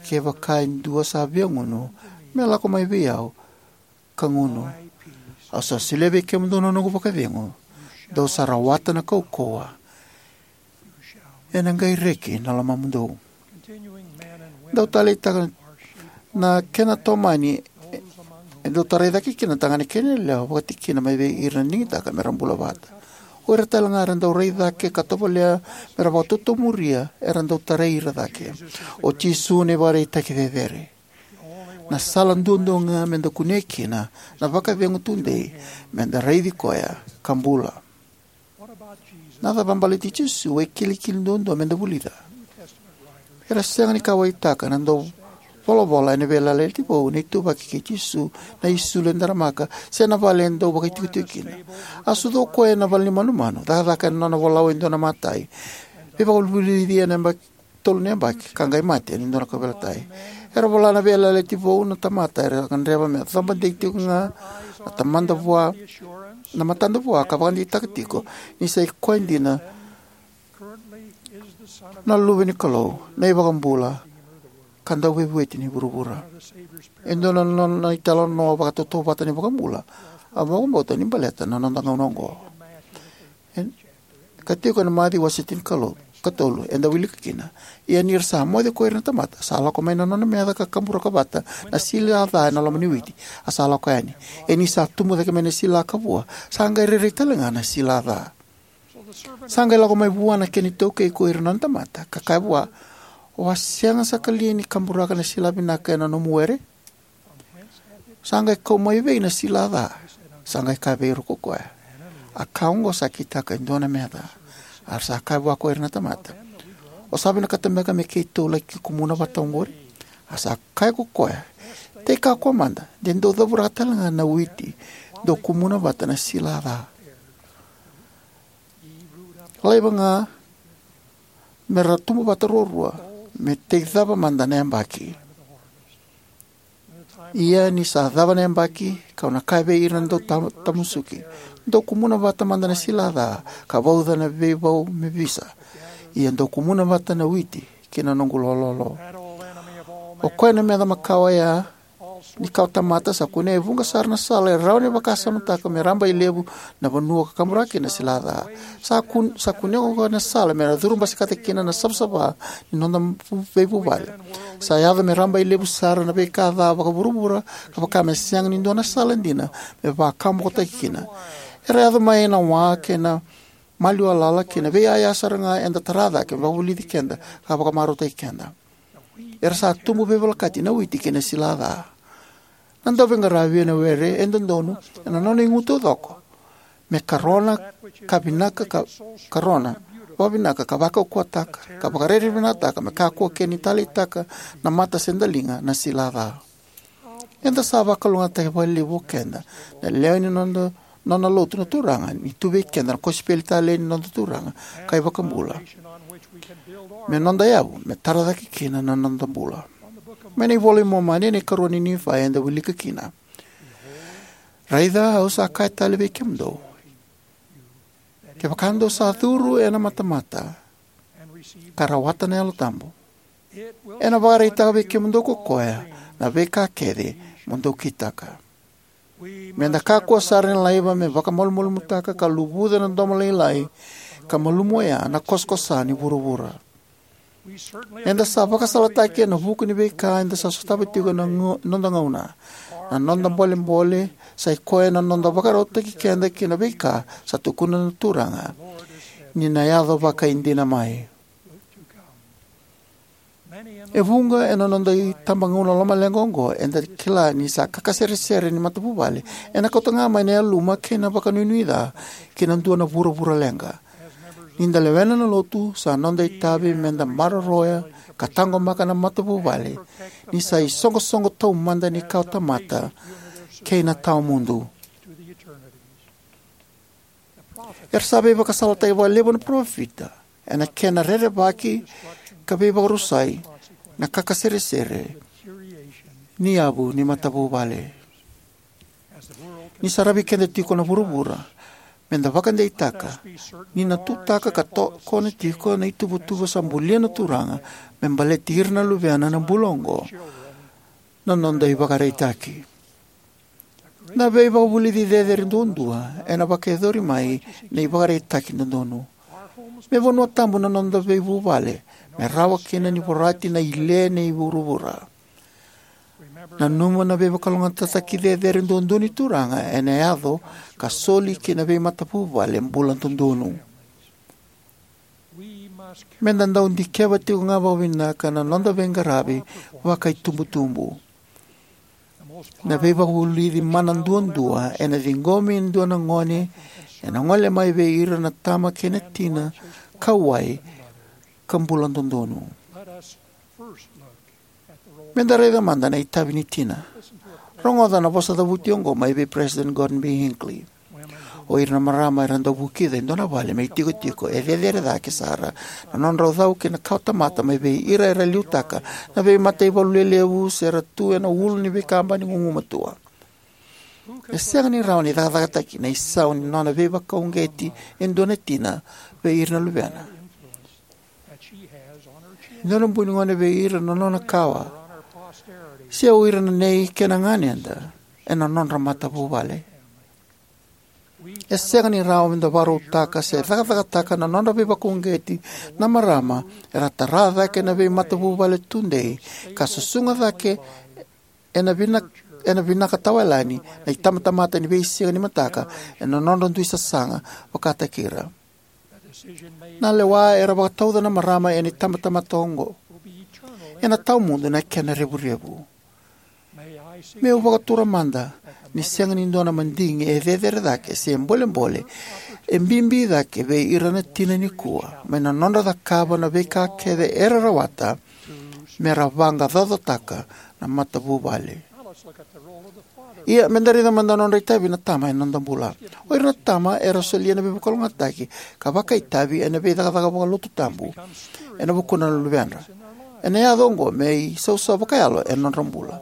Kevaka e dua sa via gunu, me lako mai vei au ka gunu. Au sa solia vei kemudou na noqu vakacegu. Dou sa rawata na kaukauwa. Ena qai reki na lomamudou. Dau taleitaka na kena tomani, e dau tarai cake kina na tagane kei na yalewa, vakatikina mai vei ira na digitaka me ra bula vata. O ira talega era dau rai cake ka tovolea me ra vakatotomuria era dau tarai ira cake. O Jisu na ivakaraitaki cecere. Na sala duadua ga me da kunea kina na vakacegu tudei me da raici koya ka bula. Na cava baleti Jisu e kilikili duadua me da vulica? Era sega ni kauwaitaka na dauvolavola ena Veiyalayalati Vou na ituvaki kei Jisu na isulu e daramaka se na vale e dau vakaitikotiko kina. A sucu o koya ena vale ni manumanu, cakacaka ena nona volau e dua na matai, veivakavulici ena yabaki tolu na yabaki, ka qai mate ena dua na kauveilatai. Era vola na Veiyalayalati Vou na tamata era gadreva me cabadei tiko ga na tamada vua, na matada vua ka vakadeitaka tiko ni sa i koya dina na Luve ni Kalou, na iVakabula, ka Dauveivueti ni vuravura. E dua na nona italanoa vakatautauvata ni iVakabula a vakabauta ni baleta na noda gauna oqo. E, ka tiko ena Maciu wase tinikalu, katolu, eda wilika kina: Ia ni ra sa moce ko ira na tamata, sa lako mai na nona meca ka kaburaka vata na sila ca ena loma ni witi, a sa lako yani. Ia ni sa tubu cake mai na sila ka vua, sa qai rairai talega na sila ca. Sa qai lako mai vua na kena itaukei ko ira na nona tamata, ka kaya vua, o a sega saka li ni kaburaka na sila vinaka ena nomu were? Sa qai kau mai vei na sila ca? Sa qai kaya vei ira ko koya, a ka oqo sa kitaka e dua na meca. A ra sa kaya vua ko ira na tamata, o sa vinakata beka me keitou laki kumuna vata oqori? A sa kaya ko koya, tei kakua mada, de dou cavuraka talega na witi, dou kumuna vata na sila ca. Laiva ga me ra tubu vata ruarua, me tei cava mada na yabaki. Ia ni sa cava na yabaki, kau na kaya vei ira na dau ta-, tamusuki, dou kumuna vata mada na sila ca, ka vauca na veivau me visa. Ia dou kumuna vata na witi ki na noqu lololo. O koya na meca makawa oya ni kawa tamata sa kunea e vuqa sara na sala e rawa ni vakasamataka me raba i levu na vanua ka kaburaka kina na sila ca. Sa kun-, sa kunea ko koya na sala me ra curu basikata kina na savasava ni noda vu-, veivuvale. Sa yaco me raba i levu sara na veika ca vakavuravura, ka vaka me sega ni dua na sala dina me vakabokotaki kina. Era yaco mai na wa kei na maliwa lala kei na veiyaya sara ga eda tara cake me vakavulici keda ka vakamarautaki keda. Era sa tubu veivolekati na witi kei na sila ca. Na dauveiqaravi ena were e dodonu ena nona igu taucoko me karona ka vinaka ka, karona vakavinaka ka vakaukauwataka ka vakarairai vinakataka me kakua kina ni taleitaka na mata se daliga na sila ca. Eda sa vakalougatataki vakalevu o keda na lewe ni noda, nona lotu na Turaga ni tu vei keda na kosipeli talei ni noda Turaga ka iVakabula me noda yavu me tara cake kina na noda bula. Mai na iVola i Momani, na ikarua ni Nifai, eda wilika kina: Raica, au sa kaya tale vei kemudou, kevaka dou sa curu ena matamata ka rawata na Yalo Tabu, ena vakaraitaka vei kemudou ko koya na veika kece mo dou kitaka. Me da kakua sara ni laiva me vakamalumalumutaka ka luvuca na domo lailai ka malumu oya na kosakosa ni vuravura. Eda sa vakasalataki ena vuku ni veika eda sa sotava tiko ena gau-, noda gauna. Na noda bolebole sa i koya na noda vakarautaki keda ki na veika sa tukuna na Turaga ni na yaco vakaidina mai. E vuqa ena noda itabagauna lomaleqa oqo eda kila ni sa kakaseresere ni matavuvale ena kauta ga mai na yaluma kei na vakanuinui ca ki na dua na vuravura leqa. Ni da lewena na lotu, sa noda itavi me da maroroya ka taqomaka na matavuvale ni sa isoqosoqo taumada ni kawa tamata kei na tawamudu. Era sa veivakasalataki vakalevu na parofita ena kena rerevaki ka veivakarusai na kakaseresere ni yavu ni matavuvale. Ni saravi keda tiko na vuravura, me da vakadeitaka ni na tutaka ka tokona tiko na ituvatuva sa bulia na Turaga me baleti ira na luvena na bula oqo na noda ivakaraitaki. Na veivakavulici cecere duadua ena vakayacori mai na ivakaraitaki dodonu. Me vanua tabu na noda veivuvale, me rawa kina ni vorati na ile ni vuravura. Nanuma na veivakalougatataki cecere duadua ni Turaga ena yaco ka soli ki na veimatavuvale bula dodonu. Meda dau dikeva tiko ga vakavinaka na noda veiqaravi vakaitubutubu. Na veivakavulici mana duadua ena ciqomi e dua na gone ena gole mai vei ira na tama kei na tina, kauwai, ka bula dodonu. Meda raica mada na itavi ni tina. Rogoca na vosa cavuti oqo mai vei President Gordon B. Hinckley. O ira na marama era dau vukica e dua na vale me itikotiko e cecere cake sara na nodrau cau ki na kawatamata mai vei ira era liutaka na veimataivalu lelevu se ra tu ena ulu ni veikabani gugumatua. E sega ni rawa ni cakacakataki na isau ni nona veivakauqeti e dua na tina vei ira na luvena, e dua na buni gone vei ira na nona kawa, se o ira na nei kei na ganeda ena nodra matavuvale. E sega ni rawa meda vakarautaka se cakacakataka na nodra veivakauqeti na marama era tara cake na veimatavuvale tudei ka susuga cake ena vina, ena vinaka tawayalani na itabatamata ni veisiga ni mataka ena nodra dui sasaga vakataki ira. Na lewa era vakatauca na marama ena itabatamata oqo ena tawamudu na kena revurevu. Meu vakatura mada ni sega ni dua na madigi e cecere cake se bolebole e bibi cake vei ira na tina nikua mai na nodra cakava na veika kece era rawata mera vaqaqacotaka na matavuvale. Ia, meda raica mada na nodra itavi na tama ena noda bula. O ira na tama era solia na veivakalougatataki ka vakaitavi ena veicakacaka vakalotu tabu ena vukudra na luvedra. Ena yaco oqo me isausau vakayalo ena nodra bula.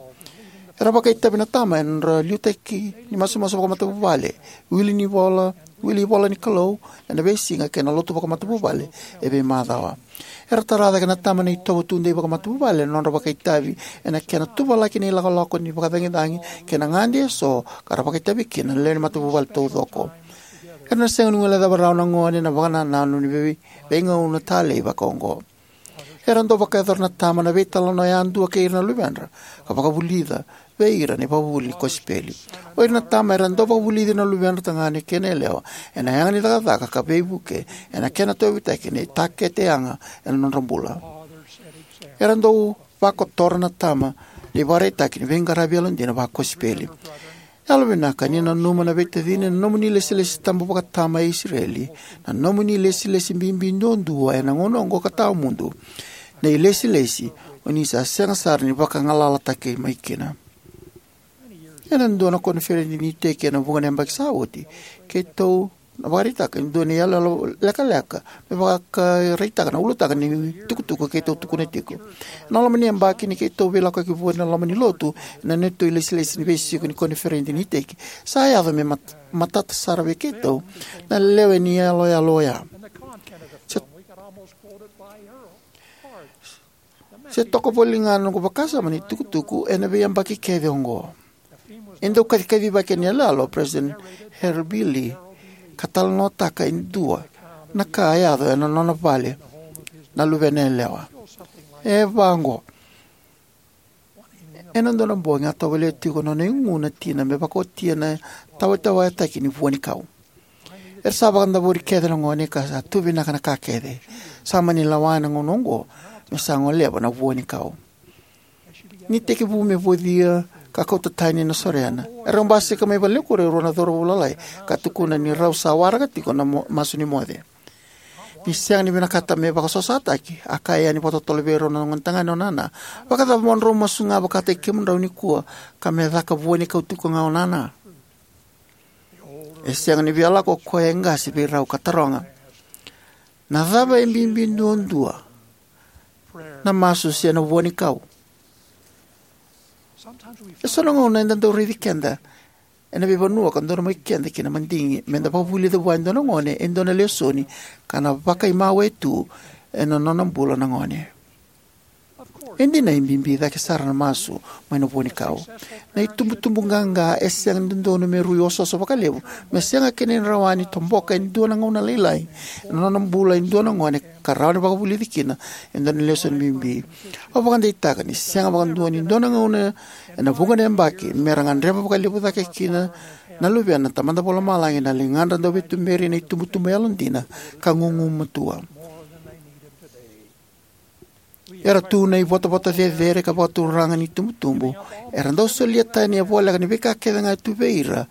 Era vakaitavi na tama ena nodra liutaki ni masumasu vakamatavuvale, wili ni vola, wili ivola ni Kalou ena veisiga kei na lotu vakamatavuvale e veimacawa. Era tara cake na tama na itovo tudei vakamatavuvale ena nodra vakaitavi ena kena tuvalaki na ilakolako ni vakacagicagi kei na gade eso ka ra vakaitavi kina na lewe ni matavuvale taucoko. Era na sega ni guilecava rawa na gone na vakanananu ni vei, veigauna talei vakaoqo. Era dau vakayacora na tama na veitalanoa yadua kei ira na luvedra ka vakavulica vei ira na ivakavuvuli ni kosipeli. O ira na tama era dau vakavulici na luvedra tagane kei na yalewa ena yaga ni cakacaka ka veivuke ena kena tauyavutaki na itakete yaga ena nodra bula. Era dau vakotora na tama na ivakaraitaki ni veiqaravi yalodina vakosipeli. Yalovinaka ni nanuma na veitacini na nomuni ilesilesi tabu vakatama e Isireli, na nomuni ilesilesi bibi duadua ena gauna oqo ka tawamudu, na ilesilesi o ni sa sega sara ni vakagalalataki mai kina. Ena dua na koniferedi ni iteki ena vuqa na yabaki sa oti, keitou na vakaraitaka e dua na iyaloyalo lekaleka me vakaraitaka na ulutaga ni tukutuku keitou tukuna tiko. Ena loma ni yabaki ni keitou veilakoyaki vua ena loma ni lotu ena neitou ilesilesi ni veisiko ni koniferedi ni iteki, sa yaco me mat-, matata sara vei keitou na lewe ni iyaloyalo oya. Se, se toka voli ga na noqu vakasama ni tukutuku ena veiyabaki kece oqo. E dau kacikacivaki ena iyaloyalo o President Harold B. Lee ka talanoataka e dua na ka a yaco ena nona vale na luvena yalewa. E vaqo. Ena dua na bogi a tovolea tiko na nona igu na tina me vakaotia na tawatawayataki ni vua ni kau. Era sa vakadavori kece na gone ka sa tu vinaka na ka kece. Sa mani lewa ena gauna oqo me sa goleva na vua ni kau. Ni tekivu me vocia ka kauta tani na sorena, erau basika mai valenikuku e rua na cauravou lalai ka tukuna ni rau sa waraka tiko na mo-, masu ni moce. Ni sega ni vinakata me vakasosataki, a kaya yani vakatotolo vei rau na gonetagane o nana, "Vakacava mo drau masu ga vakataki kemudrau nikua ka me caka vua ni kau tiko ga o nana?" E sega ni via lako o koya e qase vei rau ka taroga, "Na cava e bibi duadua, na masu se na vua ni kau?" E so na gauna eda dau raici keda ena veivanua ka dodonu mai keda ki na madigi meda vakavulica vua e dua na gone e dua na lesoni ka na vakaimawe tu ena nona bula na gone. E dina e bibi cake sara na masu mai na vuanikau. Na itubutubu qaqa e sega ni dodonu me rui osooso vakalevu, me sega kina ni rawa ni toboka e dua na gauna lailai ena nona bula e dua na gone ka rawa ni vakavulici kina e dua na lesoni bibi. Au vakadeitaka ni sega vakadua ni dua na gauna ena vuqa na yabaki me ra gadreva vakalevu cake kina na luvena na Tamada Vakalomalagi na ligadra dau veituberi na itubutubu yalodina ka gugumatua. Era tu na ivotavota cecere ka vakaturaga ni itubutubu, era dau solia tani e voleka ni veika kece ga e tu vei ira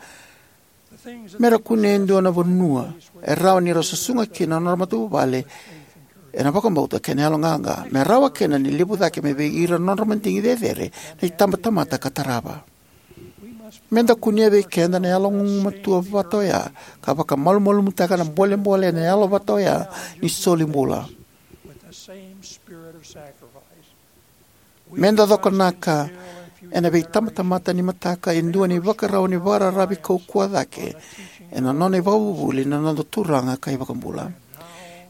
me ra kunea e dua na vanua e rawa ni ra susuga kina na nodra matavuvale ena vakabauta kei na yaloqaqa, me rawa kina ni levu cake mai vei ira na nodra madigi cecere na itabatamata ka tarava. Me da kunea vei keda na yalo gugumatua vata oya ka vakamalumalumutaka na bolebole ena yalo vata oya ni soli bula. Me da cokonaka ena veitabatamata ni mataka e dua na ivakarau ni vakararavi kaukauwa cake ena nona ivakavuvuli na noda Turaga ka iVakabula.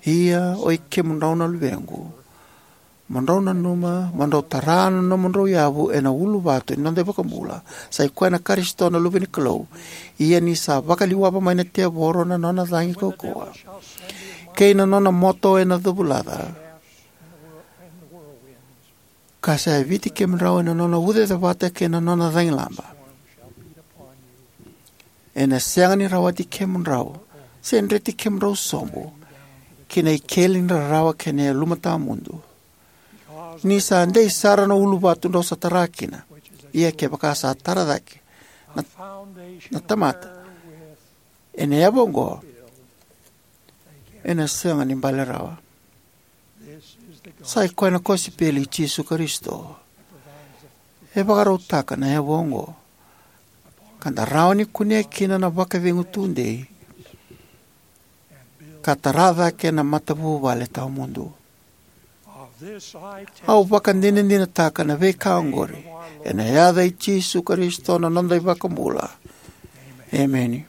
Ia, oi kemudrau na luvequ, mo drau nanuma mo drau tara na nomudrau yavu ena uluvatu ni noda iVakabula, sa i koya na Karisito na Luve ni Kalou. Ia ni sa vakaliwava mai na tevoro na nona cagi kaukauwa kei na nona moto ena covulaca, ka sa yaviti kemudrau ena nona ucacevata kei na nona cagilaba, ena sega ni rawati kemudrau se dreti kemudrau sobu ki na ikeli ni rarawa kei na yaluma tawamudu. Ni sa dei sara na uluvatu drau sa tara kina. Ia kevaka sa tara cake na, na tamata ena yavu oqo, ena sega ni bale rawa. Sa i koya na kosipeli i Jisu Karisito e vakarautaka na yavu oqo, ka da rawa ni kunea kina na vakacegu tudei ka tara cake na matavuvale tawamudu. Au vakadinadinataka na veika oqori ena yaca i Jisu Karisito na noda iVakabula. Emeni.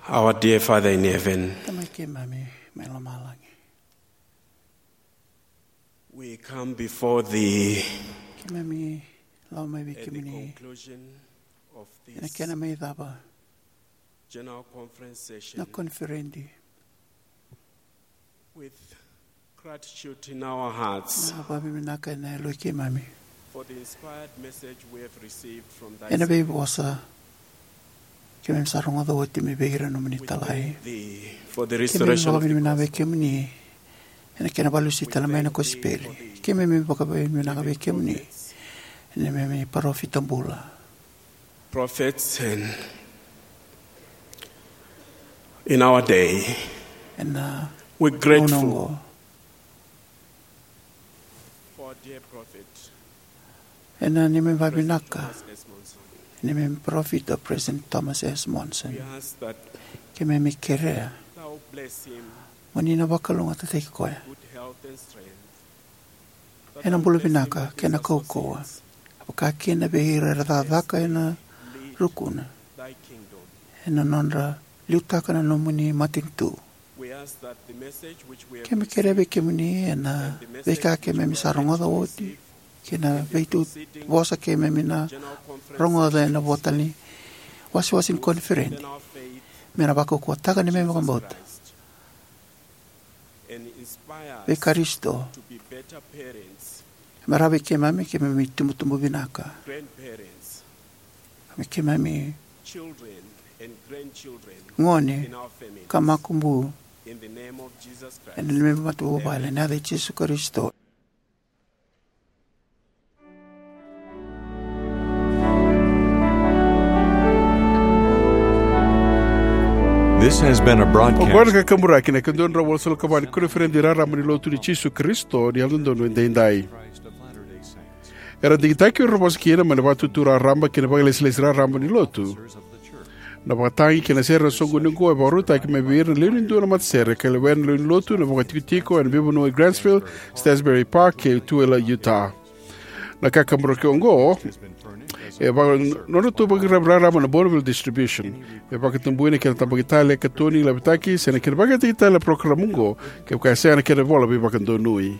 Our dear Father in heaven, Tamai keimami mai lomalagi, we come before thee keimami lako mai vei at the kemuni conclusion of ena this kena mai cava general conference session na koniferedi with gratitude in our hearts na vakavinavinaka ena yaloi keimami for the inspired message we have received from thy ena servant. Veivosa keimami sa rogoca oti mai vei ira nomuni italai. We thank thee for the keimami restoration of the vakavinavinaka vei gospel. Kemuni ena kena valusi tale mai na kosipeli. Keimami vakavinavinaka vei kemuni ena neimami parofita bula. Prophets and in our day, ena we're grateful gauna oqo for our dear prophet, ena neimami vakavinaka Thomas S. Monson. Neimami parofita President Thomas S. Monson. We ask that keimami kerea thou bless him, mo ni na vakalougatataki koya good health and strength, ena bula vinaka kei na kaukauwa, vakakina vei ira era cakacaka ena rukuna ena nodra liutaka na nomuni matanitu. Keimami kerea vei kemuni ena veika keimami sa rogoca oti kei na veituvosa keimami na rogoca ena votani wasewase ni koniferedi me na vakaukauwataka neimami vakabauta vei Karisito. Me rawa vei keimami keimami tubutubu vinaka, me keimami gone ka makubu ena neimami matavuvale ena yaca i Jisu Karisito. This has been a broadcast. Oqo na kakaburaki na ikaduadrau walusagavulu ka va ni koniferedi raraba ni lotu ni Jisu Karisito ni Yalododonu Edaidai. Era digitaki ira na vosa kina mai na Vatutu Raraba kei na Vakailesilesi Raraba ni Lotu. Na vakatagi kei na sere na soqoni oqo e vakarautaki mai vei ira na lewe ni dua na matasere ka lewena na lewe ni lotu na vakatikotiko ena veivanua e Grantsville, Salisbury Park kei Tooele, Utah. Na kakaburaki oqo e vaka nodratou vakaitavi raraba na Bonneville Distribution. Me vakatabui na kena tabaki tale, katoni, lavitaki se na kena vakayagataki tale na parokaramu oqo kevaka e sega na kena ivola veivakadonui.